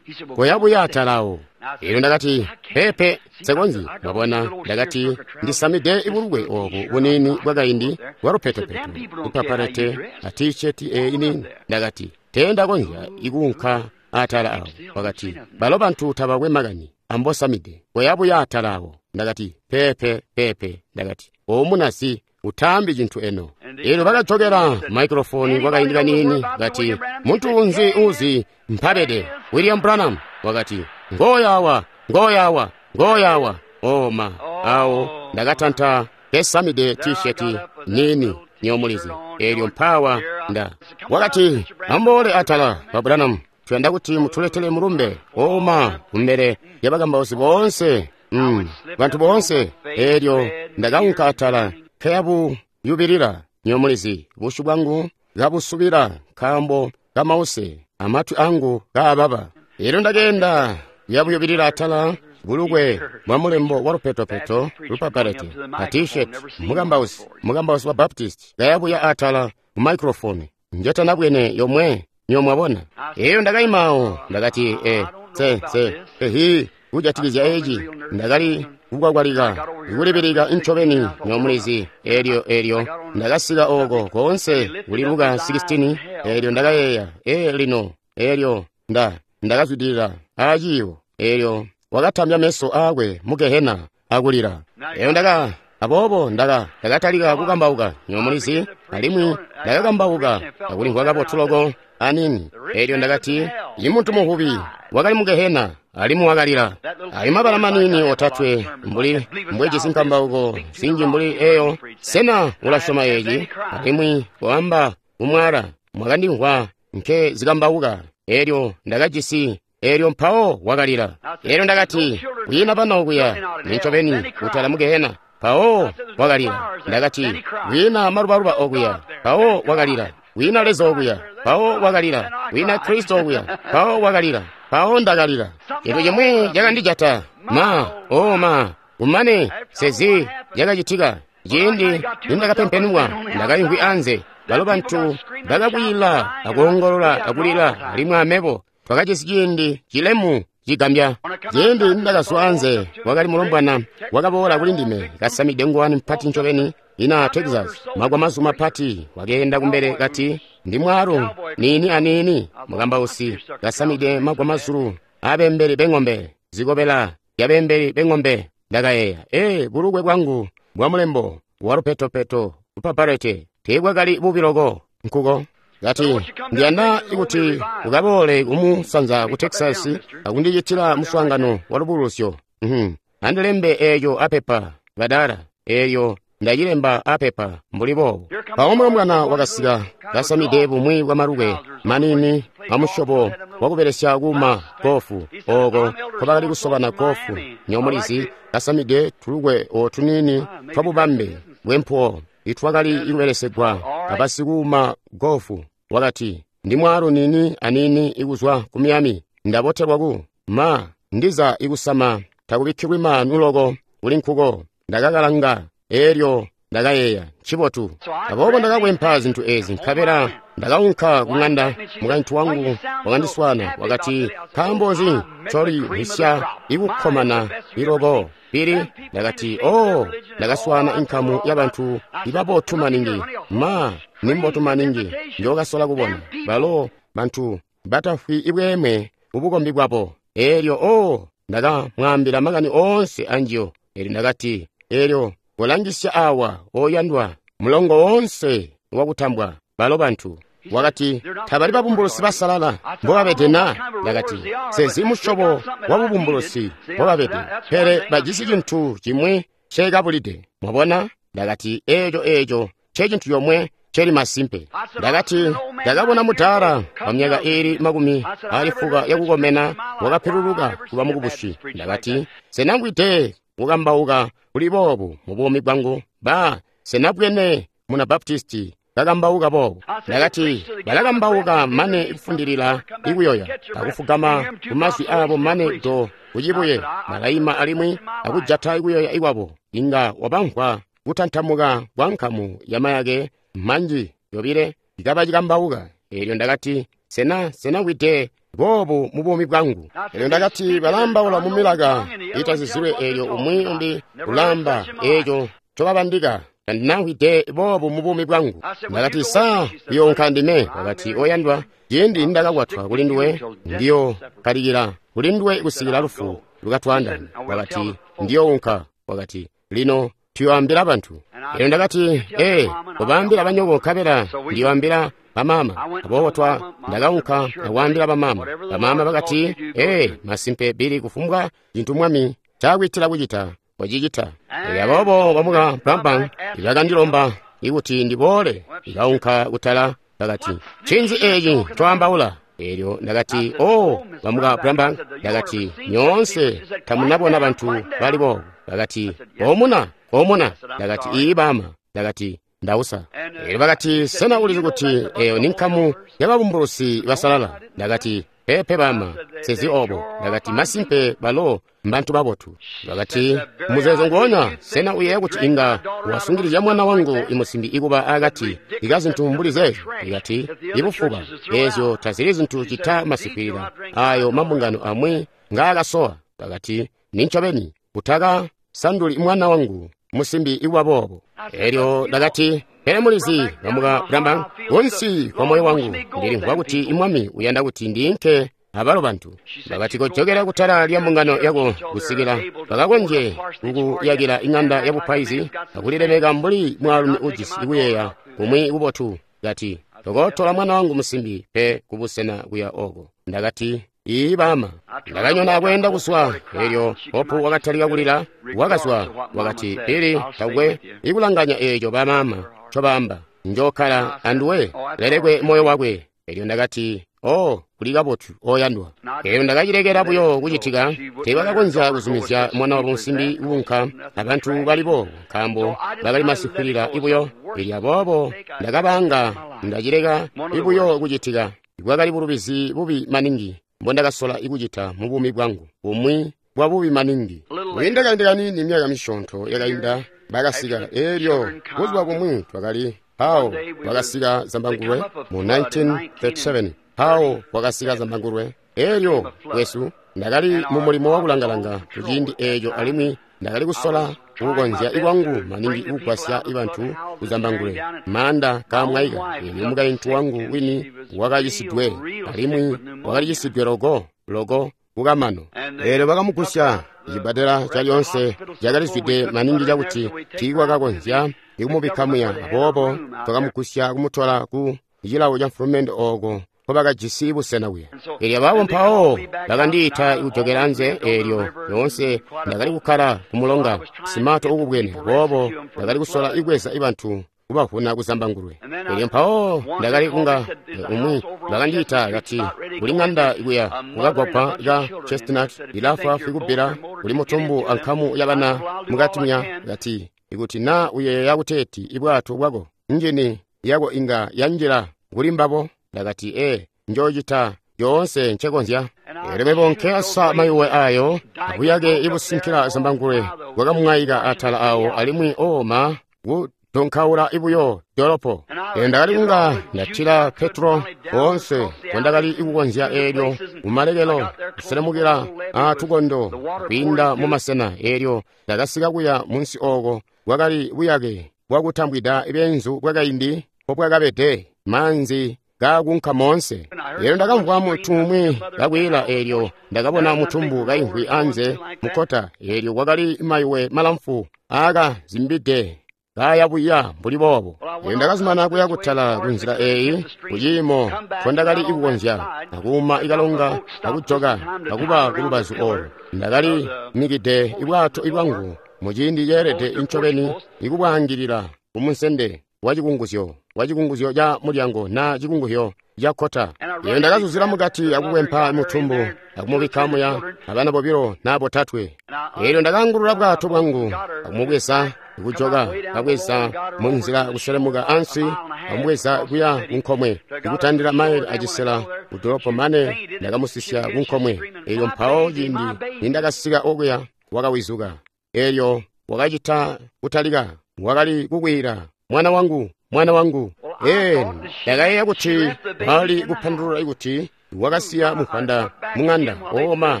Speaker 1: koya buya atalawo. Elyo ndakati, pepe, nsekonzyi. Mwabona, ndakati, ndisamide ibulukwe obu buniini bwakaindi bwa lupetopeto, ipapalete a tisheti eyi nini. Ndakati, teendakonzya ikuunka atala awo. Wakati, balo bantu tabakwe makani ambosamide, koya buya atala awo. Ndakati, pepe, pepe. Ndakati, omunasi, utaambi cintu eno. Elyo bakajokela maikrofoni kwakaindi kaniini, kati, muntu unzi uzi mpabede William Branham. Wakati, ngoyawa, ngoyawa, ngoyawa. Oma awo ndakatanta kesamide tisheti nini nyomulizi. Elyo mpawa nda wakati, amboole atala ba Branham, tuyanda kuti mutuletele mulumbe. Oma kumbele yabakambausi boonse, mm, bantu boonse. Elyo ndakaunka atala keyabu yubilila nyomulizi, busyu bwangu kabusubila nkaambo kamause, amatwi angu kaababa. Elyo ndakeenda yabuyubilila atala bulukwe bwa mulembo wa lupetopeto lupapalete a t-shirt, mukambausi mukambausi wa Baptist kayabuya atala ku microphone njetanabwene yomwe nyomwabona. Elyo ndakaimawo ndakati, e se se ehi kujatikizya eci. Ndakali kukwakwalika kulibilika ncobeni nyomulizi. Elyo elyo ndakasika oko koonse kuli Luka sixteen. Elyo ndakayeeya, e lino. Elyo nda ndakazwidilila aciiwo. Elyo wakatambya meso aakwe mu gehena akulila. Elyo ndaka aboobo ndaka ndakatalika kukambauka nyomulizi, alimwi ndakakambauka akulimvwa kabotu loko anini. Elyo ndakati, imuntu muhubi wakali mu gehena alimwi wakalila. Ayo mabala manini otatwe mbuli mbwejisi nkambauko zinji mbuli eyo, sena ulasyoma eci? Alimwi koamba kumwala mwakandimvwa nke zikambauka. Elyo ndakajisi. Elyo mpawo wakalila. Elyo ndakati, kwiina bana okuya nincobeni kutala mu gehena. Mpawo wakalila. Ndakati, kwiina malubaluba okuya. Mpawo wakalila. Kwiina Leza okuya. Mpawo wakalila. Kwiina Kristo okuya. Mpawo wakalila. Mpawo ndakalila. Cintu cimwi cakandijata. Ma, oh ma, kumane sezi cakacitika. Ciindi nindakapempenwa, ndakaimvwi anze. Balo bantu bakakwila akoongolola akulila, alimwi amebo twakajisi ciindi cilemu cigambya. Ciindi nindakazwa anze, wakali mulombwana wakaboola kuli ndime kasamide ngowani mpati ncobeni ina Texas, magwamazu mapati. Wakeenda kumbele kati, ndi mwaalu niini aniini mukambausi kasamide magwamazulu abembeli beng'ombe, zikobela yabembeli beng'ombe. Ndakayeeya, ee, bulukwe bwangu bwa mulembo wa lupetopeto upaparete teebwakali bubi loko nkuko. Kati, ndiyanda kuti ukaboole kumusanza ku Texas akundicitila muswaangano wa lubulusyo. Mhm. Andilembe eeco apepa badala. Elyo ndacilemba apepa mbuli boobo. Mpawo mulombwana wakasika kasamide bumwi bwa malukwe manini amusyobo wakubelesya kuuma gofu oko nkobakali kusobana gofu nyomulizi, kasamide tulukwe otunini twabubambe bwempuwo itwakali kubelesegwa abasikuuma gofu. Wakati, ndi mwaalu nini anini ikuzwa ku Miami, ndabotelwa ku ma ndiza ikusama takubikkilwi maanu loko kuli nkuko. Ndakakalanga, elyo ndakayeeya, ncibotu. Aboobo ndakakwempa zintu ezi, nkabela ndakaunka ku ng'anda. Mukaintu wangu wakandiswana, wakati, nkaambo nzi ncolimvwisya ikukkomana iloko pili? Ndakati, oh, ndakaswana inkamu yabantu ibabotu maningi, ma nimbotu maningi njokasola kubona. Balo bantu batafwi ibweeme ubukombi bwabo. Elyo oh, ndakamwaambila makani oonse anjiyo. Elyo ndakati, elyo kolangisya awa oyandwa, mulongo woonse wakutambwa balo bantu. Wakati, tabali babumbulusi basalala mbobabede na? Ndakati, sezi musyobo wa bubumbulusi mbobabede, pele bajisi cintu cimwi cekabulide. Mwabona? Ndakati, eeco eeco ncecintu comwe celi masimpe. Ndakati, ndakabona mudaala wa myaka iili makumi ali fuka yakukomena wakapiluluka kuba mukubusi. Ndakati, senangwide kukambauka kuli boobu mu buumi bwangu? Ba, senabwene muna Baptisti kakambauka boobu. Ndakati, balakambauka mane kufundilila ikuyoya akufugama kumazwi abo mane do kucibuye, balaima alimwi akujata ikuyoya ikwabo, inga wabamvwa kutantamuka kwa nkamu ya mayake manji yobile ikaba cikambauka. Elyo ndakati, sena sena wide boobu mu buumi bwangu. Elyo ndakati, balambaula mu milaka itazizilwe, elyo umwi umbi ulamba eco ncobabandika. Tandinamvwide boobu mu buumi bwangu. Ndakati, sa uyoonka ndime? Wakati, oyandwa, ciindi nindakakwatwa kuli nduwe, ndiyo kalikila kuli nduwe kusikila lufu lukatwaandanya. Wakati, ndiyounka. Wakati, lino tuyoambila bantu. Elyo ndakati, ee, kobaambila banyoko nkabela ndiyoambila bamama. Aboobo twa ndakaunka akwaambila bamama. Bamama bakati, ee, masimpe Bili, kufumbwa cintu Mwami cakwiitila kucita wacicita. Elyo aboobo bamuka Branham bakandilomba ikuti ndiboole. Ndakaunka kutala, bakati, ncinzi eci ncwaambaula? Elyo ndakati, oh, bamuka Branham, ndakati, nyoonse tamunabona bantu bali boobu. Bakati, omuna, omuna. Ndakati, ii bama. Ndakati, ndausa. Elyo bakati, sena ulizi kuti eyo ni nkamu yababumbulusi basalala? Ndakati, pepe bama, sezi obo. Ndakati, masimpe balo mbantu babotu. Bakati, muzeezo nguonya, sena uyeeya kuti inga wasungilizya mwana wangu imusimbi ikuba akati ika zintu mbuli zeezyo? Ikati, ibufuba ezyo tazili zintu cita masikwilila ayo mambungano amwi ngaakasowa. Bakati, nincobeni utaka sanduli mwana wangu musimbi ikuba boobo. Elyo ndakati, pele mulizi, bamuka Branham, kunsi kwa moyo wangu ndilimvwa kuti imwami uyanda kuti ndiinke abalo bantu. Bakati, kojokera kutala lya mbungano yako kusikila bakakonje kukuyakila ing'anda ya bupaizi akulilemeka mbuli mwaalumi ujisi kuyeeya kumwi kubotu. Kati, tokotola mwana wangu musimbi pe kubusena kuya oko. Ndakati, ii bama. Ndakanyona akweenda kuzwa. Elyo Hopu wakatalika kulila, wakazwa. Wakati, Bili, takwe ikulanganya eco bamama ncobaamba, njokkala anduwe, lelekwe moyo wakwe. Elyo ndakati, oh, kuli kabotu, oyandwa. Elyo ndakacilekela buyo kucitika. Teebakakonzya kuzumizya mwana wabo musimbi kuunka abantu bali boobo, nkaambo bakali masikwilila ibuyo. Elyo aboobo ndakabanga ndacileka ibuyo kucitika. Bwakali bulubizi bubi maningi mbondakasola ikucita mu buumi bwangu, bumwi bwa bubi maningi. Kwiinda kaindi kaniini, myaka misyoonto yakainda, bakasika. Elyo buzuba bumwi twakali mpawo kwakasika zambangulwe mu nineteen thirty-seven. Mpawo kwakasika zambangulwe. Elyo kwesu ndakali mu mulimo wakulangalanga kuciindi eco, alimwi ndakali kusola kukonzya ikwangu maningi kugwasya ibantu kuzambangulwe maanda kaamwaika. Elyo mukaintu wangu wini wakacisidwe, alimwi wakalicisidwe loko loko kukamano. Elyo bakamugusya cibbadela calyoonse cakalizwide maningi cakuti tiikwakakonzya ikumubikka muya. Aboobo twakamugusya kumutola ku cilawo ca mfulumende oko nkobakajisi busena kuya. Elyo ababo mpawo bakandiita kujokera anze. Elyo lyoonse ndakali kukkala ku mulonga simato ukubwene, aboobo ndakali kusola ikweza ibantu kubavuna kuzambangulwe. Elyo mpawo ndakali kunga umwi bakandiita kati, kuli ng'anda kuya kukagwagwa ka Chestnut ilafwaafwi kubbila, kuli mutumbu ankamu yabana mukati muya. Kati, ikuti na uyeeya kuteeti ibwato bwako njini yako inga yanjila kuli mbabo. Ndakati, ee, njoocita yoonse ncekonzya. Elyo mebo nkeyasa mayuwe ayo akuyake ibusinkila zambangulwe bwakamwaika atala awo, alimwi oma kudonkaula ibuyo dolopo. Elyo ndakali kunga ndatila Petro oonse ngondakali ikukonzya. Elyo kumalekelo kuselemukila atukondo kwiinda mumasena. Elyo ndakasika kuya munsi oko bwakali buyake bwakutambwida beenzu bwakaindi mpobwakabede, maanzi kakunka moonse. Elyo ndakamvwa muntu umwi kakwiila. Elyo ndakabona mutumbu kaimvwi anze mukkota. Elyo kwakali mayuwe malamfu aakazimbide kaya buya mbuli boobo. Elyo ndakazumana kuya kutala kunzila eyi kuciimo nkondakali ikukonzya, akuuma ikalonga akujoka akuba kulubazu olo. Ndakali mikide ibwato ibwangu muciindi ceelede incobeni ikubwaangilila kumunsende wa cikunguzyo wa cikunguzyo ca mulyango na cikunguzyo ca kkota. Elyo ndakazuzila mukati akukwempa mutumbu akumubikka muya abana bobilo na botatwe. Elyo ndakaangulula bwato bwangu akumubweza kujoka, kabweza munzila kuselemuka ansi akumubweza kuya kunkomwe ikutandila maili acisela kudolopo mane ndakamusisya kunkomwe. Elyo mpawo ciindi nindakasika okuya wakawizuka. Elyo wakacita kutalika Wakali kukwiila, mwana wangu, mwana wangu. Ee, ndakayeeya kuti bali kupandulula kuti wakasiya muvwanda mung'anda. Oma,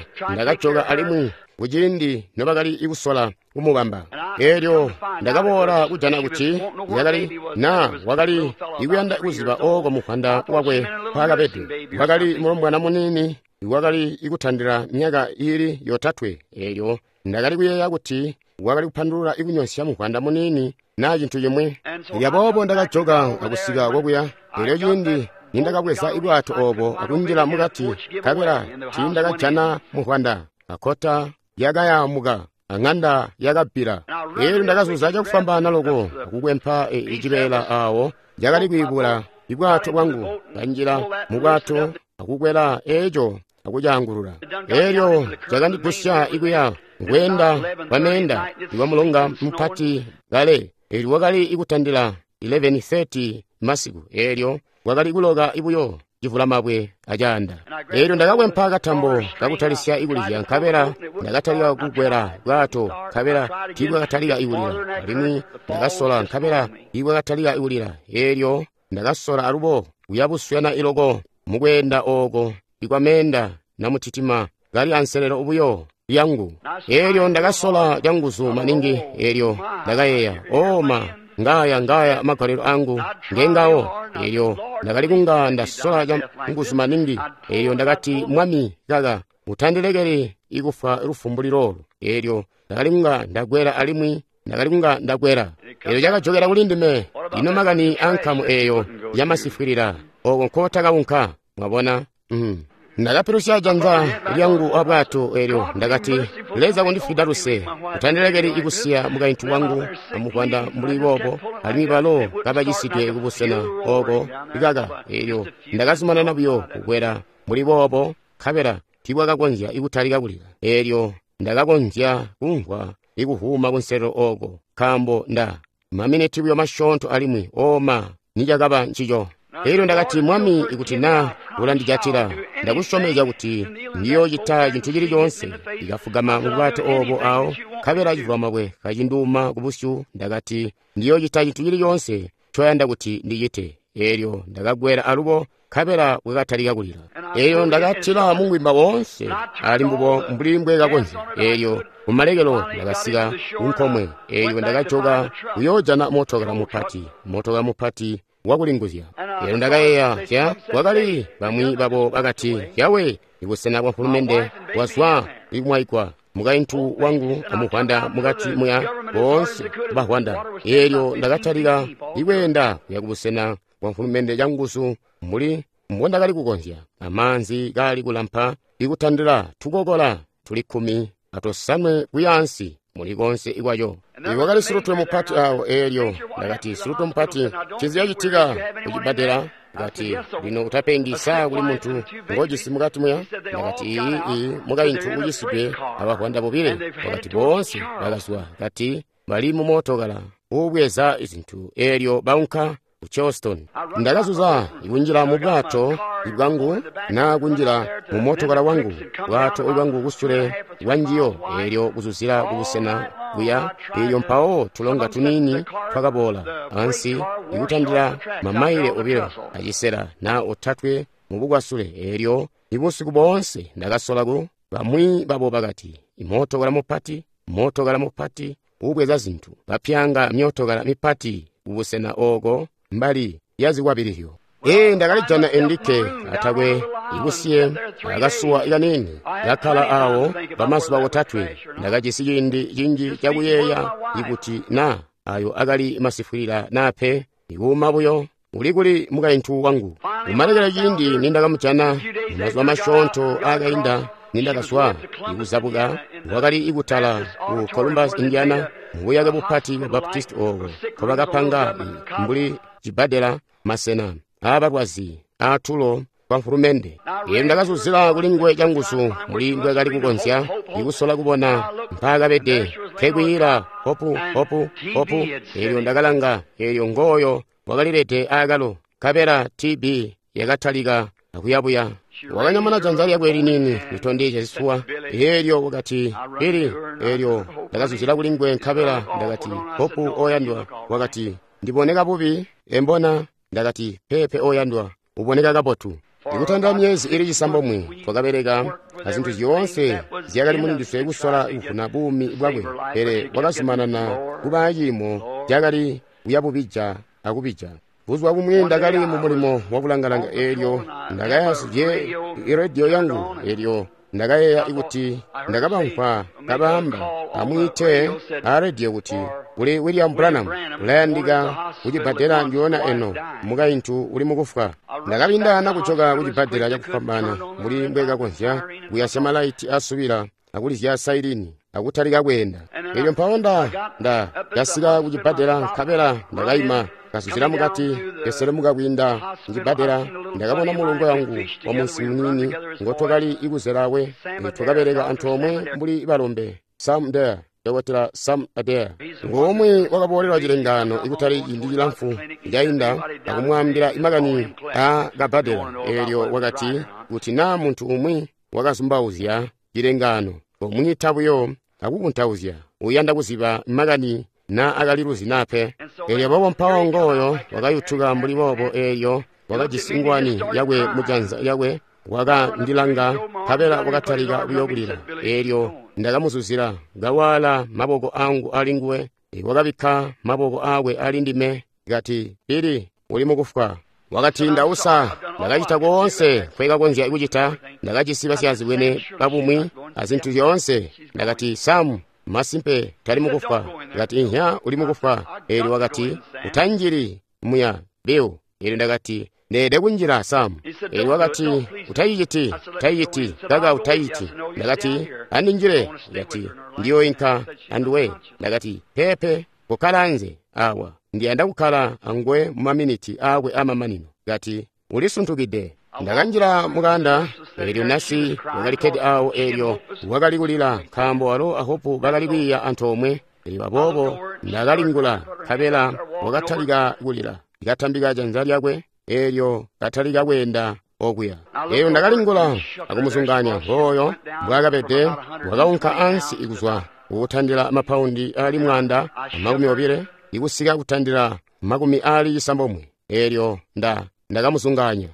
Speaker 1: ndakajoka alimwi kuciindi nobakali kusola kumubamba. Eelyo ndakaboola kujana kuti yakali na wakali ikuyanda kuziba ooko muvwanda wakwe mpaakabede. Wakali mulombwana muniini wakali ikutandila myaka iili yotatwe. Eelyo ndakali kuyeeya kuti wakali kupandulula ikunyonsya muvwanda muniini naa cintu cimwi. Aboobo ndakajoka akusika kokuya. Eelyo ciindi nindakabweza ibwato oobo akunjila mukati, nkabela tiindakajana muvwanda. Akkota yakayaamuka, ang'anda yakabbila. Eelyo ndakazuza cakufwambaana loko akukwempa icibeela aawo cakali kwiibula ibwato bwangu. Kanjila mubwato akukwela eeco akucaangulula. Eelyo cakandigusya ikuya ngweenda kwameenda iwa mulonga mupati kale. Eelyo wakali ikutandila eleven thirty masiku. Eelyo wakali kuloka ibuyo civulamabwe acaanda. Eelyo ndakakwempa katambo kakutalisya ikulizya, nkabela ndakatalika kukwela bwato, nkabela tiibwakatalika ikulila. Alimwi ndakasola, nkabela tiibwakatalika ikulila. Eelyo ndakasola alubo kuya buswena iloko mukweenda ooko ikwameenda namutitima kali anselelo buyo lyangu. Eelyo ndakasola canguzu maningi. Eelyo ndakayeeya, oma, ngaya ngaya magalelo angu ngengawo. Eelyo ndakali kunga ndasola canguzu maningi. Eelyo ndakati, Mwami kaka utandilekeli ikufa lufu mbuli loolu. Eelyo ndakali kunga ndakwela alimwi ndakali kunga ndakwela. Eelyo cakajokera kuli ndime. Ino makani ankamu eeyo yamasifwilila ooko nkotakaunka. Mwabona? Mm. Ndakapilusya janza lyangu abwato. Eelyo ndakati, Leza kundifwida luse, utandilekeli ikusiya mukaintu wangu amuvwanda mbuli boobo, alimwi balo kabacisidwe kubusena ooko ikaka. Eelyo ndakazumanana buyo kukwela mbuli boobo, nkabela tiibwakakonzya ikutalika kulila. Eelyo ndakakonzya kumvwa ikuvuuma kunselelo ooko, nkaambo nda maminiti buyo masyoonto alimwi oma nicakaba ncico. Eelyo ndakati, Mwami, ikuti na ulandijatila, ndakusyomezya kuti ndiyoocita cintu cili coonse. Ndikafugama mu bwato oobo awo, nkabela civulamabwe kacinduuma kubusyu. Ndakati, ndiyoocita cintu cili coonse ncoyanda kuti ndicite. Eelyo ndakakwela alubo, nkabela bwakatalika kulila. Eelyo ndakatila mungwimba woonse ali mbubo mbuli mbwekakonzya. Eelyo kumalekelo ndakasika kunkomwe. Eelyo ndakajoka kuyoojana mootokala mupati, mootokala mupati wakulinguzya. Eelyo ndakayeeya, ya kwakali bamwi babo bakati, Yawe, ibusena bwa mfulumende bwazwa ikumwaigwa. Mukaintu wangu amuvwanda mukati muya boonse bavwanda. Eelyo ndakatalika ikweenda kuya kubusena bwa mfulumende canguzu mbuli mbondakali kukonzya. Amaanzi kaali kulampa ikutandila tukokola tuli kkumi atosanwe kuyaansi muli konse ikwaco. Iwakali silutwe mupati awo. Eelyo ndakati, silutwe mupati, ncinzi cacitika kucibbadela? Ndakati, lino utapengi, saa kuli muntu ngojisi mukati muya? Ndakati, iyi iyi mukaintu ucisidwe abavwanda bobile. Wakati, boonse bakazwa. Kati, bali mumootokala uubweza izintu. Eelyo baunka ku Charleston. Ndakazuza ikunjila mu bwato bwangu na kunjila mu mootokala wangu, bwato bwangu kusule bwanjiyo. Eelyo kuzuzila kubusena buya. Eelyo mpawo tulonga tuniini twakaboola ansi ikutandila mamaile obilo acisela na otatwe mu bukwasule. Eelyo ibusiku boonse ndakasola ku bamwi babo bakati, imootokala mupati, mootokala mupati ubweza zintu, bapyanga myootokala mipati kubusena ooko mbali yazikwabililyo. Ee, ndakalijana endikke atakwe ikusiye akasuwa kanini kakkala awo pamazuba otatwe. Ndakajisi ciindi cinji cakuyeeya ikuti na ayo akali masifwilila na pe. Ikuuma buyo uli kuli mukaintu wangu. Kumalekelo ciindi nindakamujana mumazuba masyoonto aakainda nindakazwa ikuzabuka, wakali ikutala ku Columbus, Indiana, mubuyake bupati bwa Baptist ooko nkobakapanga mbuli cibbadela, masena aabalwazi aatulo kwa mfulumende. Eelyo ndakazuzila kuli nguwe canguzu mbuli mbwekali kukonzya ikusola kubona mpaakabede, nkekwiila hopu hopu hopu. Eelyo ndakalanga, eelyo ngooyo wakalilede aakalo, nkabela T B yakatalika akuyabuya. Wakanyamuna janza lyakwe liniini litondezya zisuwa. Eelyo wakati, Billy. Eelyo ndakazuzila kuli nguwe nkabela ndakati, Hope oyandwa. Wakati, ndiboneka bubi embona? Ndakati, peepe oyandwa, uboneka kabotu. Ikutanda myezi ili cisambomwe twakabeleka azintu zyoonse zyakali muli ndiswe kusola kuvuna buumi bwakwe, pele wakazumanana kuba ciimo cakali kuyabubija akubija. Buzuba bumwi ndakali mu mulimo wakulangalanga, eelyo ndakayasye irediyo yangu, eelyo ndakayeeya kuti ndakabamvwa kabaamba amwiite a rediyo kuti kuli William Branham ulayandika kucibbadela ndiona eno, mukaintu uli mukufwa. Ndakabindana kujoka kucibbadela cakufwambaana mbuli mbwekakonzya kuyasya malaiti asubila akulizya sailini akutalika kweenda. Eelyo mpawo nda ndakasika kucibbadela nkabela ndakayima kasuzila mukati keselemuka kwiinda mucibbadela. Ndakabona mulongo wangu wa munsi muniini ngotwakali ikuzelawe, twakabeleka antoomwe mbuli balombe, Sam Dare, Dokotela Sam Adair. Ngomwe wakaboolelwa cilengaano ikutali ciindi cilamfu cainda akumwaambila makani a kabbadela. Eelyo wakati kuti naa muntu umwi wakazumbauzya cilengaano, komwiita buyo akukuntauzya, uyanda kuziba makani naa akaliluzi naa pe. Eelyo aboobo mpawo ngooyo wakayutuka mbuli boobo, eelyo wakajisi ngwani yakwe mujanza lyakwe, wakandilanga nkabela wakatalika buyo kulila. Eelyo ndakamuzuzila kawaala maboko angu ali nguwe, wakabikka maboko aakwe ali ndime, kati, Billy, uli mukufwa. Wakati, ndausa, ndakacita koonse nkwekakonzya kucita, ndakajisi basyaazibwene babumwi azintu zyoonse. Ndakati, Sam, masimpe tali mukufwa. Ndakati, inhya, uli mukufwa. Eelyo wakati, utanjili muya, Bill. Eelyo ndakati, ndeede kunjila, Sam. Eelyo wakati, utayiciti, utayiciti, kaka utayiciti. Ndakati, andinjile. Ndakati, ndiyoinka anduwe. Ndakati, peepe, kukkala anze awa, ndiyanda kukkala anguwe mu maminiti aakwe amamanino. Kati, ulisuntukide. Ndakanjila mukanda, eelyo nasi wakalikkede awo, eelyo wakali kulila nkaambo walo a Hope bakali kwiiya antoomwe. Eelyo aboobo ndakalingula nkabela wakatalika kulila, ndikatambika janza lyakwe, eelyo katalika kweenda okuya. Eelyo ndakalingula akumuzunganya ngooyo mbwaakabede, wakaunka ansi ikuzwa kukutandila mapaundi aali mwaanda amakumi obile ikusika kutandila makumi aali cisambomwe. Eelyo nda ndakamuzunganya.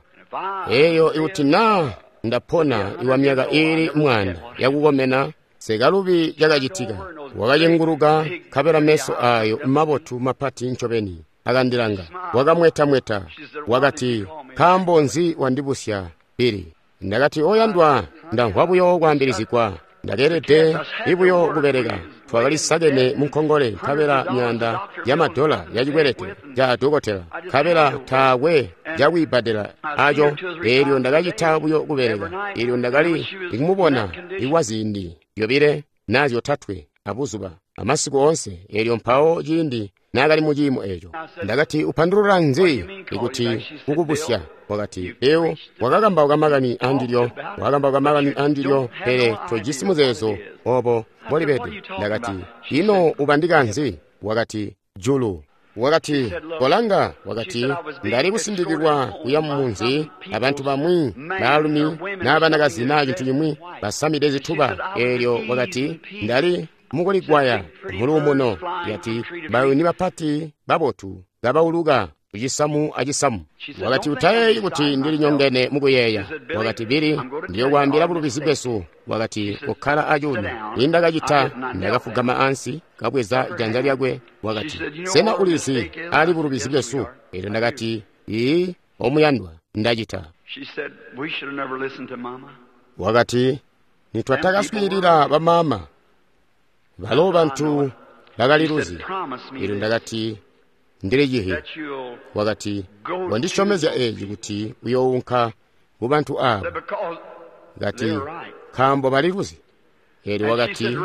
Speaker 1: Eyo ikuti naa ndapona iwa myaka iili mwaanda yakukomena, sekalubi cakacitika. Wakacenguluka nkabela meso ayo mabotu mapati ncobeni akandilanga. Wakamwetamweta wakati, nkaambo nzi wandibusya, Billy? Ndakati, oyandwa, ndamvwa buyo kwaambilizigwa. Ndakeelede ibuyo kubeleka. Twakalisakene munkongole nkabela myaanda ya madola ya cikwelete ca dokotela, nkabela taakwe cakwiibbadela aco. Eelyo ndakacita buyo kubeleka. Eelyo ndakali ikumubona ikwa ziindi zyobile naa zyotatwe abuzuba amasiku oonse. Eelyo mpawo ciindi naakali mu ciimo eeco, ndakati, upandulula nzi ikuti kukubusya? Wakati, Bill, wakakambauka makani andilyo, wakakambauka makani andilyo, pele tojisi muzeezo obo mbolibede. Ndakati, ino ubandika nzi? Wakati, julu. Wakati, kolanga. Wakati, ndali kusindikilwa kuya mumunzi abantu bamwi baalumi naa banakazi naa cintu cimwi basamide zituba. Eelyo wakati, ndali mukuligwaya muluumuno. Yati, bayuni bapati babotu kabauluka kucisamu acisamu. Wakati, utayeeyi kuti ndilinyongene mukuyeeya. Wakati, Billy, ndiyokwaambila bulubizi bwesu. Wakati, kukkala acuuno. Nindakacita, ndakafugama ansi, kabweza janza lyakwe. Wakati, sena ulizi ali bulubizi bwesu? Eelyo ndakati, ii, omuyandwa, ndacita. Wakati, nitwatakaswiilila bamaama, balo bantu bakaliluzi. Eelyo ndakati, ndilicihi. Wakati, wandisyomezya eeci kuti uyounka kubantu aabo. Kati, nkaambo baliluzi. Eelyo wakati,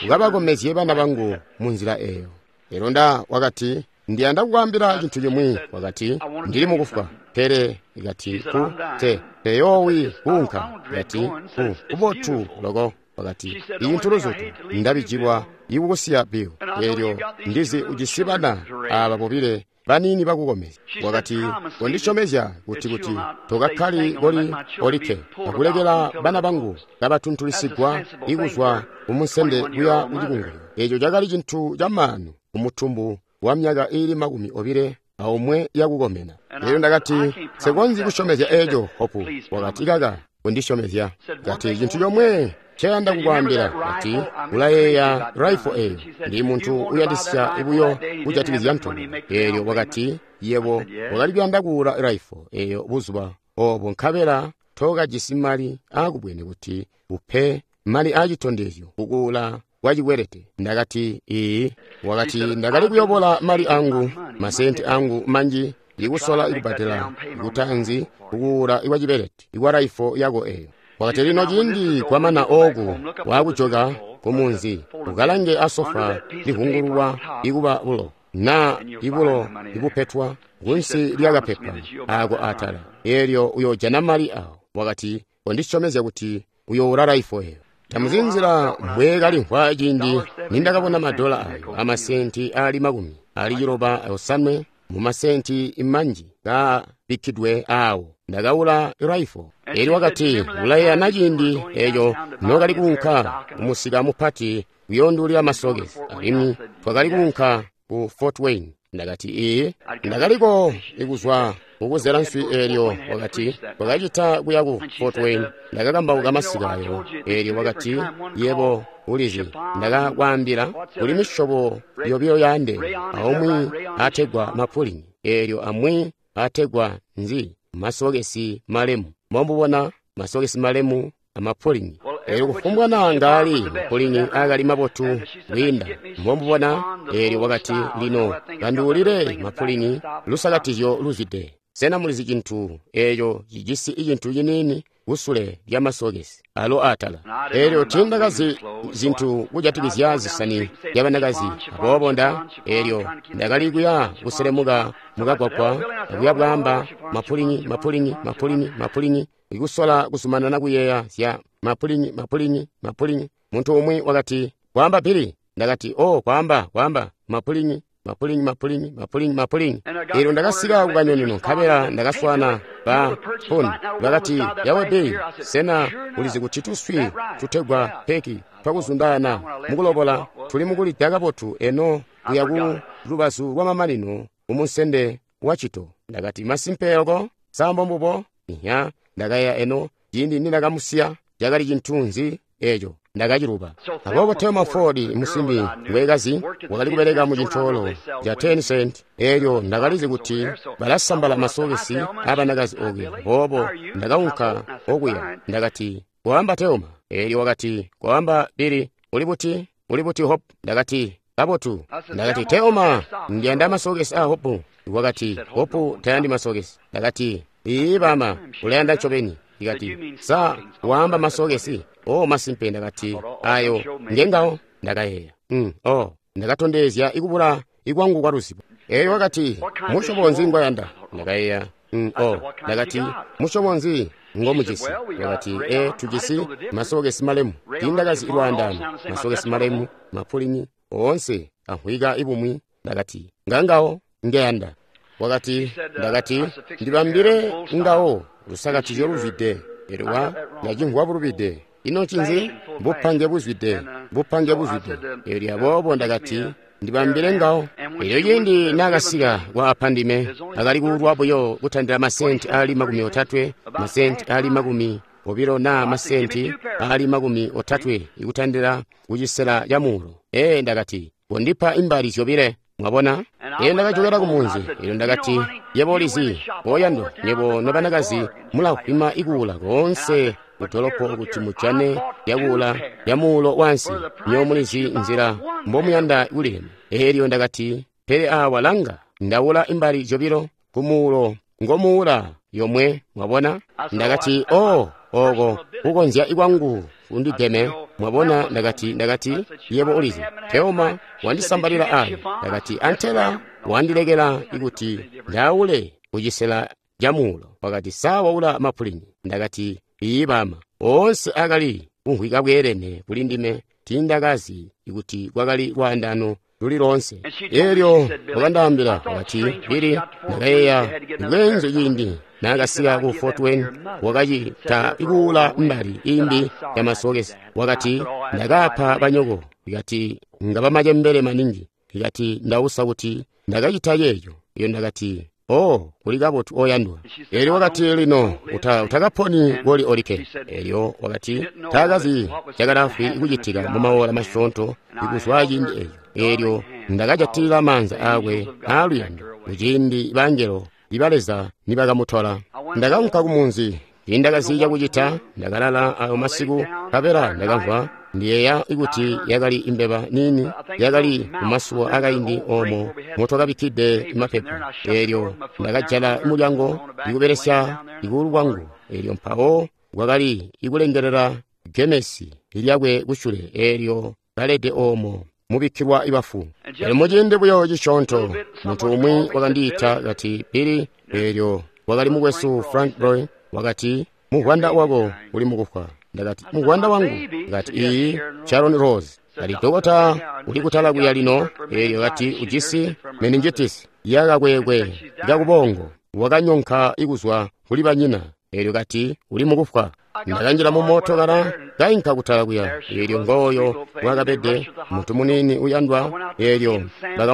Speaker 1: ukabakomezye bana bangu munzila eeyo. Eelyo nda wakati, ndiyanda kukwaambila cintu cimwi. Wakati, ndili mukufwa, pele kati ku te teyoowi kuunka. Kati ku kubotu loko. Wakati, icintu luzutu ndabijilwa ikukusiya Bill. Eelyo ndizi ujisi bana aba bobile baniini bakukomezya. Wakati, kondisyomezya kuti kuti tokakkali koli olikke, akulekela bana bangu kabatuntulisigwa ikuzwa kumunsende kuya kucikungulyo. Eeco cakali cintu camaanu kumutumbu wa myaka iili makumi obile aumwe yakukomena. Elyo ndakati, nsekonzyi kusyomezya eeco, Hopu. Wakati, kaka kondisyomezya. Kati, cintu comwe nceyanda kukwaambila, kati, ulayeeya raifo eyo. Ndi muntu uyandisya buyo kujatikizya ntobo. Eelyo wakati, yebo wakali kuyanda kuula raifo eyo buzuba obo nkabela tookajisi mali aakubwene kuti upe mali aacitondezyo kukuula kwa cikwelete. Ndakati, iyi. Wakati, ndakali kuyobola mali angu, masenti angu manji, ikusola ikubbadela kutaanzi kukuula ikwa cikwelete ikwa raifo yako eyo. Wakati, lino ciindi kwamana ooku waakujoka kumunzi, ukalange asofa livungululwa ikuba bulo naa ibulo ibupetwa kunsi lyakapepa ako atala, eelyo uyoojana mali awo. Wakati, kondisyomezya kuti uyoula raifo eyo. Tamuzi nzila mbweekalimvwa ciindi nindakabona madola ayo amasenti aali makumi ali ciloba osanwe mu masenti manji kabikkidwe aawo. Ndakaula raifo. Elyo wakati, ulayeeya na ciindi eeco nookali kuunka kumusika mupati kuyoonduulila masokesi, alimwi twakali kuunka ku Fort Wayne. Ndakati, iyi. Ndakaliko ikuzwa kukuzela nswi eelyo. Wakati, twakacita kuya ku Fort Wayne. Ndakakambauka masika ayo. Eelyo wakati, yebo ulizi, ndakakwaambila kuli misyobo yobilo yaandeene, aumwi ategwa mapulini, eelyo amwi ategwa nzi masokesi malemu. Mombubona masokesi malemu amapulini. Eelyo kufumbwa naa ngaali mapulini akali mabotu kwiinda. Mombubona. Eelyo wakati, lino kanduulile mapulini lusakatizyo luzwide. Sena mulizi cintu eeco cijisi icintu ciniini kusule lya masokesi alo atala? Eelyo tiindakazi zintu kujatikizya zisani zyabanakazi, aboobo nda eelyo ndakali kuya kuselemuka mukagwagwa akuya bwaamba mapulini mapulini mapulini mapulini, ikusola kuzumanana kuyeeya zya mapulini mapulini mapulini. Muntu umwi wakati, kwaamba Billy. Ndakati, oh, kwaamba kwaamba mapulini mapulini mapulini mapulini mapulini. Eelyo ndakasika kukanyoneno nkabela ndakaswana ba Poni. Bakati, yawe Billy, sena ulizi kuti tuswi tutegwa peki twakuzundana mukulobola tuli mukulida kabotu eno kuya ku lubazu lwamamanino kumunsende wa cito? Ndakati, masimpe oko sambo mbubo. Inya, ndakayeeya eno ciindi nindakamusiya cakali cintu nzi eeco, ndakaciluba. Aboobo Thelma Ford, musimbi ngwekazi, wakali kubeleka mu cintoolo ca ten cent. Eelyo ndakalizi kuti balasambala masokesi abanakazi okuya, aboobo ndakaunka okuya. Ndakati, kwaamba Thelma. Eelyo wakati, kwaamba Billy, uli buti? Uli buti Hope? Ndakati, kabotu. Ndakati, Thelma, ndiyanda masokesi a Hope. Wakati, Hope tayandi masokesi. Ndakati, iyi bama, ulayanda ncobeni. Ndikati, sa waamba masokesi? Oh, masimpe. Ndakati, ayo ngengawo. Ndakayeeya, mm, oh, ndakatondezya ikubula ikwangu kwa luzibo. Eyo wakati, musyobo nzi ngwayanda? Ndakayeeya, mm, oh. Ndakati, musyobo nzi ngomujisi? Wakati, e, tujisi masokesi malemu. Tiindakazi ilwaandaano, masokesi malemu, mapulini oonse amvwika ibumwi. Ndakati, ngangawo ngeyanda. Wakati, ndakati, ndibambile ngawo lusakatizyo luzwide. Elyo wa ndacimvwa bulubide. Ino ncinzi? Bupange buzwide, bupange buzwide. Elyo aboobo ndakati, ndibambile ngawo. Elyo ciindi naakasika kwa apandime, akali kuulwa buyo kutandila masenti aali makumi otatwe, masenti aali makumi obilo naa masenti aali makumi otatwe ikutandila kucisela ca muulo. Ee, ndakati, kondipa imbali zyobile. Mwabona? Elyo ndakajokela kumunzi. Elyo ndakati, yebo ulizi, oyandwa, nyebo nobanakazi mulahwima ikuula koonse kudolopo kuti mujane yakuula ya muulo wansi. Nyo mulizi nzila mbomuyanda kulilema. Elyo ndakati, pele awa langa, ndaula imbali zyobilo kumuulo ngomuula yomwe. Mwabona? Ndakati, oh, oko kukonzya ikwangu kundigeme. Mwabona? Ndakati, ndakati, yebo ulizi, Thelma wandisambalila ayo. Ndakati, antela wandilekela ikuti ndaule kucisela ca muulo. Wakati, sa waula mapulini? Ndakati, iyi bama. Oonse akali kumvwika bweelene kuli ndime. Tiindakazi ikuti kwakali lwaandano luli loonse. Elyo wakandaambila, wakati, Billy, ndakayeeya bweenzu ciindi naakasika ku Fort Wayne, wakacita kuula mbali imbi ya masokesi. Wakati, ndakaapa banyoko. Ikati ngaba macembele maningi. Ikati ndausa kuti ndakacita ceeco. Iyo ndakati, oh, kuli kabotu oyandwa. Elyo wakati, lino uta, utakaponi koli olikke. Elyo wakati taakazi cakalaafwi kucitika mu maola masyoonto ikuzwa ciindi eco. Elyo ndakajatilila maanza aakwe aaluyando kuciindi bangelo iba Leza nibakamutola. Ndakaunka kumunzi. Tiindakazi cakucita, ndakalala ayo masiku, nkabela ndakamvwa ndiyeeya kuti yakali imbeba niini yakali mumasuwa akaindi oomo motwakabikkide mapepa. Eelyo ndakajala mulyango ikubelesya ikuulu kwangu. Eelyo mpawo kwakali ikulengelela gemesi lyakwe kusyule, eelyo kalede oomo mubikkilwa ibafu. Elyo muciindi buyo cisyoonto muntu umwi wakandiita kati, Billy. Eelyo wakali mukwesu Frank Roy. Wakati, muvwanda wako uli mukufwa. Ndakati, muvwanda wangu? Kati, iyi, Sharon Rose. Kati, dokota uli kutala kuya lino. Eelyo kati, ujisi meningitis yakakwekwe kakubongo, wakanyonka ikuzwa kuli banyina. Eelyo kati, uli mukufwa. Ndakanjila mu mootokala kainka kutala kuya. Eelyo ngooyo wakabede muntu muniini uyandwa. Eelyo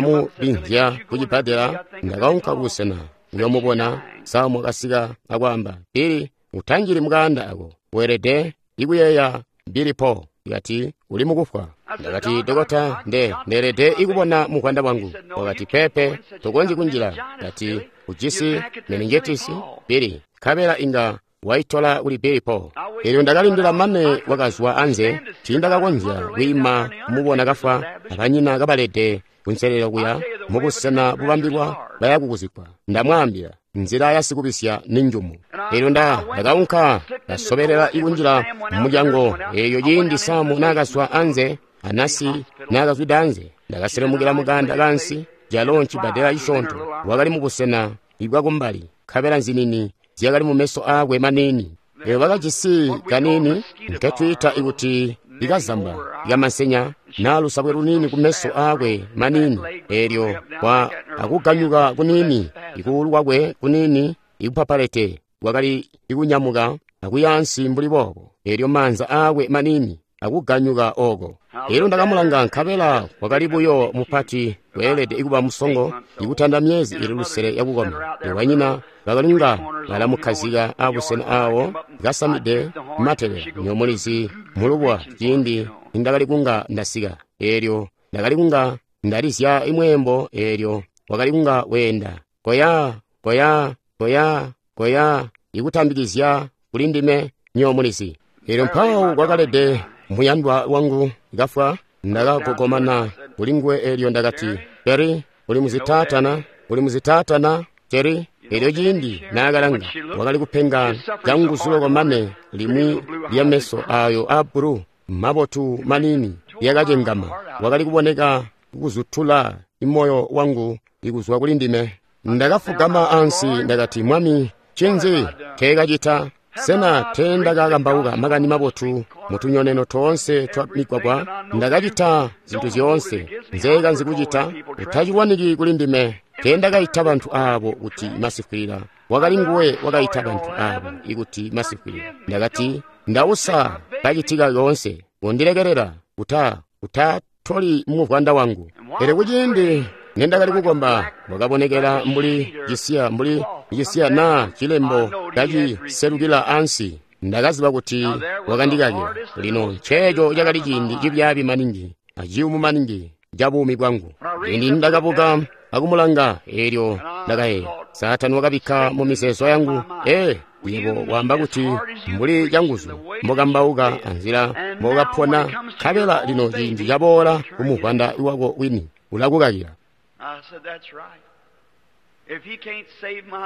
Speaker 1: bakamubinzya kucibbadela. Ndakaunka kubusena uyomubona. Samu akasika akwaamba, Billy, utanjili mukaanda ako, weelede ikuyeeya Billy Paul. Ikati uli mukufwa. Ndakati, dokota, nde ndeelede ikubona muvwanda wangu. Wakati, pepe, tokonzyi kunjila. Kati ujisi meningitis, Billy, nkabela inga waitola kuli Billy Paul. Eelyo ndakalindila mane wakazwa anze. Tiindakakonzya kwiima kumubona kafwa, abanyina kabalede kunselelo kuya mubusena bubambilwa baya kukuzikwa. Ndamwaambila, nzila ya sikubisya ni njumu. Eelyo nda ndakaunka ndasobelela ikunjila mumulyango. Eeyo ciindi Samu naakazwa anze, anasi naakazwida anze, ndakaselemukila mukanda kansi calo ncibbadela cisyoonto. Wakali mubusena ibwakumbali, nkabela nzinini zyakali mumeso aakwe maniini. Eyo bakajisi kaniini nketwiita ikuti ikazamba ikamasenya naa lusabwe luniini kumeso aakwe maniini. Eelyo kwa akuganyuka kuniini ikuulu kwakwe kuniini ikupapalete kwakali ikunyamuka akuyaansi mbuli boobo. Eelyo maanza aakwe maniini akuganyuka oko. Eelyo ndakamulanga, nkabela wakali buyo mupati, weelede ikuba musongo, ikutanda myezi ili lusele yakukoma. Banyina bakalinga balamukhazika abusena awo kasamide matebe nyomulizi mulubwa ciindi nindakali kunga ndasika. Eelyo ndakali kunga ndalizya imweembo. Eelyo wakali kunga weenda koya koya koya koya ikutambikizya kuli ndime nyomulizi. Eelyo mpawo kwakalede muyandwa wangu kafwa. Ndakagogomana kuli nguwe. Eelyo ndakati, Jerry, uli muzitaatana, uli muzitaatana, Jerry. Eelyo ciindi naakalanga, wakali kupenga canguzu loko mane limwi lya meso ayo aabbulu mabotu maniini lyakacengama. Wakali kuboneka kuzutula imoyo wangu ikuzwa kuli ndime. Ndakafugama ansi, ndakati, Mwami, ncinzi teekacita? Sena teendakakambauka makani mabotu mutunyoneno toonse twa migwagwa? Ndakacita zintu zyoonse nzeekanzi kucita. Utacilwaniki kuli ndime. Teendakaita bantu aabo kuti masikwila. Wakali nguwe wakaita bantu aabo ikuti masikwila. Ndakati, ndausa kacitika yoonse, kundilekelela kuta kutatoli muvwanda wangu. Pele kuciindi nendakali kukomba, wakabonekela mbuli cisiya mbuli cisiya naa cilembo kaciselukila ansi. Ndakaziba kuti wakandikakila. Lino nceeco cakali ciindi cibyaabi maningi aciyumu maningi ca buumi bwangu. Ciindi ndakabuka akumulanga, eelyo ndakayeeya, Saatani wakabikka mu mizeezo yangu, ee, yebo waamba kuti mbuli canguzu mbokambauka anzila mbokapona, nkabela lino ciindi caboola kumuvwanda wako wini ulakukakila.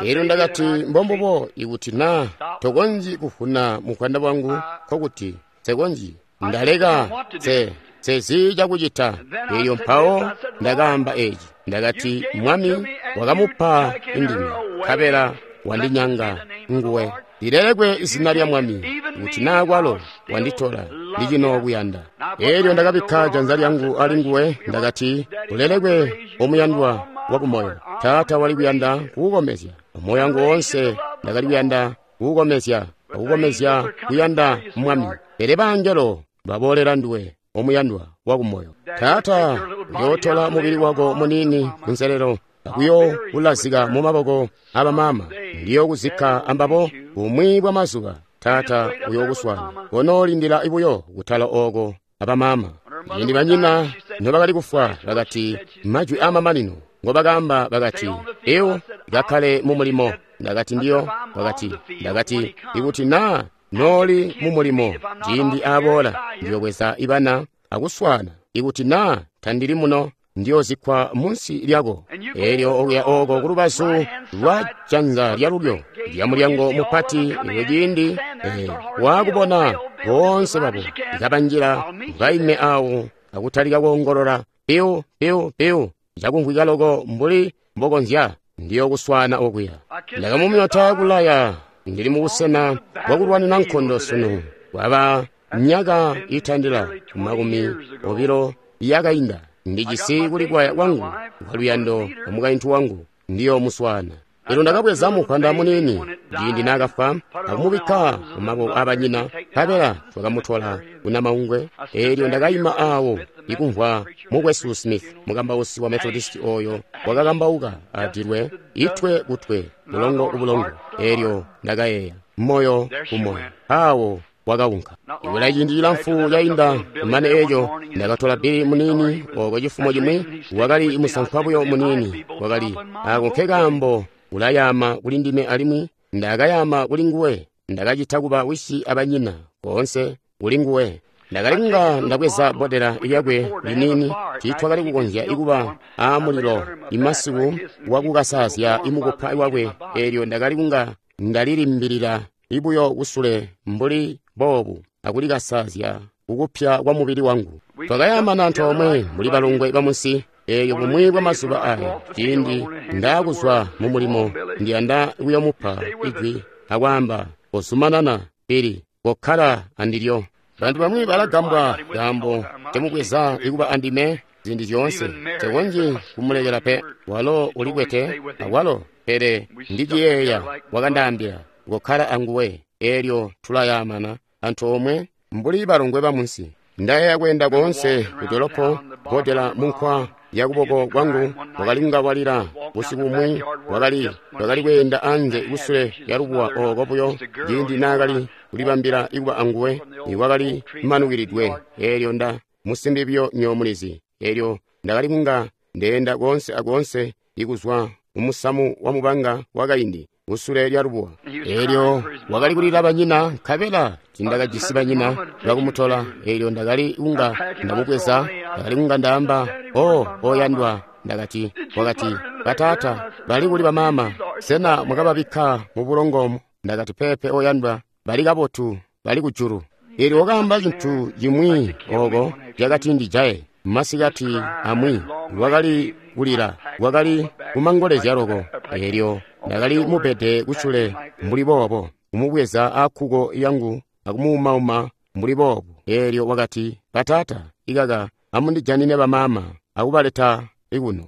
Speaker 1: Eelyo ndakati, mbombubo, ikuti naa tokonzyi kuvuna muvwanda wangu, nkokuti nsekonzyi ndaleka nse sezi cakucita. Eelyo mpawo ndakaamba eci, ndakati, Mwami wakamupa indime, nkabela wandinyanga nguwe. Lilelekwe izina lya Mwami, kuti naa kwalo wanditola ndicino kuyanda. Elyo ndakabikka janza lyangu ali nguwe, ndakati, ulelekwe omuyandwa wakumoyo. Taata wali kuyanda kukukomezya. Moyo wangu woonse ndakali kuyanda kukukomezya, akukomezya kuyanda Mwami. Pele bangelo baboolela nduwe, omuyandwa wakumoyo. Taata uyootola mubili wako munini kunselelo, akuyo ulazika mu maboko abamama. Ndiyo kuzikka ambabo bumwi bwa mazuba. Taata uyokuswana konoolindila buyo kutala oko abamama. Ciindi banyina nobakali kufwa, bakati majwi amamanino ngobakaamba bakati, "Ewo kakkale mu mulimo." Ndakati ndiyo, bakati, ndakati ikuti naa nooli mu mulimo ciindi aboola ndiyobweza ibana akuswana. Ikuti naa tandili muno ndiyozikkwa munsi lyako. Elyo okuya oko kulubazu lwa janza lyalulyo lya mulyango mupati, eyo ciindi eh, waakubona boonse babo kabanjila baime awo akutalika koongolola piu piu piu cakumvwika loko mbuli mbokonzya, ndiyokuswana okuya. Ndakamumyota kulaya, ndili mubusena bwakulwanina nkondo sunu. Kwaba myaka itandila makumi obilo yakainda, ndijisi kulikwaya kwangu kwaluyando amukaintu wangu, ndiyo muswana. Elyo ndakabweza mupanda munini ciindi naakafwa akumubikka mu maboko abanyina, nkabela twakamutola kunamaungwe. Elyo ndakayima awo ikumvwa mukwesu Smith, mukambausi wa Methodist oyo wakakambauka adilwe itwe kutwe, bulongo kubulongo. Elyo ndakayeeya moyo kumoyo, awo wakaunka. Ikula ciindi cilamfu cainda kumane eco, ndakatola Bili munini oko cifumo cimwi, wakali musankwa buyo munini, wakali ako nkekaambo ulayama kuli ndime alimwi ndakayama kuli nguwe. Ndakacita kuba wisi abanyina boonse kuli nguwe. Ndakali kunga ndabweza bbodela lyakwe liniini, tiitwakali kukonzya ikuba aamulilo imasiku wakukasaazya imukupa wakwe. Elyo ndakali kunga ndalilimbilila ibuyo kusule mbuli boobu akulikasazya kukupya kwa mubili wangu. Twakayamana antoomwe mbuli balongwe bamunsi. Eyo bumwi bwa mazuba aya, ciindi ndaakuzwa mu mulimo, ndiyanda kuyomupa ijwi akwaamba, kozumanana Bili, kokkala andilyo. Bantu bamwi balagambwa kaambo temubweza ikuba andime ziindi zyoonse. Tekonzyi kumulekela pe, walo ulikwete awalo, pele ndiciyeeya wakandaambila kokkala anguwe. Elyo tulayamana antoomwe mbuli balongwe bamunsi. Ndayeeya kweenda koonse kudolopo, bbodela munkwa yakuboko kwangu wakali kunga walila. Busiku bumwi wakali wakali kweenda anze kusule lya lubuwa oko buyo ciindi naakali kulibambila ikuba anguwe, iwakali manukilidwe. Elyo nda musimbi buyo nyoomulizi. Elyo ndakali kunga ndeenda koonse akoonse ikuzwa mumusamu wa mubanga wakaindi kusule lya lubuwa. Elyo wakali kulila banyina, nkabela tindakajisi banyina bakumutola. Elyo ndakali kunga ndamubweza, ndakali kunga ndaamba, "O oyandwa." Ndakati, wakati, "Bataata bali kuli bamama? Sena mwakababikka mu bulongo?" Ndakati, "Pepe oyandwa, bali kabotu, bali kujulu." Elyo wakaamba cintu cimwi oko cakati ndijaye. Masikati amwi wakali kulila, wakali kumangolezya loko. Elyo ndakali mubede kusule mbuli boobo, kumubweza akkuko yangu akumuumauma mbuli boobo. Elyo wakati, "Bataata, ikaka amundijanine bamama akubaleta ikuno."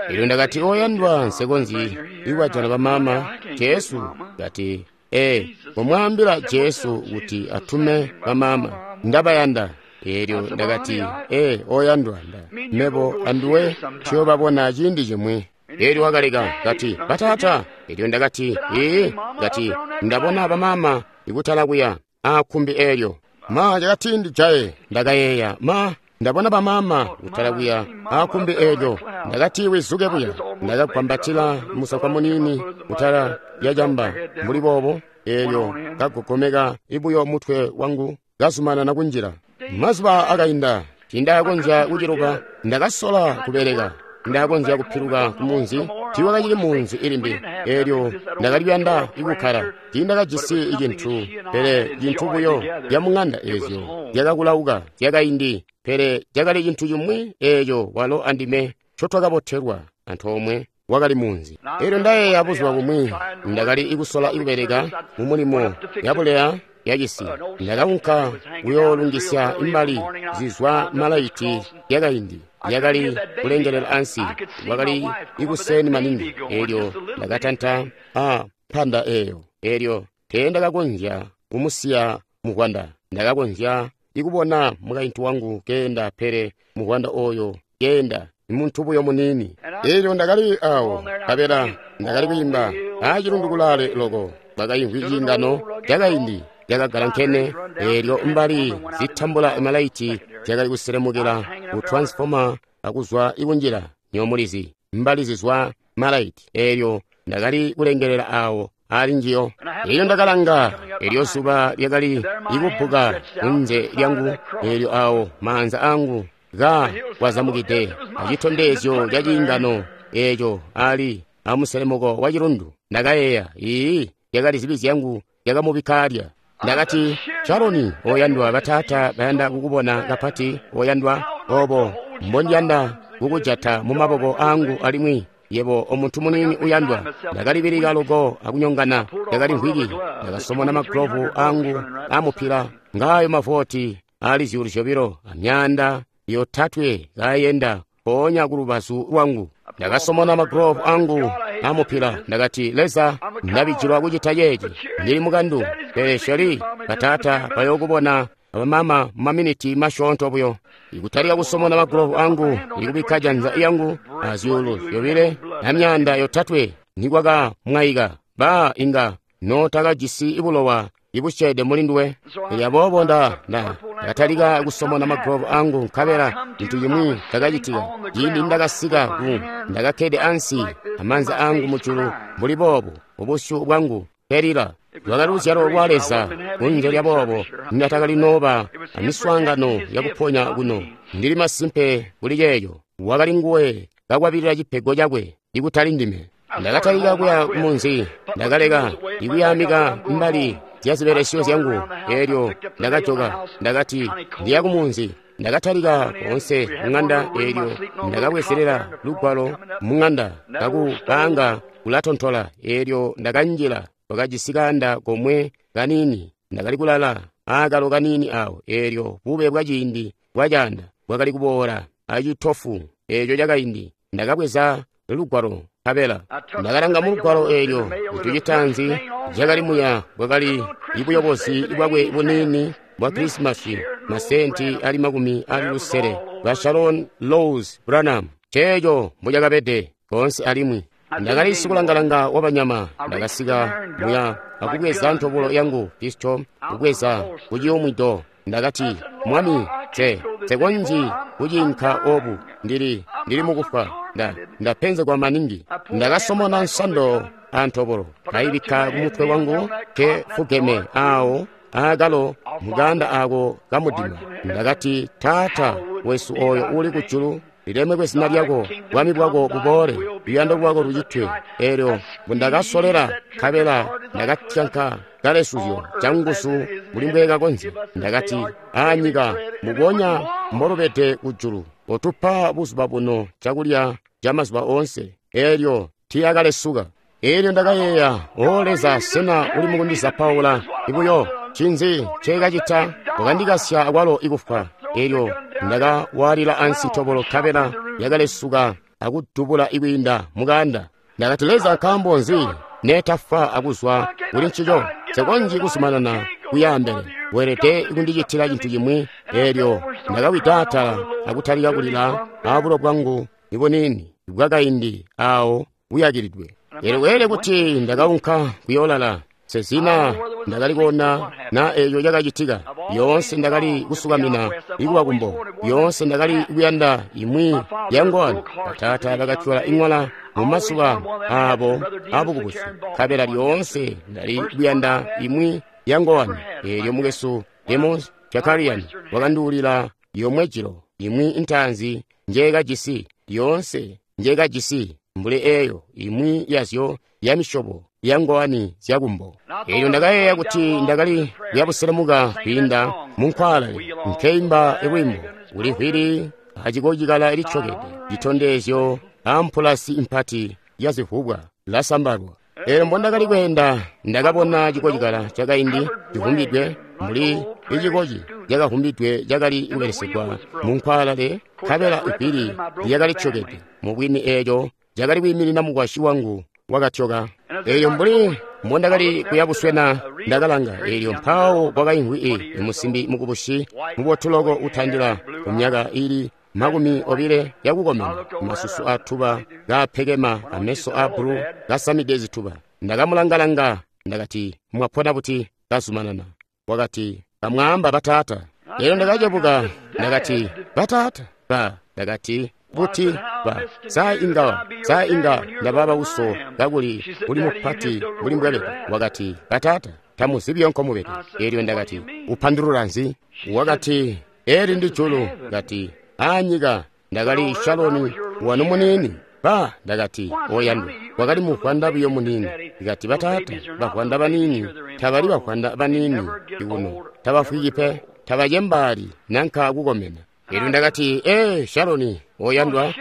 Speaker 1: Elyo ndakati, "Oyandwa, nsekonzyi ikubajana bamama. Jesu kati, ee, komwaambila Jesu kuti atume bamama, ndabayanda." Elyo ndakati, "Ee, oyandwa, nda mebo anduwe tuyobabona ciindi cimwi." Elyo wakaleka, kati, "Bataata." Elyo ndakati, "Ee." Kati, "Ndabona bamama ikutala kuya aakkumbi elyo." Ma, cakati ndijaye. Ndakayeeya, ma, ndabona bamama kutala kuya aakkumbi elyo. Ndakati wizuke buya. Ndakagwambatila musankwa munini kutala lya camba mbuli boobo. Elyo kagogomeka ibuyo mutwe wangu, kazumanana kunjila. Mazuba akainda, tindaakonzya kuciluka. Ndakasola kubeleka, ndakonzya kupiluka kumunzi, tiiwakacili munzi ilimbi. Elyo ndakali kuyanda ikukkala, tiindakajisi cintu pele cintu buyo lyamuŋanda eezyo zyakakulauka zyakaindi, pele cakali cintu cimwi eeco walo andime ncotwakabotelwa antoomwe. wakali munzi. Elyo ndayeeya buzuba bumwi ndakali kusola kubeleka mu mulimo yabuleya yacisi. Ndakaunka kuyoolungisya imbali zizwa malaiti yakaindi yakali kulengelela ansi. Wakali ikuseni maningi. Elyo ndakatanta a mpanda eyo. Elyo teendakakonzya kumusiya muvwanda. Ndakakonzya ikubona mukaintu wangu keenda, pele muvwanda oyo keenda muntu buyo muniini. Elyo ndakali awo kabela ndakali kwiimba acilundu kulaale loko. Kwakaimvwi ciingano cakaindi cakagalankene. Elyo mbali zitambula malaiti zyakali kuselemukela ku transformer akuzwa ikunjila nyomulizi mbali zizwa malaiti. Elyo ndakali kulengelela awo ali njiyo. Elyo ndakalanga, elyo zuba lyakali ikubbuka kunze lyangu. Elyo awo maanza angu ka kwazamukide acitondezyo ca ciingano eco ali amuselemuko wa cilundu. Ndakayeeya, ii lyakali zibi zyangu lyakamubikka alya. Ndakati, Sharoni oyandwa, bataata bayanda kukubona kapati oyandwa, obo mbondiyanda kukujata mu maboko angu alimwi yebo omuntu muniini uyandwa. Ndakalibilika loko akunyongana. Ndakali mvwiki. Ndakasomona magulovu angu amupila ngayo mavoti ali zyuulu zyobilo amyanda yotatwe kayenda mpoonya ku lubazu lwangu. Ndakasomona magulovu angu amupila. Ndakati, Leza, ndabijilwa kucita ceeci. Ndili mukandu, pele Sheri bataata bayookubona abamama mu maminiti masyoonto buyo. Ikutalika kusomona magulovu angu, ikubikka janza yangu azyuulu zyobile na myanda yotatwe nikwakamwaika. Ba inga notakajisi bulowa ibusyeede mulinduwe. Elyo aboobo nda nda ndakatalika kusomona magulovu angu, nkabela cintu cimwi cakacitika. Ciindi ndakasika ku ndakakkede ansi amaanza angu mujulu mbuli boobu, ubusyu bwangu kelila. Lwakali luzyalo lwa Leza. Kunze lya boobo ndatakali nooba amiswaangano yakuponya kuno. Ndili masimpe kuli ceeco. Wakali nguwe kakwabilila cipego cakwe, ikutali ndime. Ndakatalika kuya kumunzi. Ndakaleka ikuyamika mbali zya zibelesyo zyangu. Elyo ndakajoka. Ndakati ndiya kumunzi. Ndakatalika koonse mung'anda. Elyo ndakabwezelela lugwalo mung'anda kakupanga kulatontola. Elyo ndakanjila. Wakajisi kaanda komwe kanini. Ndakali kulala aakalo kanini awo. Elyo bube bwa ciindi bwacaanda bwakali kuboola acitofu eco cakaindi. Ndakabweza lugwalo nkabela ndakalanga mu lugwalo eelyo. Cintu citaanzi cakali muya bwakali ibuyobozi bwakwe buniini bwa Krisimasi, masenti ali makumi ali lusele ba Sharon Rose Branham. Ceeco mbucakabede koonse alimwi. Ndakali sikulangalanga wabanyama. Ndakasika muya akubweza ntobolo yangu pisto, kubweza kuciyumwido. Ndakati, Mwami, te tekonji kucinka obu. Ndili ndili mukufa. Nda ndapenzegwa maningi. Ndakasomona nsando antobolo kayibikka kumutwe wangu ke fugeme awo aakalo muganda ako kamudima. Ndakati, Taata wesu oyo uli kujulu, lilemekwe zina lyako, bwami bwako buboole, luyando lwako lucitwe. Elyo mbundakasolela nkabela ndakatyanka kalesuzyo canguzu mbuli mbwekakonzya. Ndakati, anyika mubonya mbolubede kujulu, otupa buzuba buno cakulya ca mazuba oonse. Elyo tiyakalesuka. Elyo ndakayeeya, O Leza, sena uli mukundizapaula ibuyo? Ncinzi nceekacita? Wakandikasya akwalo ikufwa. Elyo ndakawaalila ansi tobolo nkabela yakalesuka akudubula ikwiinda mukaanda. Ndakati, Leza, nkaambo nzi neetafwa akuzwa kuli ncico? Nsekonzyi kuzumanana kuyaambele. Weelede kundicitila cintu cimwi. Elyo ndakawida atala akutalika kulila abulo bwangu ibuniini bwakaindi awo buyakilidwe. Elyo kweelede kuti ndakaunka kuyoolala. Sezina ndakali kuona na eco cakacitika. Yoonse ndakali kusukamina ikuwa kumbo. Yoonse ndakali kuyanda imwi yangwani. Bataata bakatyola iŋwala mu mazuba abo abukubusi, nkabela lyoonse ndali kuyanda imwi yangwani. Elyo mukwesu Demos Shakarian wakanduulila yomwe jilo, imwi intaanzi njeekajisi, yoonse njeekajisi mbuli eyo imwi yazyo ya misyobo yangowani zyakumbo. Elyo ndakayeeya kuti ndakali kuyabuselemuka kwiinda munkwaalale nkeimba lwimbo kuli vwili acikocikala lityokede citondezyo ampulasi impati lyazivubwa lasambalwa. Eelyo mbondakali kweenda ndakabona cikocikala cakaindi civumbidwe mbuli icikoci cakavumbidwe cakali kubelesegwa munkwaalale, nkabela ivili lyakali tyokede. Mubwini eeco cakali kwiiminina mukwasyi wangu wakatyoka. Eelyo mbuli mbondakali kuyabuswena ndakalanga, eelyo mpawo kwakaimvwi i musimbi mukubusi mubotu loko utandila kumyaka ili makumi obile yakukomena, masusu atuba kaapekema ameso a bulu kasamide zituba. Ndakamulangalanga ndakati, mwapona buti? Kazumanana. Wakati, kamwaamba bataata. Eelyo ndakacebuka ndakati, bataata ba. Ndakati, buti ba saa inga saa inga ndababa uso kakuli uli mupati mbuli mbwabede. Wakati, bataata tamuzibiyo nkomubede. Eelyo ndakati, upandulula nzi? Wakati, eli ndi julu. Kati, anyika ndakali Shaloni wanu muniini. Ba ndakati, oyandwa wakali muvwanda buyo muniini. Kati, bataata bavwanda baniini tabali bavwanda baniini ikuno, tabafwiki pe, tabacembaali nanka kukomena. Eelyo ndakati, ee Shaloni oyandwa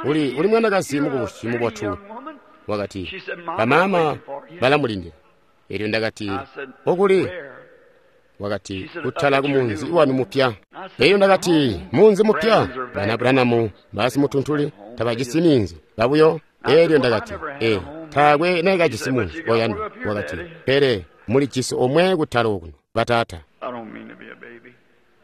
Speaker 1: uli uli mwanakazi mukubusi mubotu. Wakati, bamaama balamulindila. Eelyo ndakati, okuli? Wakati, kutala kumunzi wanu mupya. Eelyo ndakati, munzi mupya? Bana Branamu basimutuntuli tabajisi minzi babuyo. Eelyo ndakati, ee taakwe naikajisi munzi oyandwa. Wakati, pele mulijisi omwe kutala okuno bataata.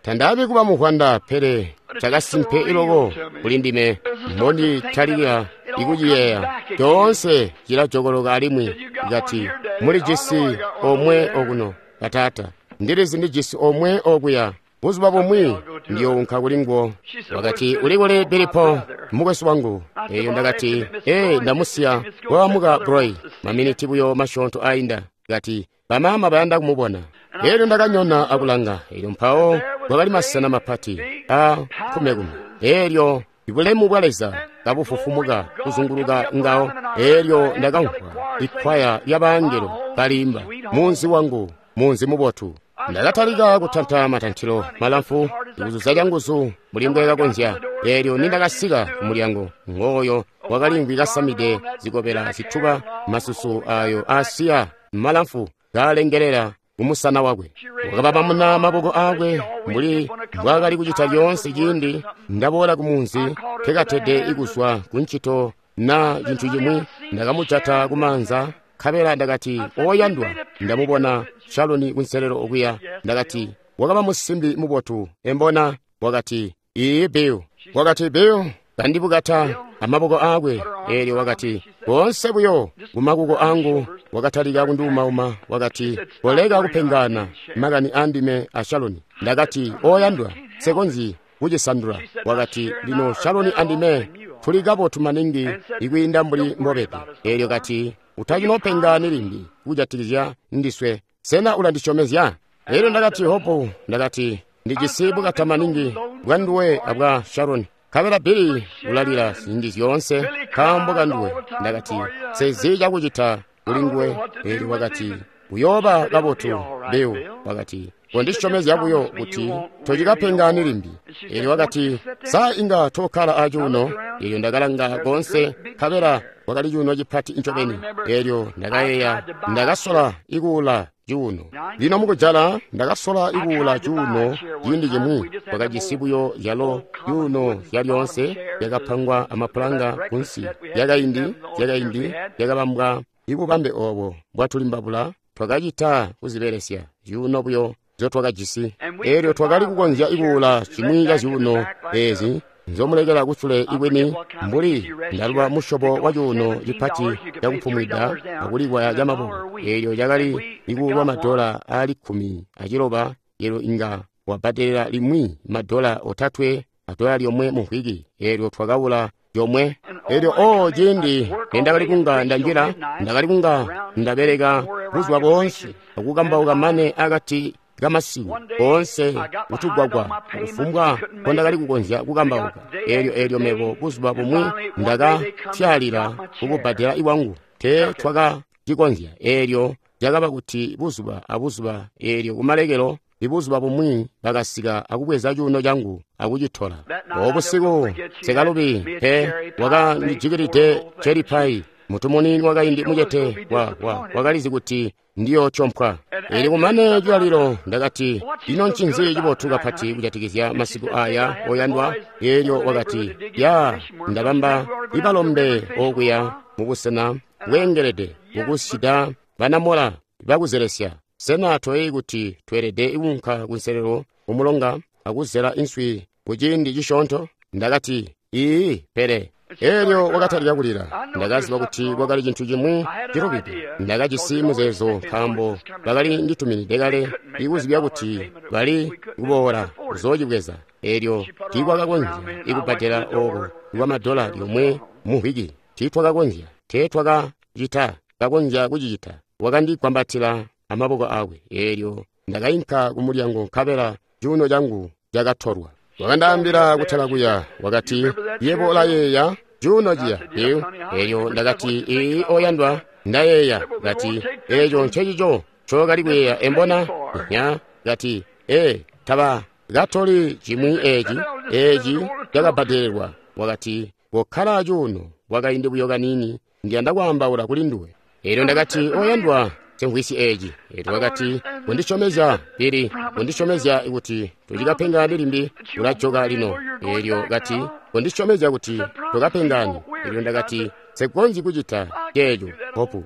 Speaker 1: Tandaabi kuba muvwanda, pele cakasimpe iloko kuli ndime mbonditalikila ikuciyeeya. Coonse cilajokoloka alimwi. Kati, mulijisi omwe okuno bataata. Ndilizi ndijisi omwe okuya. Buzuba bumwi ndiyounka kulinguwo. Wakati, uli kuli Bilipo mukwesu wangu? Eyo ndakati, ee ndamusiya wawamuka Broy maminiti buyo masyoonto ainda. Kati, bamaama bayanda kumubona. Eelyo ndakanyona akulanga. Eelyo mpawo kwakali masena mapati a nkumekume. Eelyo ibulemu bwa Leza kabufufumuka kuzunguluka ngawo. Eelyo ndakamvwa ikwaya lyabangelo kalimba, munzi wangu, munzi mubotu. Ndakatalika kutanta matantilo malamfu kuzuza canguzu mbuli mbwekakonzya. Eelyo nindakasika kumulyango, ngooyo wakalimvwi kasamide zikobela zituba, masusu ayo asiya malamfu kalengelela kumusana wakwe. Wakababamuna maboko akwe mbuli mbwaakali kucita lyoonse ciindi ndaboola kumunzi nkekatede ikuzwa kuncito na cintu cimwi. Ndakamujata kumaanza nkabela ndakati, oyandwa, ndamubona Shaloni kunselelo okuya. Ndakati, wakaba musimbi mubotu embona? Wakati, iiyi Bill. Wakati, Bill, kandibukata amaboko akwe. Eelyo wakati, koonse buyo kumakuko angu. Wakatalika kunduumauma. Wakati, koleka kupengana makani andime a Shaloni. Ndakati, oyandwa, nsekonzyi kucisandula. Wakati, lino Shaloni andime tuli kabotu maningi ikwiinda mbuli mbobede. Eelyo kati, utacinopengani limbi kujatikizya ndiswe. Sena ulandisyomezya? Eelyo ndakati, Hopu, ndakati, ndijisi bukata maningi bwa nduwe abwa Sharoni. Nkabela Bili ulalila ziindi zyoonse nkaambo kanduwe. Ndakati, sezi cakucita kuli nguwe. Eelyo wakati, uyooba kabotu, Bill. Wakati, kondisyomezya buyo kuti tocikapengani limbi. Eelyo wakati, sa inga tokkala acuuno? Eelyo ndakalanga koonse, nkabela kwakali cuuno cipati ncobeni. Eelyo ndakayeeya, ndakasola ikuula cuuno. Lino mukujala ndakasola ikuula cuuno ciindi cimwi. Kwakajisi buyo zyalo cuuno zyalyoonse zyakapangwa amapulanga kunsi, zyakaindi zyakaindi zyakabambwa ibubambe oobo bwatulimbabula. Twakacita kuzibelesya zyuuno buyo nzyotwakajisi. Eelyo twakali kukonzya ikuula cimwi ca zyuuno eezi nzomulekela kusule ibwini, mbuli ndaluba musyobo wa cuuno cipati cakupumwida akulikwaya camaboko. Eelyo cakali ikuulwa madola aali kkumi aciloba. Eelyo inga wabbadelela limwi madola otatwe adola lyomwe mu mvwiki. Eelyo twakawula lyomwe. Eelyo o ciindi nendakali kunga ndanjila, ndakali kunga ndabeleka buzuba boonse akukambauka mane akati kamasiku koonse kutugwagwa kufumbwa nkondakali kukonzya kukambauka. Eelyo eelyo mebo buzuba bumwi ndakasyaalila kukubbadela iwangu, tee twakacikonzya. Eelyo cakaba kuti buzuba abuzuba. Eelyo kumalekelo ibuzuba bumwi bakasika akubweza cuuno cangu akucitola. Obusiku sekalubi pe wakandijikilide cheripai Mutu muniini wakaindi mucete wa, wa, wakalizi kuti ndiyotyompwa. Eli kumane cilalilo ndakati, ino ncinzi cibotu kapati kujatikizya masiku aya oyandwa? Elyo wakati, ya, ndabamba ibalombe okuya mubusena bweengelede kukusyida banamola bakuzelesya. Sena toyeeyi kuti tweelede kuunka kunselelo kumulonga akuzela inswi kuciindi cisyoonto? Ndakati, iiyi, pele. Elyo wakatalika kulila. Ndakaziba kuti kwakali cintu cimwi cilubide. Ndakajisi muzeezo nkaambo bakali ndituminide kale ikuzibya kuti bali kuboola kuzoocibweza. Elyo tiikwakakonzya ikubbadela ooko kwa madola lyomwe mu mvwiki. Tiitwakakonzya, teetwakacita kakonzya kucicita. Wakandigwambatila amaboko akwe. Elyo ndakainka kumulyango nkabela cuuno cangu cakatolwa. Wakandaambila kutala kuya, wakati, yebo ulayeeya cuuno ciya eyo? Elyo ndakati, ii oyandwa, ndayeeya. Kati, eco ncecico ncookali kuyeeya embona? Nya. Kati, ee, taba katoli cimwi eci, eci cakabbadelelwa. Wakati, kokkala cuuno kwakaindi buyo kaniini, ndiyanda kwaambaula kuli nduwe. Elyo ndakati, oyandwa, semvwisi eci. Elyo wakati, kundisyomezya, Billy, kundisyomezya kuti tucikapengani limbi, ulajoka lino. Elyo kati, kundisyomezya kuti tukapengani. Elyo ndakati, nsekonzyi kucita ceeco, Hopu.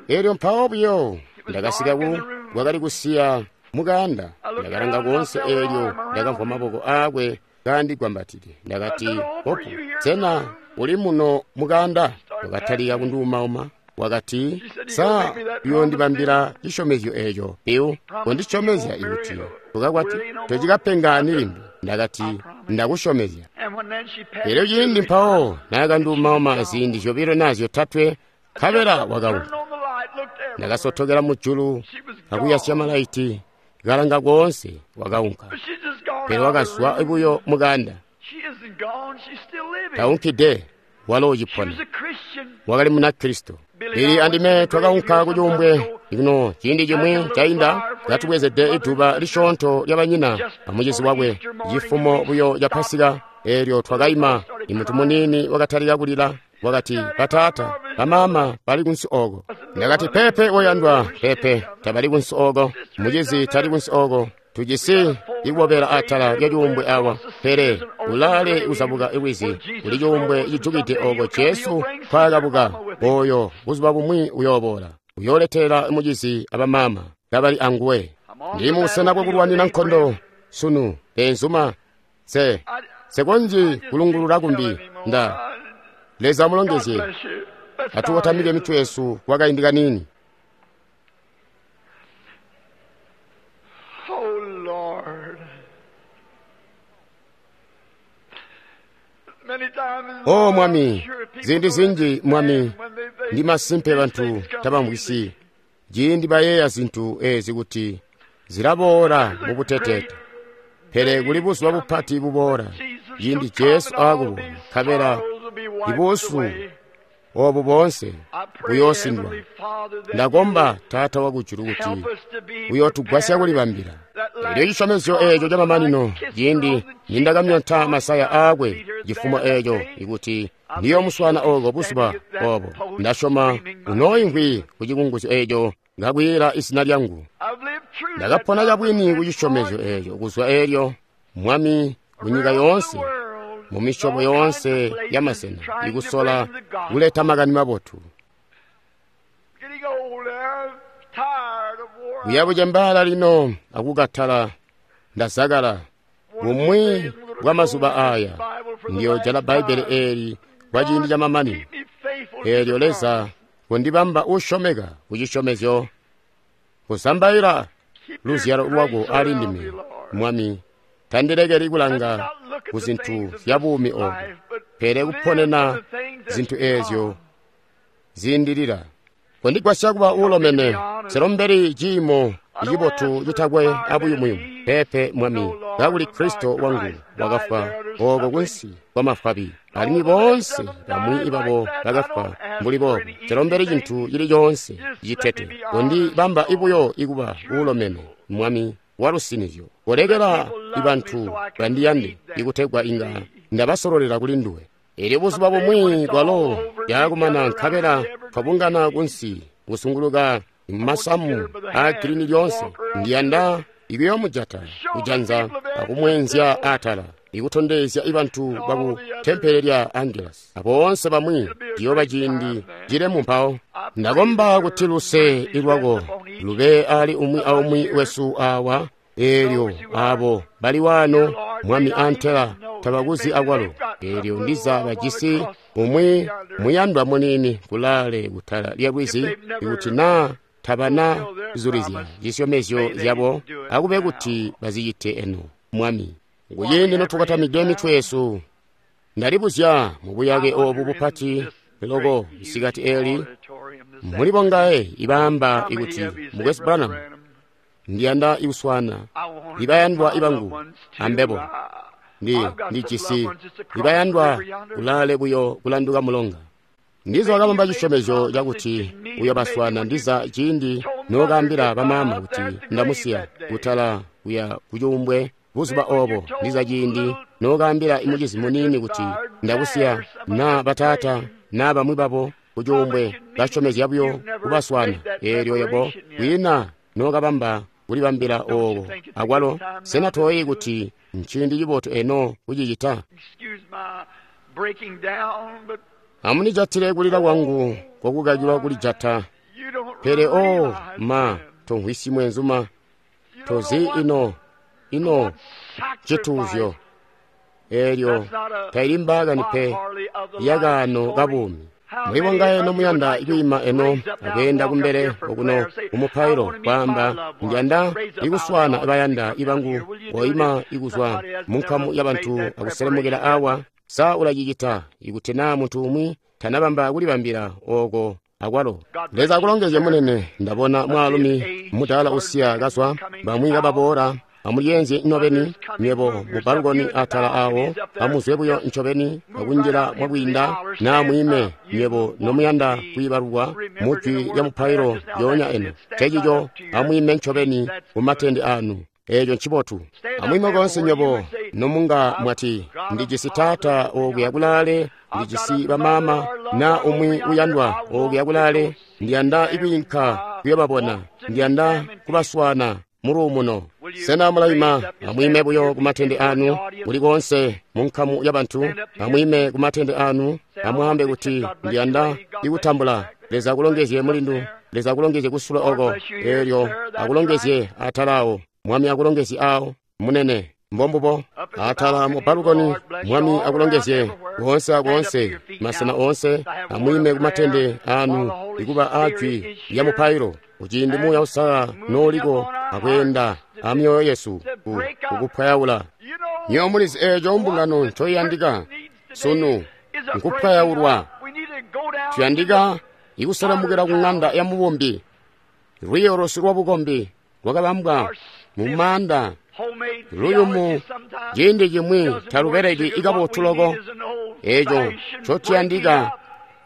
Speaker 1: Elyo mpawo buyo ndakasika ku kwakali kusiya mukaanda. Ndakalanga koonse, elyo ndakamvwa maboko aakwe kandigwambatide. Ndakati, Hopu, sena uli muno mukaanda? Wakatalika kunduumauma. Wakati, sa uyoondibambila cisyomezyo eco, Bill? Kundisyomezya kuti tukakwati tocikapengani limbi. Ndakati, ndakusyomezya. Elyo ciindi mpawo naakanduumauma ziindi zyobilo naa zyotatwe, nkabela wakaunka. Ndakasotokela mujulu akuyasya malaiti, kalanga koonse, wakaunka. Pele wakazwa buyo mukaanda. Taunkide, walo ucipona. Wakali Munakristo. Billy andime twakaunka kucuumbwe ino ciindi cimwi cainda, katubwezede iduba lisyoonto lyabanyina amucizi wakwe, cifumo buyo ca Pasika. Elyo twakaima, imuntu muniini wakatalika kulila. Wakati, bataata, bamaama bali kunsi oko. Ndakati, pepe oyandwa, pepe, tabali kunsi oko. Mucizi tali kunsi oko. Tujisi ikubobela atala lya cuumbwe awa, pele ulaale kuzabuka lwizi kuli cuumbwe cijukide oko Jesu nkwaakabuka. Oyo buzuba bumwi uyooboola, uyooletela mucizi abamaama kabali anguwe. Ndi mubusena bwakulwanina nkondo sunu, beenzuma. Se sekonzyi kulungulula kumbi. Nda Leza amulongezye. Atukotamike mitwe yesu kwa kaindi kaniini. O Mwami, ziindi zinji Mwami, ndi masimpe bantu tabamvwisi ciindi bayeeya zintu ezi kuti zilaboola mubuteteete. Pele kuli buzuba bupati buboola ciindi Jesu aakuboola, nkabela ibuusu obu boonse buyoosindwa. Ndakomba Taata wakujulu kuti uyootugwasya kulibambila. Elyo cisyomezyo eeco camamanino, ciindi nindakamyonta masaya aakwe cifumo eeco, ikuti ndiyomuswaana ooko buzuba obo, ndasyoma unooimvwi ku cikunguzyo eeco ngakwiila izina lyangu. Ndakapona cabwini ku cisyomezyo eeco kuzwa eelyo, Mwami, kunyika yoonse, mu misyobo yoonse yamasena, ikusola kuleta makani mabotu. Kuya bucembaala lino akukatala, ndazakala. Bumwi bwa mazuba aya ndiyojala Bbaibbele eeli kwa ciindi camamanino. Eelyo Leza kundibamba usyomeka ku cisyomezyo, kuzambaila luzyalo lwako ali ndime, Mwami. Tandilekeli kulanga ku zintu zya buumi obu, pele kuponena zintu eezyo ziindilila. Kondigwasya kuba uulomene, nselombeli ciimo icibotu citakwe abuyumuyumu. Pepe Mwami, kakuli Kristo wangu wakafwa ooko kunsi kwa mafwabi, alimwi boonse bamwi babo bakafwa mbuli boobo. Nselombeli cintu cili coonse citete. Kondibamba ibuyo ikuba uulomene, Mwami walusinizyo. Kolekela ibantu bandiyande, ikutegwa inga ndabasololela kuli nduwe. Elyo buzuba bumwi bwalo byakumana nkabela twabungana kunsi kusunguluka masamu a girini lyonse, ndiyanda ikuyoomujata kujanza akumwenzya atala, ikutondezya ibantu baku tempele lya Angelus aboonse bamwi. Ciyooba ciindi cilemu mpawo. Ndakomba kuti luse lwako lube ali umwi aumwi wesu awa, eelyo abo bali wano, Mwami, antela tabakuzi akwalo. Eelyo ndiza bajisi umwi muyandwa munini kulaale kutala lya lwizi, ikuti naa tabana zulizya zisyomezyo zyabo, akube kuti bazicite eno, Mwami. Kuciindi notukotamide mitwe yesu, ndalibuzya mu buyake obu bupati loko isikati eli, muli bongaye ibaamba ikuti, Mukwesu Branham, ndiyanda ikuswana ibayandwa ibangu ambebo. Ndi ndijisi ibayandwa kulaale buyo kulanduka mulonga. Ndiza wakabamba cisyomezyo cakuti uyobaswana, ndiza ciindi nokaambila bamaama kuti ndamusiya kutala kuya kucuumbwe buzuba obo, ndiza ciindi nokaambila imucizi muniini kuti ndakusiya, na bataata na bamwi babo kucuumbwe, basyomezya buyo kubaswana. Eelyo yebo kwiina nokabamba kulibambila obo akwalo. Sena toyi kuti nciindi cibotu eno kucicita? Amunijatile kulila kwangu kwakukakilwa kulijata. Pele o ma, tomvwisyi mwenzuma, tozi ino ino cituuzyo. Eelyo taili mbaakani pe yakaano kabuumi. Muli bongaye nomuyanda ikwiima eno akweenda kumbele okuno mumupailo, kwaamba, ndiyanda ikuswana bayanda ibangu, oima ikuzwa munkamu yabantu akuselemukela awa? Sa ulacicita? Ikuti naa muntu umwi tanabamba kulibambila oko akwalo. Leza akulongezye, munene. Ndabona mwaalumi mudaala usiya kazwa, bamwi kababoola. Amulyeenzye nobeni nywebo mubalukoni atala awo, amuzwe buyo ncobeni akunjila mwakwiinda, naa mwime nywebo nomuyanda kwiibalulwa mujwi lya mupailo lyoonya eno. Cecico, amwime ncobeni kumatende anu. Eeco ncibotu. Amwime konse nywebo nomunga mwati, ndijisi taata okuya kulaale, ndijisi bamaama, na umwi uyandwa okuya kulaale, ndiyanda ikwiinka kuyobabona, ndiyanda kubaswana muluumuno. Sena mulaima? Amwime buyo kumatende anu kuli konse munkamu yabantu. Amwime kumatende anu, amwaambe kuti, ndiyanda ikutambula. Leza akulongezye, mulindu. Leza akulongezye kusula oko. Eelyo akulongezye atalawo. Mwami akulongezye awo, munene. Mbombubo atala mu balukoni. Mwami akulongezye koonse akoonse, masena oonse. Amwime kumatende anu ikuba ajwi lya mupailo, kuciindi Muuya Uusalala nooliko akweenda amyoyo yesu kukupwayaula. Nywebo mulizi eeco mbungano ncoiyandika sunu nkupwayaulwa. Tuyandika ikuselemukila ku ŋanda ya mubumbi. Lwiiyo lwesu lwabukombi lwakabambwa mu maanda luyumu, ciindi cimwi talubeleki ikabotu loko. Eeco ncotuyandika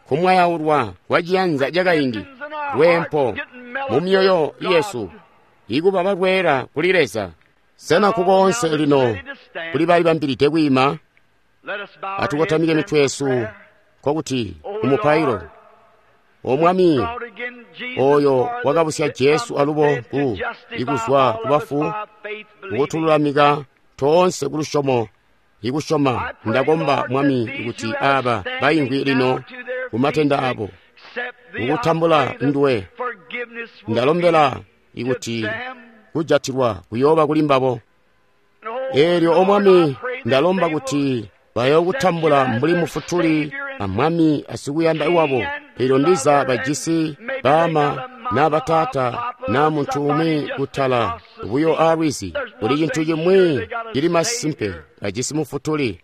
Speaker 1: kumwayaulwa kwa ciyanza cakaindi, lweempo mu myoyo yesu, ikuba balweela kuli Leza. Sena kukoonse lino kuli balibambilide kwiima? Atukotamike mitwe yesu, nkokuti mumupailo. O Mwami, oyo wakabusya Jesu alubo ku ikuzwa kubafu, kukutululamika toonse kulusyomo ikusyoma. Ndakomba, Mwami, kuti aba baimvwi lino kumatenda abo kukutambula nduwe. Ndalombela ikuti kujatilwa kuyooba kuli mbabo. Eelyo, o Mwami, ndalomba kuti bayookutambula mbuli mufutuli amwami asikuyanda wabo. Eelyo ndiza bajisi baama naa bataata naa muntu umwi kutala buyo aalwizi. Kuli cintu cimwi cili masimpe, bajisi mufutuli.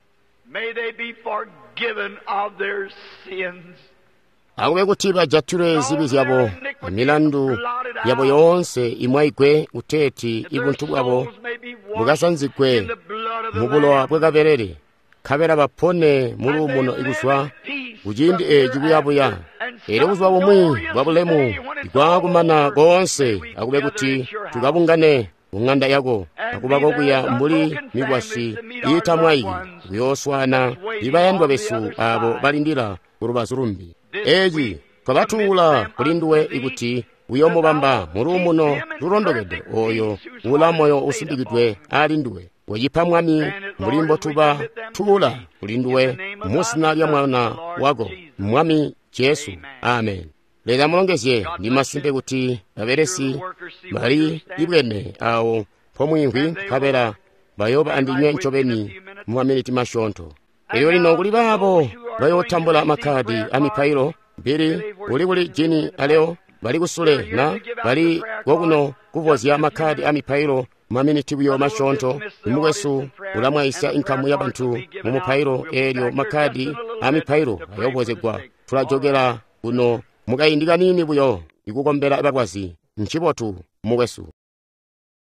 Speaker 1: Akube kuti bajatilwe zibi zyabo, amilandu yabo yoonse imwaigwe, kuteeti ibuntu bwabo bukasanzigwe mu bulowa bwakabelele, nkabela bapone muluumuno ikuzwa kuciindi eeci kuyabuya. Eelyo buzuba bumwi bwa bulemu bwakumana koonse, akube kuti tukabungane ku ng'anda yako, akuba kokuya mbuli mikwasyi iitamwaiki kuyooswaana ibayandwa besu abo balindila ku lubazu lumbi. Eci twabatuula kuli nduwe ikuti uyoomubamba muluumuno lulondokede oyo ula moyo usindikidwe ali nduwe. Wecipa Mwami mbuli mbotuba tuula kuli nduwe mu zina lya Mwana wako, Mwami Jesu. Amen. Leza mulongezye. Ndi masimpe kuti babelesi bali ibwene awo mpomwiimvwi nkabela bayooba andinywe ncobeni mu maminiti masyoonto. Elyo lino kuli baabo bayootambula makkadi amipailo, Billy uli kuli Jini aleo bali kusule na bali kokuno kuvozya makkadi amipailo maminiti buyo masyoonto. Mukwesu ulamwaisya inkamu ya bantu mu mupailo, eelyo makkadi amipailo ayoovozegwa. Tulajokela kuno mukaindi kaniini buyo ikukombela balwazi. Ncibotu, mukwesu.